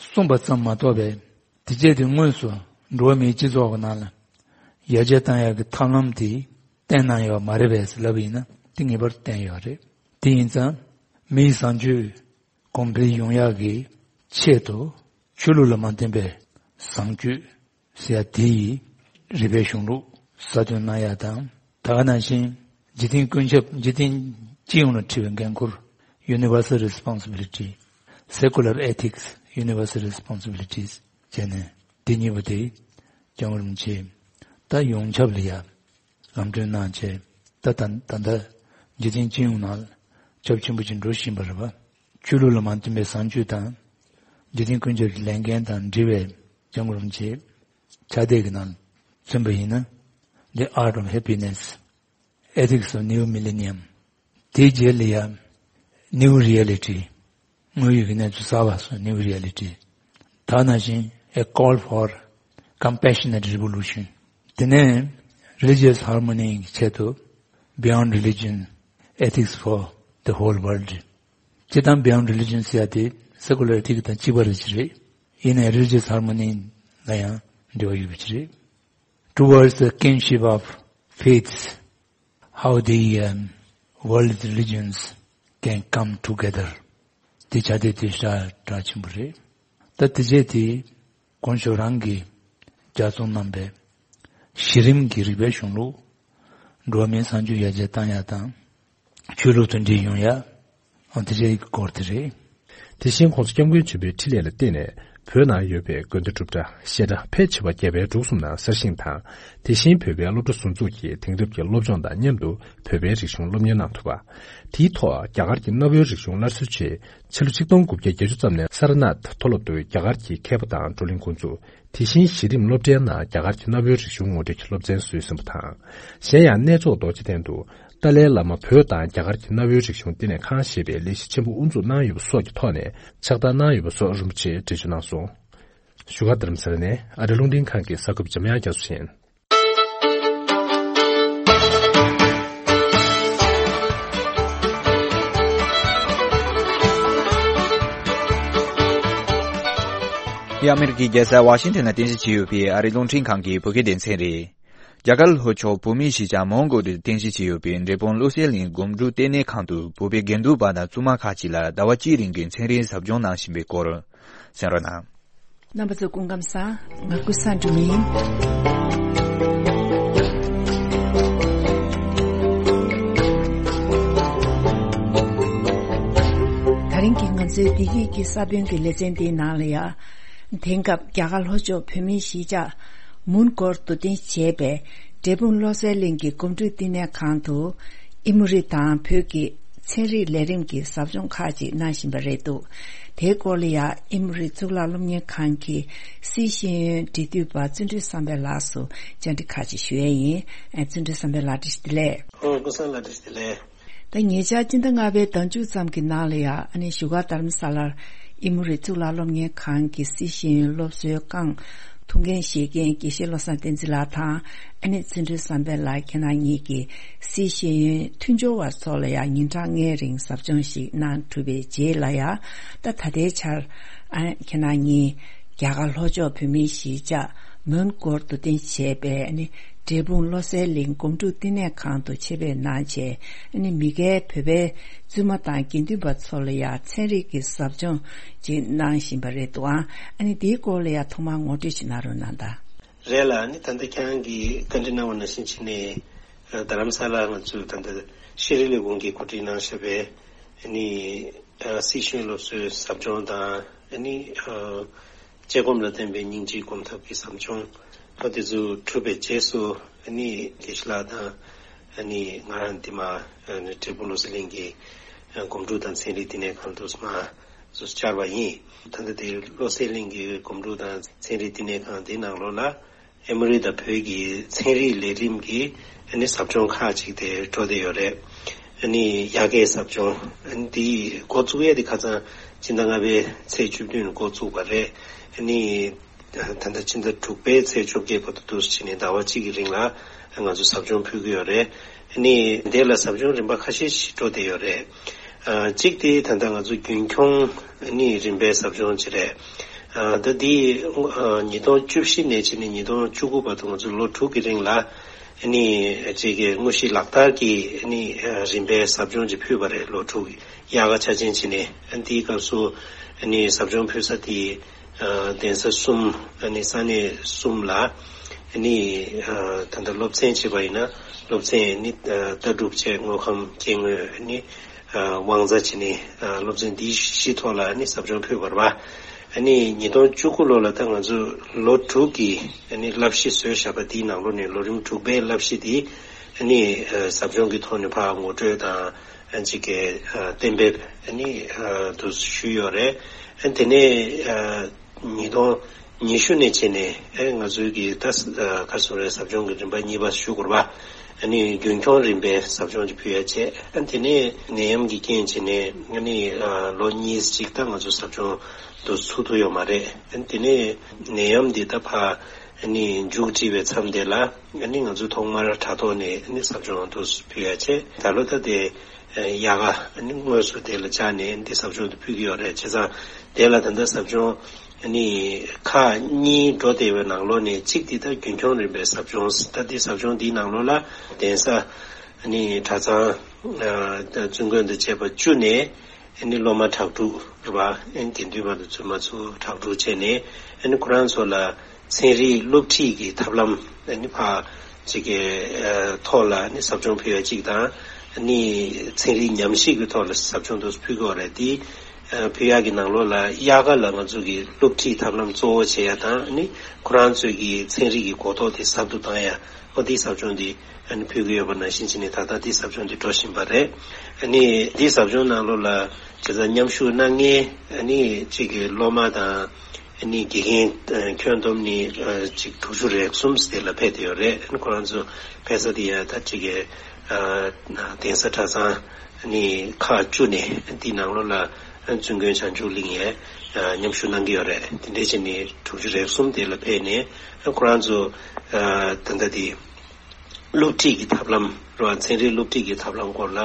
གསུངས་པ་ཙམ་མ་གཏོགས་པའི། དེ་བྱས་ཏེ་དངོས་སུ་འགྲོ་བ་མིའི་སྤྱི་ཚོགས་ཀྱི་ནང་ལ་ཡར་རྒྱས་གཏང་ཡག་གི་ཐབས་ལམ་དེ་བསྟན་གནང་ཡོད་མ་རེད་པས་ལབ་པ་ཡིན་ན། དེ་ངེས་པར་བསྟན་ཡོད་རེད། དེ་ཡིན་ཙང་མིའི་བཟང་སྤྱོད་གོང་འཕེལ་ཡོང་ཡག་གི་ཆེད་དུ་ཆོས་ལུགས་ལ་མ་བརྟེན་པའི་བཟང་སྤྱོད་ཟེར་ཡ་དེ་ཡི་རིག་པའི་གཞུང་ལུགས་གསར་གཏོད་གནང་ཡ་དང་། ད་ག་ནང་བཞིན་འཇིག་རྟེན་ཀུན་ཁྱབ། འཇིག་རྟེན་སྤྱི་ཡོངས་ལ་འཁྲི་བའི་འགན་ཁུར། Universal Responsibility, Secular Ethics, Universal Responsibilities བྱས་ནས། དེ་གཉིས་པོ་དེ་སྐྱབས་མགོན་རིན་པོ་ཆེ་ད་ཡོངས་ཁྱབ་ལ་ཡ་ལམ་སྟོན་གནང་བྱས། ད་ད་ད་ལྟ་འཇིག་རྟེན་སྤྱི་ཡོངས་ནང་ཁྱབ་ཆེན་པོ་ཅིག་འགྲོ་བཞིན་པ་རེད་པ། ཆོས་ལུགས་ལ་མ་བརྟེན་པའི་བཟང་སྤྱོད་དང་། འཇིག་རྟེན་ཀུན་ཁྱབ་ཀྱི་ལས་འགན་དང་འབྲེལ་བའི་སྐྱབས་མགོན་རིན་པོ་ཆེའི་ཕྱག་དེབ་ཀྱི་ནང་མཚོན་པ་ཡིན་ན། The Art of Happiness, Ethics of New Millennium, དེའི་རྗེས་ལ་ཡ། New Reality, དངོས་ཡོད་ཀྱི་གནས་ཚུལ་གསར་པ་སོགས། New Reality། ད་ནང་བཞིན། A Call for Compassionate Revolution། དེ་ནས་Religious Harmony གི་ཆེད་དུ། Beyond Religion, Ethics for the Whole World། སྤྱིར་བཏང་Beyond Religion ཟེར་ཡ་དེ། སེ་ཀུ་ལར་ཊི་དང་གཅིག་པ་རེད་ཅི་རེད། ཡིན་ནའི་རི་ལི་ཇི་ཡས་ཧར་མོ་ནི་ལ་ཡང་འབྲེལ་བ་ཡོད་པ་ཅི་རེད། Towards the kinship of faiths, how the, um, world religions can come together. དེ་བྱ་དེ་དེ་ཤ་གྲགས་ཆེན་པོ་རེད། ད་དེ་རྗེས་དེ་དཀོན་མཆོག་རང་གི་རྒྱ་མཚོ་རྣམ་པའི་གཞི་རིམ་གྱི་རིག་པའི་གཞུང་ལུགས། འགྲོ་བ་མིའི་སངས་རྒྱས་ཡར་རྒྱས་བཏང་ཡ་དང་། ཆོས་ལུགས་དང་འབྲེལ་ཡོང་ཡ། ཨ་དེ་འདྲའི་སྐོར་དེ་རེད། དེ་བཞིན་༸གོང་ས་༸སྐྱབས་མགོན་ཆེན་པོའི་འཕྲིན་ལས་ལ་བརྟེན་ནས་བོད་ནང་ཡོད་པའི་དགོན་སྡེ་སྒྲུབ་གྲྭ་བཤད་གྲྭ་ཕལ་ཆེ་བ་རྒྱ་བལ་འབྲུག་གསུམ་ནང་གསར་བཞེངས་དང་། དེ་བཞིན་བོད་པའི་སློབ་གྲྭ་ཟུར་འཛུགས་ཀྱིས་དེང་རབས་ཀྱི་སློབ་སྦྱོང་དང་མཉམ་དུ་བོད་པའི་རིག་གཞུང་སློབ་གཉེར་གནང་ཐུབ་པ། དེའི་ཐོག་རྒྱ་གར་གྱི་གནའ་བོའི་རིག་གཞུང་སླར་གསོའི་ཆེད་ཕྱི་ལོ་ཆིག་སྟོང་དགུ་བརྒྱ་བརྒྱད་ཅུ་ཙམ་ནས་སཱ་ར་ནཱཐ་མཐོ་སློབ་ཏུ་རྒྱ་གར་གྱི་མཁས་པ་དང་བགྲོ་གླེང་འགོ་འཛུགས། དེ་བཞིན་གཞི་རིམ་སློབ་གྲྭའི་ནང་རྒྱ་གར་གྱི་གནའ་བོའི་རིག་གཞུང་ངོ་སྤྲོད་ཀྱི་སློབ་ཚན་བཟོས་ཟིན་པ་དང་། གཞན་ཡང་གནས་མཆོག་རྡོ་རྗེ་གདན་དུ་ཏཱ་ལའི་བླ་མ་བོད་དང་རྒྱ་གར་གྱི་གནའ་བོའི་རིག་གཞུང་བསྟི་གནས་ཁང་ཞེས་པའི་ལས་གཞི་ཆེན་པོ་དབུ་འཛུགས་གནང་ཡོད་པ་སོགས་ཀྱི་ཐོག་ནས་ཕྱག་རྟགས་གནང་ཡོད་པ་སོགས་རིན་པོ་ཆེས་འགྲེལ་བརྗོད་གནང་སོང་། བཞུགས་སྒར་རྡ་རམ་ས་ལ་ནས་ཨ་རི་རླུང་འཕྲིན་ཁང་གི་གསར་འགོད་པ་འཇམ་དབྱངས་རྒྱ་མཚོ་ཡིན། འདི་ཨ་མེ་རི་ཁའི་རྒྱལ་ས་ཝ་ཤིང་ཊོན་ལ་རྟེན་གཞི་བྱས་ཡོད་པའི་ཨ་རིའི་རླུང་འཕྲིན་ཁང་གི་བོད་སྐད་སྡེ་ཚན་རེད། རྒྱ་གར་ལྷོ་ཕྱོགས་བོད་མིའི་གཞིས་ཆགས་མོན་གྷོ་ལ་རྟེན་གཞི་བྱས་ཡོད་པའི་འབྲས་སྤུངས་བློ་གསལ་གླིང་སྒོམ་སྒྲུབ་ལྟེ་གནས་ཁང་དུ་བོད་པའི་དགེ་འདུན་པ་དང་བཙུན་མ་ཁག་ཅིག་ལ་ཟླ་བ་གཅིག་རིང་གི་ཚན་རིག་ཟབ་སྦྱོང་གནང་བཞིན་པའི་སྐོར་གསན་རོགས་གནང་། རྣམ་པ་ཚོ་སྐུ་ཁམས་བཟང་། ང་ཀུན་བཟང་སྒྲོལ་མ་ཡིན། ད་རིང་གི་ང་ཚོའི་བདེ་སྐྱིད་ཀྱི་ས་བོན་གྱི་ལེ་ཚན་འདིའི་ནང་ལ་ཡ། དེང་སྐབས་རྒྱ་གར་ལྷོ་ཕྱོགས་བོད་མིའི་གཞིས་ཆགས་མོན་གྷོར་རྡོ་རྟེན་བྱས་པའི་འབྲས་སྤུངས་བློ་གསལ་གླིང་གི་སྒོམ་སྒྲུབ་བསྟི་གནས་ཁང་དུ་ཨི་མོ་རི་དང་བོད་ཀྱི་ཚན་རིག་ལས་རིམ་གྱི་ཟབ་སྦྱོང་ཁག་ཅིག་གནང་བཞིན་པ་རེད་འདུག་དེའི་སྐོར་ལ་ཡང་ཨི་མོ་རི་གཙུག་ལག་སློབ་གཉེར་ཁང་གི་སྲིད་ཤེས་ཡོན་འབྲེལ་མཐུད་པ་བརྩོན་འགྲུས་བསམ་འཕེལ་ལགས་སུ་བཅར་འདྲི་ཁག་ཅིག་ཞུ་ཡས་ཡིན། ཨ། བརྩོན་འགྲུས་བསམ་འཕེལ་ལགས་བཀྲ་ཤིས་བདེ་ལེགས། ཨོ། ཀུན་བཟང་ལགས་བཀྲ་ཤིས་བདེ་ལེགས། ད་ཉེ་ཆར་སྤྱི་ཟླ་ལྔ་པའི་ཟླ་མཇུག་ཙམ་གྱི་ནང་ལ་ཡང་ཨ་ནི་བཞུགས་སྒར་རྡ་རམ་ས་ལར་ཨི་མོ་རི་གཙུག་ལག་སློབ་གཉེར་ཁང་གི་སྲིད་ཤེས་ཡོན་སློབ་གསོའི་རྐང་ཐུགས་འགན་བཞེས་མཁན་དགེ་བཤེས་བློ་བཟང་བསྟན་འཛིན་ལགས་དང་ཨ་ནི་བརྩོན་འགྲུས་བསམ་འཕེལ་ལགས། ཁྱེད་རང་གཉིས་ཀྱིས་སྲིད་ཤེས་ཡོན་མཐུན་སྦྱོར་བ་ཚོ་ལ་ཡང་ཉིན་གྲངས་ལྔའི་རིང་ཟབ་སྦྱོང་ཞིག་གནང་གྲུབ་པའི་རྗེས་ལ་ཡང་། ད་ད་ལྟའི་ཆར་ཨ་ཁྱེད་རང་གཉིས་རྒྱ་གར་ལྷོ་ཕྱོགས་བོད་མིའི་གཞིས་ཆགས་མོན་གྷོར་རྡོ་རྟེན་བྱས་པའི་ཨ་ནི་འབྲས་སྤུངས་བློ་གསལ་གླིང་སྒོམ་སྒྲུབ་བསྟི་གནས་ཁང་དུ་ཆེད་ཕེབས་གནང་བྱས། ཨ་ནི་མི་སྒེར་བོད་པའི་བཙུན་མ་དང་དགེ་འདུན་པ་ཚོ་ལ་ཡང་ཚན་རིག་གི་ཟབ་སྦྱོང་ཅིག་གནང་བཞིན་པ་རེད་འདུག་ཨང་། ཨ་ནི་དེའི་སྐོར་ལ་ཡང་ཐོག་མར་ངོ་སྤྲོད་ཅིག་གནང་རོགས་གནང་དང་། རེད་ལགས། ཨ་ནི་ད་ལྟ་ཁྱེད་རང་གིས་བཀའ་འདྲི་གནང་བ་ནང་བཞིན་བྱས་ནས་རྡ་རམ་ས་ལར་ང་ཚོས་ད་ལྟ་ཤེས་རིག་ལས་ཁུངས་ཀྱིས་གོ་སྒྲིག་གནང་བཞག་པའི་ཨ་ནི་སྲིད་ཤེས་ཡོན་སློབ་གསོའི་ཟབ་སྦྱོང་དང་། ཨ་ནི་ཨ་དཔྱད་སྒོམ་ལ་བརྟེན་པའི་སྙིང་རྗེའི་སྒོམ་ཐབས་ཀྱི་ཟབ་སྦྱོང་། ཨ་དེ་ཚོ་གྲུབ་པའི་རྗེས་སུ་ཨ་ནི་དགེ་བཤེས་ལགས་དང་ཨ་ནི་ང་རང་འདི་མ་ཨ་ནི་འབྲས་སྤུངས་བློ་གསལ་གླིང་གི་ཨ་སྒོམ་སྒྲུབ་དང་ཚན་རིག་བསྟི་གནས་ཁང་དུ་མ་སུ་བཅར་བ་ཡིན། ད་ལྟ་དེ་བློ་གསལ་གླིང་གི་སྒོམ་སྒྲུབ་དང་ཚན་རིག་བསྟི་གནས་ཁང་དེའི་ནང་ལོགས་ལ་ཨེ་མོ་རི་དང་བོད་ཀྱི་ཚན་རིག་ལས་རིམ་གྱི་ཨ་ནི་ཟབ་སྦྱོང་ཁག་ཅིག་དེ་འགྲོ་བསྡད་ཡོད་རེད། ཨ་ནི་ཡར་རྒྱས་ཟབ་སྦྱོང་ཨ་ནི་འདི་འགོ་བཙུགས་ཡས་དེ་ཁ་སང་སྤྱི་ཟླ་ལྔ་པའི་ཚེས་བཅུ་བདུན་འགོ་བཙུགས་པ་རེད། ཨ་ནི་ད་ལྟ་སྤྱི་ཟླ་དྲུག་པའི་ཚེས་བཅོ་བརྒྱད་བར་དུ་འདུག་སེ་བྱས་ནས་ཟླ་བ་གཅིག་གི་རིང་ལ་ང་ཚོ་ཟབ་སྦྱོང་ཕུལ་གྱི་ཡོད་རེད། ཨ་ནི་འདི་ལ་ཟབ་སྦྱོང་རིམ་པ་ཁ་ཤས་ཤིག་འགྲོ་བསྡད་ཡོད་རེད། ཨ་གཅིག་དེ་ད་ལྟ་ང་ཚོ་རྒྱུན་འཁྱོངས་ཨ་ནི་རིམ་པའི་ཟབ་སྦྱོང་ཅིག་རེད། ཨ་ད་འདི་ཨ་ཉིས་སྟོང་བཅུ་བཞི་ནས་བྱས་ནས་ཉིས་སྟོང་བཅུ་དགུ་བར་དུ་ང་ཚོ་ལོ་དྲུག་གི་རིང་ལ་ཨ་ནི་ཅིག་གི་དངོས་གཞི་ལག་བསྟར་གྱི་ཨ་ནི་ཨ་རིམ་པའི་ཟབ་སྦྱོང་ཅིག་ཕུལ་བ་རེད། ལོ་དྲུག་གི་དབྱར་ཁ་འཆར་ཅན་བྱས་ནས། ཨ་འདིའི་སྐབས་སུ་ཨ་ནི་ཟབ་སྦྱོང་ཕུལ་ས་དེ་ཨ་གདན་ས་གསུམ། ཨ་ནི་ས་གནས་གསུམ་ལ་ཨ་ནི་ཨ་ད་ལྟ་སློབ་ཚན་བྱས་པ་ཡིན་ན་སློབ་ཚན་ཨ་ནི་ཨ་ལྟ་གྲུབ་བཅས་དངོས་ཁམས་སྐྱེ་དངོས་ཨ་ནི་ཨ་དབང་རྩ་བྱས་ནས་ཨ་སློབ་ཚན་འདི་བཞི་ཐོག་ལ་ཨ་ནི་ཟབ་སྦྱོང་ཕུལ་བ་རེད་པ། ཨ་ནི་ཉིས་སྟོང་བཅུ་དགུ་ལོ་ལ་ད་ང་ཚོ་ལོ་དྲུག་གི་ཨ་ནི་བསླབ་གཞི་བཟོས་བཞག་པ་འདིའི་ནང་ལོགས་ནས་ལོ་རིམ་དྲུག་པའི་བསླབ་གཞི་འདི་ཨ་ནི་ཨ་ཟབ་སྦྱོང་གི་ཐོག་ནས་ཕར་ངོ་སྤྲོད་དང་། ཨ་ཅིག་གི་ཨ་གཏན་འབེབས་ཨ་ནི་ཨ་དུ་ཞུས་ཡོད་རེད། ཨ་དེ་ནས་ཨ་ཉིས་སྟོང་ཉི་ཤུ་ནས་བྱས་ནས་ཨ་ང་ཚོའི་གི་ད་ཨ་ག་རེ་ཟེར་རེད། ཟབ་སྦྱོང་གི་རིམ་པ་གཉིས་པ་ཞུ་དགོས་རེད་པ། ཨ་ནི་རྒྱུན་འཁྱོངས་རིམ་པའི་ཟབ་སྦྱོང་ཅིག་ཕུལ་ཡ་བྱས། ཨ་དེ་ནས་ནད་ཡམས་ཀྱི་རྐྱེན་བྱས་ནས་ཨ་ནི་ཨ་ལོ་གཉིས་ཅིག་ད་ང་ཚོ་ཟབ་སྦྱོང་དུ་ཚུགས་ཐུབ་ཡོད་མ་རེད། ཨ་དེ་ནས་ནད་ཡམས་འདི་ད་ཕར་ཨ་ནི་མཇུག་སྒྲིལ་བའི་མཚམས་དེ་ལ་ཨ་ནི་ང་ཚོ་ཐོག་མར་དྲ་ཐོག་ནས་ཨ་ནི་ཟབ་སྦྱོང་དུ་ཕུལ་ཡ་བྱས། ད་ལོ་ད་དེ་ ཨ་དབྱར་ཁ་ཨ་ནི་དངོས་སུ་དེ་ལ་བཅར་ནས་འདི་ཟབ་སྦྱོང་དེ་ཕུལ་གྱི་ཡོད་རེད། བྱས་ཙང་དེ་ལ་ད་ལྟ་ཟབ་སྦྱོང་ཨ་ནི་ཁག་གཉིས་འགྲོ་བསྡད་པའི་ནང་ལོགས་ནས་གཅིག་དེ་ད་རྒྱུན་འཁྱོངས་རིམ་པའི་ཟབ་སྦྱོང་ད་འདི་ཟབ་སྦྱོང་འདིའི་ནང་ལོགས་ལ་གདན་ས་ཨ་ནི་གྲྭ་ཚང་ཨ་བཙུན་དགོན་དང་བཅས་པ་བཅུ་ནས་ཨ་ནི་སློབ་མ་དྲུག་དྲུག་རེད་པ། ཨ་ནི་དགེ་འདུན་པ་དང་བཙུན་མ་ཚོ་དྲུག་དྲུག་བྱས་ནས་ཨ་ནི་ཁོ་རང་ཚོ་ལ་ཚན་རིག་སློབ་ཁྲིད་ཀྱི་ཐབས་ལམ་ཨ་ནི་ཕར་ཅིག་གི་ཨ་ཐོག་ལ་ཨ་ནི་ཟབ་སྦྱོང་ཕུལ་ཡ་གཅིག་དང་། ཨ་ནི་ཚན་རིག་ཉམས་ཞིབ་ཀྱི་ཐོག་ལ་ཟབ་སྦྱོང་དུ་ཕུལ་དགོས་རེད། དེ་ཨ་ཕུལ་ཡ་གི་ནང་ལོགས་ལ་དབྱར་ཁ་ལ་ང་ཚོ་གི་སློབ་ཁྲིད་ཐབས་ལམ་གཙོ་བོ་བྱེད་ཡ་དང་། ཨ་ནི་ཁོ་རང་ཚོའི་གི་ཚན་རིག་གི་གོ་རྟོགས་དེ་ཟབ་ཏུ་བཏང་ཡ། ཨོ་དེའི་ཟབ་སྦྱོང་དེ་ཨ་ནི་ཕུལ་གྱི་ཡོད་པ་ནང་བཞིན་བྱས་ནས་ད་ལྟ་དེའི་ཟབ་སྦྱོང་དེ་འགྲོ་བཞིན་པ་རེད། ཨ་ནི་དེའི་ཟབ་སྦྱོང་ནང་ལོགས་ལ་བྱས་ཙང་མཉམ་ཞུགས་གནང་མཁན་ཨ་ནི་གཅིག་གི་སློབ་མ་དང་ཨ་ནི་དགེ་རྒན་ཨ་ཁྱོན་བསྡོམས་ནི་ཨ་གཅིག་དྲུག་ཅུ་རེ་གསུམ་དེ་ལ་ཕེབས་བསྡད་ཡོད་རེད། ཨ་ནི་ཁོ་རང་ཚོ་ཕེབས་ས་དེ་ཡ་ད་གཅིག་གི་ཨ་གདན་ས་གྲྭ་ཚང་ཨ་ནི་ཁག་བཅུ་ནས་དེའི་ནང་ལོགས་ལ་བཙུན་དགོན་བྱང་ཆུབ་གླིང་ཡ་ཨ་མཉམ་ཞུགས་གནང་གི་ཡོད་རེད། དེ་འདྲས་བྱས་ནས་དྲུག་ཅུ་རེ་གསུམ་དེ་ལ་ཕེབས་ནས་ཨ་ཁོ་རང་ཚོ་ཨ་ད་ལྟ་དེ། སློབ་ཁྲིད་ཀྱི་ཐབས་ལམ་རེད་བ། ཚན་རིག་སློབ་ཁྲིད་ཀྱི་ཐབས་ལམ་སྐོར་ལ་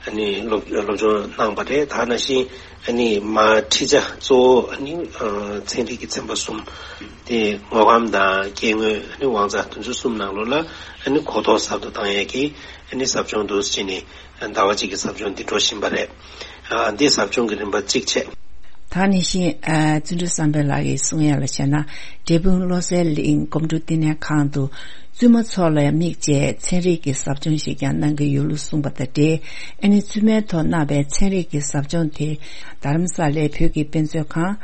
ཨ་ནི་སློབ་སློབ་སྦྱོང་གནང་བ་རེད། ད་ནང་བཞིན་ཨ་ནི་མ་ཁྲིད་བྱ་གཙོ་བོ་ཨ་ནི་ཨ་ཚན་རིག་གི་ཚན་པ་གསུམ་དེ་དངོས་ཁམས་དང་སྐྱེ་དངོས་ཨ་ནི་དབང་རྩ་དེ་ཚོ་གསུམ་ནང་ལོགས་ལ་ཨ་ནི་གོ་རྟོགས་ཟབ་ཏུ་བཏང་ཡས་ཀྱི་ཨ་ནི་ཟབ་སྦྱོང་འདུག་ཟེར་ནས་ཟླ་བ་གཅིག་གི་ཟབ་སྦྱོང་འདི་འགྲོ་བཞིན་པ་རེད། ཨ་འདི་ཟབ་སྦྱོང་གི་རིམ་པ་གཅིག་བྱས། ད་ནི་བཞིན་ཨ་བརྩོན་འགྲུས་བསམ་འཕེལ་ལགས་ཀྱིས་གསུང་ཡ་ལ་བྱས་ན། འབྲས་སྤུངས་བློ་གསལ་གླིང་སྒོམ་སྒྲུབ་བསྟི་གནས་ཁང་དུ་བཙུན་མ་ཚོ་ལ་དམིགས་བྱས་ཚན་རིག་གི་ཟབ་སྦྱོང་ཞིག་ཀྱང་གནང་གི་ཡོད་ལུགས་གསུངས་པ་དང་འབྲེལ། ཨ་ནི་བཙུན་མའི་ཐོག་གནང་བའི་ཚན་རིག་གི་ཟབ་སྦྱོང་དེ་རྡ་རམ་ས་ལའི་བོད་ཀྱི་དཔེ་མཛོད་ཁང་།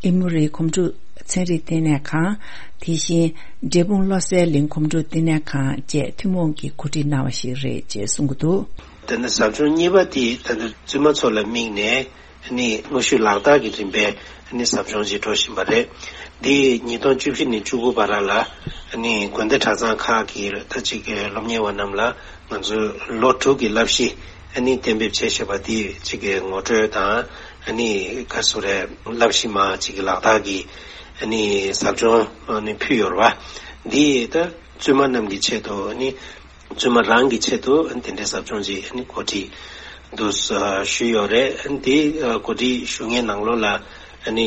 ཨེ་མོ་རི་སྒོམ་སྒྲུབ་ཚན་རིག་བསྟི་གནས་ཁང་། དེ་བཞིན་འབྲས་སྤུངས་བློ་གསལ་གླིང་སྒོམ་སྒྲུབ་བསྟི་གནས་ཁང་བཅས་ཐུན་མོང་གིས་གོ་སྒྲིག་གནང་བ་ཞིག་རེད་ཅེས་གསུང་གི་འདུག། དེ་ནས་ཟབ་སྦྱོང་གཉིས་པ་དེ་ད་ལྟ་བཙུན་མ་ཚོ་ལ་དམིགས་ནས་ནི་དངོས་ཤུགས་ལག་བསྟར་གྱི་རིམ་པས་ནི་ཟབ་སྦྱོང་ཅིག་འགྲོ་བཞིན་པ་རེད། འདི་ཉིས་སྟོང་བཅུ་བཞི་ནས་བཅུ་དགུ་བར་ལ་ནི་དགོན་སྡེ་གྲྭ་ཚང་ཁག་གི་ད་ཅིག་གི་སློབ་གཉེར་བ་རྣམས་ལ་ང་ཚོས་ལོ་དྲུག་གི་བསླབ་གཞི་ནི་གཏན་འབེབས་བྱས་བཞག་པ་དེ་ཅིག་གི་ངོ་སྤྲོད་དང་ནི་ག་སུ་རེད་བསླབ་གཞི་མ་ཅིག་གི་ལག་བསྟར་གྱི་ནི་ཟབ་སྦྱོང་ནི་ཕུལ་ཡོད་རེད་བ། འདི་ད་བཙུན་མ་རྣམས་ཀྱི་ཆེད་དུ་ནི། བཙུན་མ་རང་གི་ཆེད་དུ་དེ་འདྲའི་ཟབ་སྦྱོང་ཅིག་གོ་སྒྲིག་འདུག་ཞུས་ཡོད་རེད། དེ་གོ་སྒྲིག་ཞུ་མཁན་ནང་ལོགས་ལ་ང་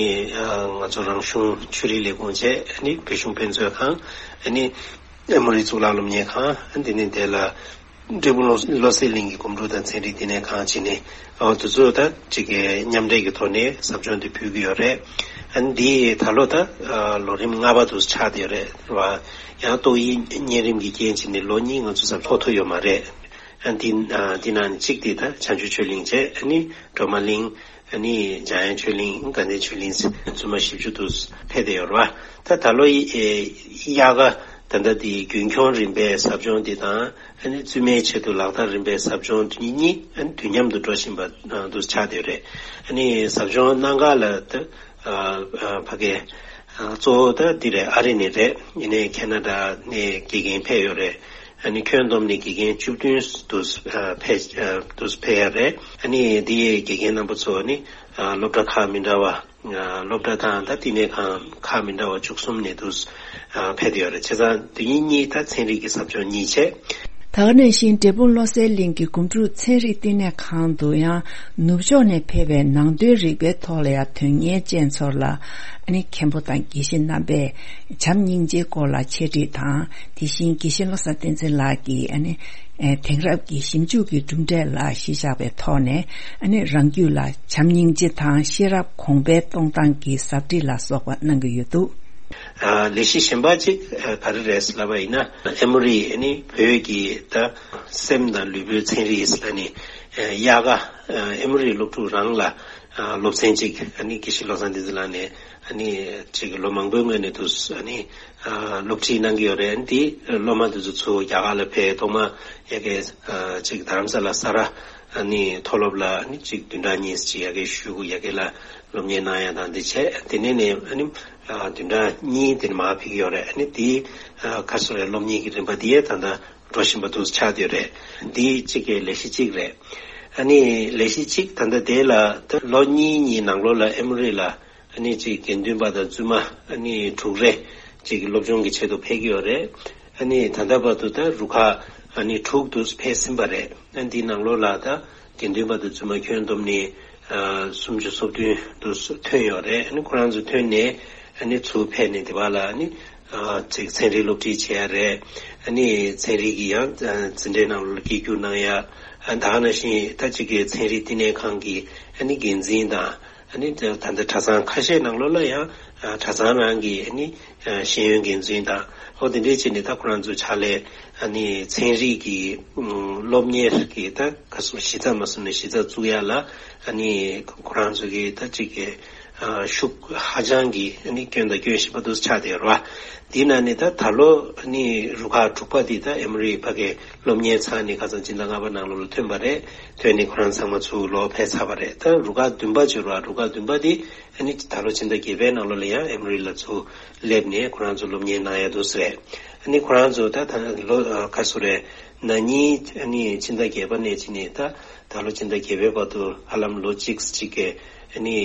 ཚོ་རང་གཞུང་ཆོས་རིག་ལས་ཁུངས་བཅས་བོད་གཞུང་དཔེ་མཛོད་ཁང་ཨེ་མོ་རི་གཙུག་ལག་སློབ་གཉེར་ཁང་དེ་ནས་དེ་ལ་འབྲས་སྤུངས་བློ་བློ་གསལ་གླིང་གི་སྒོམ་སྒྲུབ་དང་ཚན་རིག་བསྟི་གནས་ཁང་བཅས་ནས་དེ་ཚོ་ད་ཅིག་མཉམ་འབྲེལ་གྱི་ཐོག་ནས་ཟབ་སྦྱོང་དེ་ཕུལ་གྱི་ཡོད་རེད། འདི་ད་ལོ་ད་ལོ་རིམ་ལྔ་པ་དུ་ཆགས་བསྡད་ཡོད་རེད་བ། ཡང་ཏོག་དབྱིབས་གཉན་རིམས་ཀྱི་རྐྱེན་བྱས་ནས་ལོ་གཉིས་ང་ཚོ་ཟབ་སྦྱོང་ཐུབ་ཡོད་མ་རེད། ཨ་འདི་ཨ་འདི་ནང་ནས་གཅིག་དེ་ད་བྱང་ཆུབ་ཆོས་གླིང་བཅས་ཨ་ནི་སྒྲོལ་མ་གླིང་ཨ་ནི་འཇམ་དབྱངས་ཆོས་གླིང་དགའ་ལྡན་ཆོས་གླིང་བཙུན་མ་བཞི་བཅུ་དུ་ཕེབས་བསྡད་ཡོད་རེད་བ། ད་ད་ལོ་ཡི་ཨེ་དབྱར་ཁ་ད་ལྟ་དེ་རྒྱུན་འཁྱོངས་རིམ་པའི་ཟབ་སྦྱོང་འདི་དང་ཨ་ནི་བཙུན་མའི་ཆེད་དུ་ལག་བསྟར་རིམ་པའི་ཟབ་སྦྱོང་འདི་གཉིས་ཨ་ནི་དུས་མཉམ་དུ་འགྲོ་བཞིན་པ་དུ་ཆགས་བསྡད་ཡོད་རེད། ཨ་ནི་ཟབ་སྦྱོང་གནང་ག་ལ་ད་ཨ་ཨ་ཕ་གི་ཨ་གཙོ་བོ་ད་འདི་རེད། ཨ་རི་ནས་རེད། ཡིན་ནའི་ཁེ་ན་ཌ་ནས་དགེ་རྒན་ཕེབས་ཡོད་རེད། ཨ་ནི་ཁྱོན་བསྡོམས་ནས་དགེ་རྒན་བཅུ་བདུན་དུ་ཨ་ཕེབས་ཨ་དུ་ཕེབས་ཡ་རེད། ཨ་ནི་འདི་ཡའི་དགེ་རྒན་རྣམ་པ་ཚོ་ནི་ཨ་སློབ་གྲྭ་ཁག་མི་འདྲ་བ་ཨ་སློབ་གྲྭ་དང་ད་བསྟི་གནས་ཁང་ཁག་མི་འདྲ་བ་བཅུ་གསུམ་ནས་དུ་ཨ་ཕེབས་ཡོད་རེད། བྱས་ཙང་དེ་གཉིས་གཉིས་ད་ཚན་རིག་གི་ཟབ་སྦྱོང་གཉིས་བྱས། ད་ག་ནང་བཞིན་འབྲས་སྤུངས་བློ་གསལ་གླིང་གི་སྒོམ་སྒྲུབ་ཚན་རིག་བསྟི་གནས་ཁང་དུ་ཡང་ནུབ་ཕྱོགས་ནས་ཕེབས་པའི་ནང་དོན་རིག་པའི་ཐོག་ལ་ཡང་དོན་གཉེར་ཅན་ཚོར་ལ་ཨ་ནི་མཁན་པོ་དང་དགེ་བཤེས་རྣམ་པས་བྱམས་སྙིང་རྗེའི་སྐོར་ལ་འཆད་ཁྲིད་དང་། དེ་བཞིན་དགེ་བཤེས་བློ་བཟང་བསྟན་འཛིན་ལགས་ཀྱིས་ཨ་ནི་ཨེ་དེང་རབས་ཀྱི་ཞིབ་འཇུག་གི་གྲུབ་འབྲས་ལ་གཞི་བཞག་པའི་ཐོག་ནས་ཨ་ནི་རང་རྒྱུད་ལ་བྱམས་སྙིང་རྗེ་དང་ཤེས་རབ་གོང་འཕེལ་གཏོང་སྟངས་ཀྱི་ཟབ་ཁྲིད་ལ་སོགས་པ་གནང་གི་ཡོད་འདུག། ཨ་ལས་གཞི་གཞན་པ་གཅིག་ཨ་ག་རེ་རེད་ལབ་པ་ཡིན་ན་ཨེ་མོ་རི་ཨ་ནི་བོད་ཀྱི་ད་སེམས་དང་ལུས་པོའི་ཚན་རིག་ཨ་ནི་ཨ་དབྱར་ཁ་ཨ་ཨེ་མོ་རི་སློབ་ཕྲུག་རང་ལ་ཨ་སློབ་ཚན་གཅིག་ཨ་ནི་དགེ་བཤེས་བློ་བཟང་བསྟན་འཛིན་ལགས་ནས་ཨ་ནི་གཅིག་ལོ་མང་པོའི་སྔོན་ནས་དུ་ཨ་ནི་ཨ་སློབ་ཁྲིད་གནང་གི་ཡོད་རེད། ཨ་ནི་དེ་སློབ་མ་དེ་ཚོ་ཚུར་རྒྱ་གར་ལ་ཕེབས་ཐོག་མ་ཡ་གི་ཨ་གཅིག་རྡ་རམ་ས་ལ་ས་ར་ཨ་ནི་མཐོ་སློབ་ལ་ཨ་ནི་གཅིག་བདུན་ཕྲག་གཉིས་ཅིག་ཡ་གི་བཞུགས་ཡ་གི་ལ་སློབ་གཉེར་གནང་ཡ་དང་འདི་བྱས། དེ་ནས་ནས་ཨ་ནི་ཨ་བདུན་ཕྲག་གཉིས་དེ་ནས་མར་ཕེབས་ཀྱི་ཡོད་རེད། ཨ་ནི་དེའི་ཨ་ཁ་སོ་རེ་སློབ་གཉེར་གྱི་རིམ་པ་དེ་ཡས་ད་ལྟ་འགྲོ་བཞིན་པ་དུ་ཆགས་བསྡད་ཡོད་རེད། འདི་གཅིག་གི་ལས་གཞི་གཅིག་རེད། ཨ་ནི་ལས་གཞི་གཅིག་ད་ལྟ་དེ་ལ་ད་ལོ་གཉིས་གཉིས་ནང་ལོགས་ལ་ཨེ་མོ་རི་ལ་ཨ་ནི་གཅིག་དགེ་འདུན་པ་དང་བཙུན་མ་ཨ་ནི་དྲུག་རེ་གཅིག་སློབ་སྦྱོང་གི་ཆེད་དུ་ཕེབས་ཀྱི་ཡོད་རེད། ཨ་ནི་ད་ལྟ་བར་དུ་ད་རུ་ཁག་ཨ་ནི་དྲུག་དུ་ཕེབས་ཟིན་པ་རེད། ཨ་འདི་ནང་ལོགས་ལ་ད་ དགེ་འདུན་པ་དང་བཙུན་མ་ཁྱོན་བསྡོམས་ནས་ཨ་སུམ་ཅུ་སོ་བདུན་དུ་ཐོན་ཡོད་རེད། ཨ་ནི་ཁོ་རང་ཚོ་ཐོན་ནས་ཨ་ནི་ཚུར་ཕེབས་ནས་དེ་བ་ལ་ཨ་ནི་ཨ་ཅིག་ཚན་རིག་སློབ་ཁྲིད་བྱས་ཡ་རེད། ཨ་ནི་ཚན་རིག་གི་ཡང་ཨ་འཛིན་གྲྭའི་ནང་ལོགས་ལ་སྐད་སྒྱུར་གནང་ཡ། ཨ་ད་ག་ནང་བཞིན་ད་ཅིག་གི་ཚན་རིག་བསྟི་གནས་ཁང་གི་ཨ་ནི་འགན་འཛིན་དང་། ཨ་ནི་ད་ད་ལྟ་གྲྭ་ཚང་ཁ་ཤས་ནང་ལོགས་ལ་ཡང་ཨ་གྲྭ་ཚང་ནང་གི་ཨ་ནི་ཨ་ཤེས་ཡོན་འགན་འཛིན་དང་། ཨོ་དེ་འདྲས་བྱས་ནས་ད་ཁོ་རང་ཚོ་ཕྱག་ལས་ཨ་ནི་ཚན་རིག་གི་ཨུམ་སློབ་གཉེར་གྱི་ད་ག་སོ་གཞི་རྩ་མ་བཟུང་ནས་གཞི་རྩ་བཙུགས་ཡ་ལ་ཨ་ནི་ཁོ་རང་ཚོ་གི་ད་ཅིག་གི་ཨ་ཤུགས་ཧ་ཅང་གི་ཨ་ནི་སྐྱོན་དང་སྐྱོན་ཞིབ་པ་འདུག་ཆགས་བསྡད་ཡོད་རེད་བ། འདི་ན་ནི་ད་ད་ལོ་ཨ་ནི་རུ་ཁག་དྲུག་པ་འདི་ད་ཨེ་མོ་རི་ཕ་གི་སློབ་གཉེར་ཚར་ནས་ཁ་སང་སྤྱི་ཟླ་ལྔ་པ་ནང་ལོགས་ལ་ཐོན་པ་རེད། ཐོན་ནས་ཁོ་རང་ཚང་མ་ཚུར་ལོག་ཕེབས་ཚར་བ་རེད། ད་རུ་ཁག་བདུན་པ་བྱོས་རོགས། རུ་ཁག་བདུན་པ་འདི་ཨ་ནི་ད་ལོ་ཕྱི་ཟླ་བརྒྱད་པའི་ནང་ལོགས་ལ་ཡང་ཨེ་མོ་རི་ལ་ཚུར་སླེབས་ནས་ཁོ་རང་ཚོ་སློབ་གཉེར་གནང་ཡ་འདུག་ཟེར། ཨ་ནི་ཁོ་རང་ཚོ་ད་ད་ལོ་ཨ་ག་སུ་རེད། ན་ནིང་ཨ་ནི་ཕྱི་ཟླ་བརྒྱད་པ་ནས་ཕྱིན་ནས་ད་ད་ལོ་ཕྱི་ཟླ་བརྒྱད་པའི་བར་དུ་ཧ་ལམ་ལོ་གཅིག་གཅིག་གི་ཨ་ནི་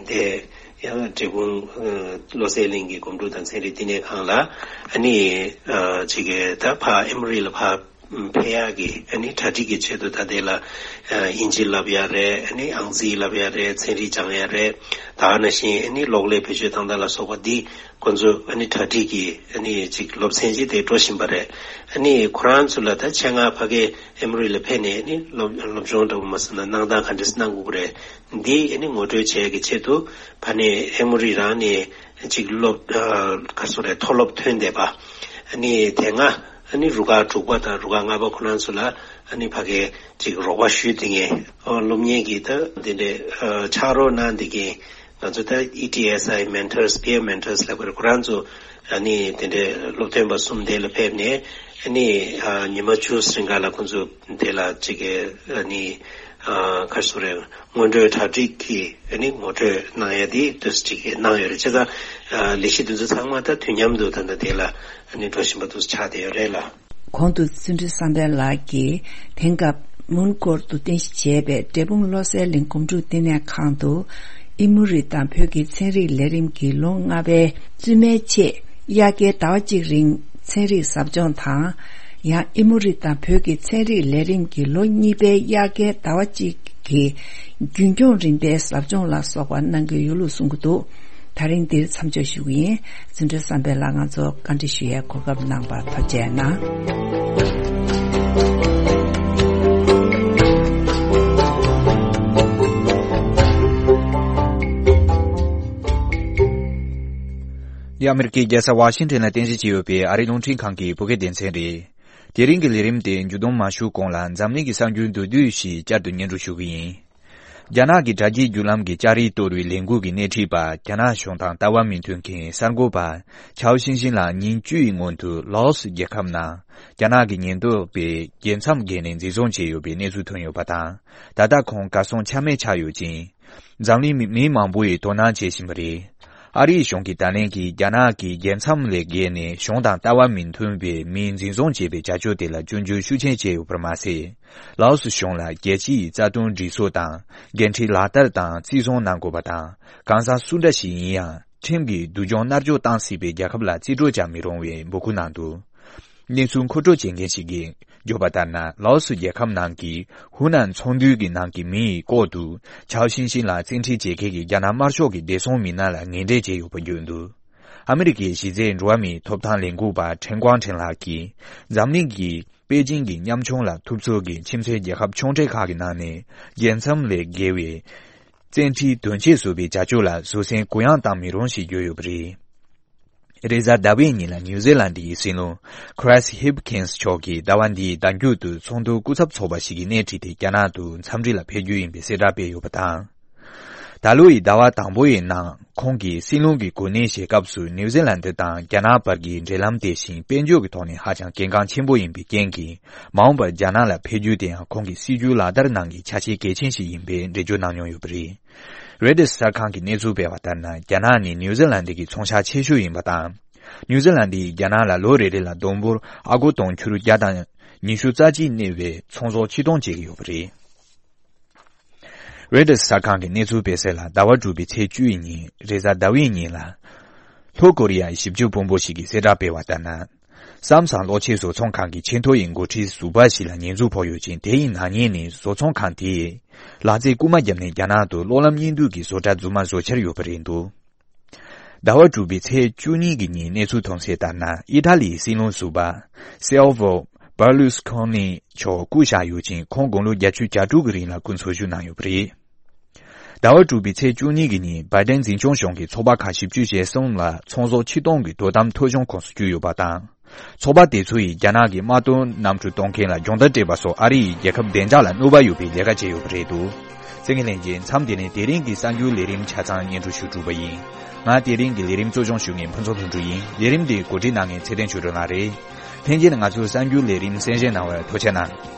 འདས་ཡང་འབྲས་སྤུངས་ཨ་བློ་གསལ་གླིང་གི་སྒོམ་སྒྲུབ་དང་ཚན་རིག་བསྟི་གནས་ཁང་ལ་ཨ་ནི་ཨ་ཅིག་གི་ད་ཕ་ཨེ་མོ་རི་ལ་ཕ་ཕེབས་ཡག་གི་ཨ་ནི་གྲ་སྒྲིག་གི་ཆེད་དུ་ད་ལྟའི་ལ་ཨ་དབྱིན་ཇི་བསླབ་ཡ་རེད། ཨ་ནི་ཨང་རྩིས་བསླབ་ཡ་རེད། ཚན་རིག་སྦྱང་ཡ་རེད། ད་ག་ནང་བཞིན་ཨ་ནི་གློག་ཀླད་བེད་སྤྱོད་བཏང་སྟངས་ལ་སོགས་པ་འདི་ཁོ་ཚོ་ཨ་ནི་གྲ་སྒྲིག་གི་ཨ་ནི་ཅིག་སློབ་ཚན་ཅིག་དེ་འགྲོ་བཞིན་པ་རེད། ཨ་ནི་ཁོ་རང་ཚོ་ལ་ད་ཆེད་མངགས་ཕ་གི་ཨེ་མོ་རི་ལ་ཕེབས་ནས་ཨ་ནི་སློབ་སློབ་སྦྱོང་འདྲ་པོ་མ་ཟེར་ན་གནང་སྟངས་ག་འདྲས་གནང་དགོས་ཀྱི་རེད། འདི་ཨ་ནི་ངོ་སྤྲོད་བྱེད་ཡ་གི་ཆེད་དུ་ཕ་ནས་ཨེ་མོ་རི་རང་ནས་ཅིག་སློབ་ཨ་ག་སོ་རེད། མཐོ་སློབ་ཐོན་བསྡད་པ་ཨ་ནི་དེ་སྔ་ཨ་ནི་རུ་ཁག་དྲུག་པ་དང་རུ་ཁག་ལྔ་པ་ཁོ་རང་ཚོ་ལ་ཨ་ནི་ཕ་གིའི་ཅིག་རོགས་པ་ཞུས་བསྡད་མཁན་ཨོ་སློབ་གཉེར་གྱི་ད་འདི་འདྲའི་ཨ་ཕྱག་རོགས་གནང་བསྡད་མཁན་ང་ཚོ་ད་ཨི་ཊི་ཨེས་ཨའི་མེན་ཊར་སི་པི་ཡར་མེན་ཊར་སི་ལབ་དགོས་རེད། ཁོ་རང་ཚོ་ཨ་ནི་དེ་འདྲའི་སློབ་སྟོན་པ་གསུམ་དེ་ལ་ཕེབས་ནས་ཨ་ནི་ཨ་ཉི་མ་བཅུ་རིང་ག་ལ་ཁོ་ཚོ་དེ་ལ་ཅིག་གི་ཨ་ནི་ཨ་ག་རེ་ཟེར་དགོས་རེད། སྔོན་འགྲོའི་གྲ་སྒྲིག་གི་ཨ་ནི་ངོ་སྤྲོད་གནང་ཡ་དེ་ཏོག་ཙམ་ཅིག་གནང་ཡོད་རེད། བྱས་ཙང་ཨ་ལས་གཞི་དེ་ཚོ་ཚང་མ་ད་དུས་མཉམ་དུ་ད་ལྟ་དེ་ལ་ཨ་ནི་འགྲོ་བཞིན་པ་འདུག་ཆགས་བསྡད་ཡོད་རེད་ལ། གོང་དུ་བརྩོན་འགྲུས་བསམ་འཕེལ་ལགས་ཀྱིས་དེང་སྐབས་མོན་གྷོར་དུ་རྟེན་གཞི་བྱས་པའི་འབྲས་སྤུངས་བློ་གསལ་གླིང་སྒོམ་སྒྲུབ་བསྟི་གནས་ཁང་དུ་ཨི་མོ་རི་དང་བོད་ཀྱི་ཚན་རིག་ལས་རིམ་གྱི་ལོ་ལྔ་པའི་བཙུན་མའི་ཆེད་དབྱར་ཁའི་ཟླ་བ་གཅིག་རིང་ཚན་རིག་ཟབ་སྦྱོང་དང་། ཡང་ཨི་མོ་རི་དང་བོད་ཀྱི་ཚན་རིག་ལས་རིམ་གྱི་ལོ་གཉིས་པའི་དབྱར་ཁའི་ཟླ་བ་གཅིག་གི་རྒྱུན་སྐྱོང་རིམ་པའི་ཟབ་སྦྱོང་ལ་སོགས་པ་གནང་གི་ཡོད་ལུགས་གསུང་གི་འདུག་ད་རིང་འདིར་མཚམས་འཇོག་ཞུ་གི་ཡིན། བརྩོན་འགྲུས་བསམ་འཕེལ་ལགས་ང་ཚོ་བཀའ་འདྲི་ཞུ་ཡའི་གོ་སྐབས་གནང་བར་ཐུགས་རྗེ་གནང་། འདི་ཨ་མེ་རི་ཀའི་རྒྱལ་ས་ཝ་ཤིང་ཊོན་ལ་རྟེན་གཞི་བྱས་ཡོད་པའི་ཨ་རིའི་རླུང་འཕྲིན་ཁང་གི་བོད་སྐད་སྡེ་ཚན་རེད། དེ་རིང་གི་ལས་རིམ་དེ་མཇུག་བསྡོམས་མ་ཞུ་གོང་ལ་འཛམ་གླིང་གི་གསར་འགྱུར་མདོར་བསྡུས་ཤིག་བསྐྱར་དུ་སྙན་སྒྲོན་ཞུ་གི་ཡིན། རྒྱ་ནག་གི་དྲ་རྒྱའི་བརྒྱུད་ལམ་གྱི་ལྕགས་རིགས་གཏོར་བའི་ལས་འགུལ་གྱི་སྣེ་ཁྲིད་པ་རྒྱ་ནག་གཞུང་དང་ལྟ་བ་མི་མཐུན་མཁན་གསར་འགོད་པ་ཆའོ་ཤིན་ཤིན་ལགས་ཉིན་བཅུ་ཡི་སྔོན་དུ་ལའོ་སི་རྒྱལ་ཁབ་ནང་རྒྱ་ནག་གི་ཉེན་རྟོག་པས་རྒྱལ་མཚམས་བརྒལ་ནས་འཛིན་བཟུང་བྱས་ཡོད་པའི་གནས་ཚུལ་ཐོན་ཡོད་པ་དང་། ད་ལྟ་ཁོང་གར་སོང་ཆ་མེད་ཆགས་ཡོད་ཅིང་། འཛམ་གླིང་མི་མི་མང་པོ་ཡིས་དོ་སྣང་བྱེད་བཞིན་པ་རེད། ཨ་རིའི་གཞུང་གིས་ད་ལན་གྱི་རྒྱ་ནག་གི་རྒྱལ་མཚམས་ལས་བརྒལ་ནས་གཞུང་དང་ལྟ་བ་མི་མཐུན་པའི་མི་འཛིན་བཟུང་བྱས་པའི་བྱ་སྤྱོད་དེ་ལ་སྐྱོན་བརྗོད་ཤུགས་ཆེན་བྱས་ཡོད་པར་མ་ཟད། ལའོ་སི་གཞུང་ལ་རྒྱལ་སྤྱིའི་རྩ་དོན་སྒྲིག་སྲོལ་དང་འགན་འཁྲི་ལག་བསྟར་དང་བརྩི་སྲུང་གནང་དགོས་པ་དང་། གང་ཟག་སུ་འདྲ་ཞིག་ཡིན་ཡང་ཁྲིམས་ཀྱིས་སྡུག་སྦྱོང་མནར་གཅོད་བཏང་སྲིད་པའི་རྒྱལ་ཁབ་ལ་རྩིས་སྤྲོད་བྱ་མི་རུང་བའི་འབོད་སྐུལ་གནང་འདུག་གནས་ཚུལ་མཁོ་སྤྲོད་བྱེད་མཁན་ཞིག་གིས་བརྗོད་པ་ལྟར་ན། ལའོ་སི་རྒྱལ་ཁབ་ནང་གི་ཧུའུ་ནན་ཚོང་འདུས་ཀྱི་ནང་གི་མི་ཡི་ལྐོག་ཏུ་ཆའོ་ཤིན་ཤིན་ལ་བཙན་ཁྲིད་བྱེད་མཁན་གྱི་རྒྱ་ནག་དམར་ཤོག་གི་བདེ་སྲུང་མི་སྣ་ལ་ངན་འབྲེལ་བྱས་ཡོད་པ་བརྗོད་འདུག་ཨ་མི་རི་ཀའི་གཞི་རྩའི་འགྲོ་བ་མིའི་ཐོབ་ཐང་ལས་འགུལ་པ་ཁྲེན་ཀོང་ཁྲེན་ལགས་ཀྱིས་འཛམ་གླིང་གི་པེ་ཅིང་གི་ཉམ་ཆུང་ལ་ཐུབ་ཚོད་ཀྱི་ཁྱིམ་མཚེས་རྒྱལ་ཁབ་ཆུང་གྲས་ཁག་གི་ནང་ནས་རྒྱལ་མཚམས་ལས་བརྒལ་བའི་བཙན་ཁྲིད་དོན་ཆེད་བཟོ་བའི་བྱ་སྤྱོད་ལ་བཟོད་བསྲན་གུ་ཡངས་བཏང་མི་རུང་ཞེས་བརྗོད་ཡོད་པ་རེད། རེས་གཟའ་ཟླ་བའི་ཉིན་ལ་ནིའུ་ཛི་ལན་ཌི་ཡི་སྲིད་བློན་ཁྲེས་ཧིབ་ཁིན་སི་མཆོག་གིས་ཟླ་བ་འདིའི་ཟླ་མཇུག་ཏུ་ཚོགས་འདུ་སྐུ་ཚབ་ཚོགས་པ་ཞིག་གི་སྣེ་ཁྲིད་དེ་རྒྱ་ནག་ཏུ་འཚམས་འདྲི་ལ་ཕེབས་རྒྱུ་ཡིན་པའི་གསལ་བསྒྲགས་སྤེལ་ཡོད་པ་དང་། ད་ལོ་ཡི་ཟླ་བ་དང་པོ་ཡི་ནང་ཁོང་གིས་སྲིད་བློན་གྱི་གོ་གནས་བཞེས་སྐབས་སུ་ནིའུ་ཛི་ལན་ཌི་དང་རྒྱ་ནག་བར་གྱི་འབྲེལ་ལམ་དེ་བཞིན་དཔལ་འབྱོར་གྱི་ཐོག་ནས་ཧ་ཅང་གལ་འགངས་ཆེན་པོ་ཡིན་པའི་རྐྱེན་གྱིས། མ་འོངས་པར་རྒྱ་ནག་ལ་ཕེབས་རྒྱུ་དེ་ཡང་ཁོང་གི་སྲིད་བྱུས་ལག་བསྟར་ནང་གི་ཆ་ཤས་གལ་ཆེན་ཞིག་ཡིན་པའི་འགྲེལ་བརྗོད་གནང་མྱོང་ཡོད་པ་རེད། རོའི་ཊར་གསར་ཁང་གི་གནས་ཚུལ་སྤེལ་བ་ལྟར་ན། རྒྱ་ནག་ནི་ནིའུ་ཛི་ལན་ཌི་གི་ཚོང་ཤག་ཆེ་ཤོས་ཡིན་པ་དང་། ནིའུ་ཛི་ལན་ཌི་ཡིས་རྒྱ་ནག་ལ་ལོ་རེ་རེ་ལ་བསྡོམས་འབོར་ཨ་སྒོར་དུང་ཕྱུར་བརྒྱ་དང་ཉི་ཤུ་རྩ་གཅིག་གནས་པའི་ཚོང་ཟོག་ཕྱིར་གཏོང་བྱེད་ཀྱི་ཡོད་པ་རེད། རོའི་ཊར་གསར་ཁང་གི་གནས་ཚུལ་སྤེལ་གསལ་ལ། ཟླ་བ་དྲུག་པའི་ཚེས་བཅུ་ཡི་ཉིན། རེས་གཟའ་ཟླ་བའི་ཉིན་ལ། ལྷོ་ཀོ་རི་ཡའི་ཞིབ་འཇུག་དཔོན་པོ་ཞིག་གིས་གསལ་བསྒྲགས་སྤེལ་བ་ལྟར་ན། སམ་སང་གློག་ཆས་བཟོ་ཚོང་ཁང་གི་ཆེས་མཐོ་ཡི་འགོ་ཁྲིད་ཟུར་པ་ཞིག་ལ་ཉེས་འཛུགས་ཕོག་ཡོད་ཅིང་། དེ་ཡི་ནག་ཉེས་ནི་བཟོ་ཚོང་ཁང་དེས་ལག་རྩལ་རྐུ་མ་བརྒྱབ་ནས་རྒྱ་ནག་ཏུ་གློག་ལམ་གཉིས་མདུད་ཀྱི་བཟོ་གྲྭ་རྫུན་མ་བཟོ་འཆར་ཡོད་པ་རེད་འདུག་ཟླ་བ་དྲུག་པའི་ཚེས་བཅུ་གཉིས་ཀྱི་ཉིན་གནས་ཚུལ་ཐོན་གསལ་ལྟར་ན། ཨི་ཐ་ལིའི་སྲིད་བློན་ཟུར་པ་སེལ་ཝོ་བར་ལུས་ཁོ་ནི་མཆོག་བཀུག་བཞག་ཡོད་ཅིང་། ཁོང་དགུང་ལོ་བརྒྱད་ཅུ་གྱ་དྲུག་གི་རིང་ལ་སྐུ་འཚོ་བཞུགས་གནང་ཡོད་པ་རེད། ཟླ་བ་དྲུག་པའི་ཚེས་བཅུ་གཉིས་ཀྱི་ཉིན་བྷའི་ཏན་འཛིན་སྐྱོང་གཞུང་གིས་ཚོགས་པ་ཁག་བཞི་བཅུ་ཞེ་གསུམ་ལ་ཚོང་ཟོག་ཕྱིར་གཏོང་གི་དོ་དམ་ཐོ་གཞུང་ཁོངས་སུ་བསྐྱུར་ཡོད་པ་དང་། ཚོགས་པ་དེ་ཚོ་ཡིས་རྒྱ་ནག་གི་དམག་དོན་གནམ་གྲུ་གཏོང་མཁན་ལ་སྦྱོང་བརྡར་སྤྲད་པ་སོགས་ཨ་རི་ཡི་རྒྱལ་ཁབ་བདེ་འཇགས་ལ་གནོད་པ་ཡོད་པའི་ལས་ཀ་བྱས་ཡོད་པ་རེད་འདུག་བཙན་གྱི་ལྷན་རྒྱས་མཚམས་འདི་ནས་དེ་རིང་གི་གསར་འགྱུར་ལས་རིམ་ཆ་ཚང་སྙན་སྒྲོན་ཞུ་གྲུབ་པ་ཡིན། ང་དེ་རིང་གི་ལས་རིམ་གཙོ་སྐྱོང་ཞུ་མཁན་ཕུན་ཚོགས་ལྷུན་གྲུབ་ཡིན། ལས་རིམ་འདི་གོ་སྒྲིག་གནང་མཁན་ཚེ་བརྟན་ཆོས་སྒྲོན་ལགས་རེད། ལྷན་རྒྱས་ནས་ང་ཚོའི་གསར་འགྱུར་ལས་རིམ་གསན་བཞེས་གནང་བར་ཐུགས་རྗེ་གནང་།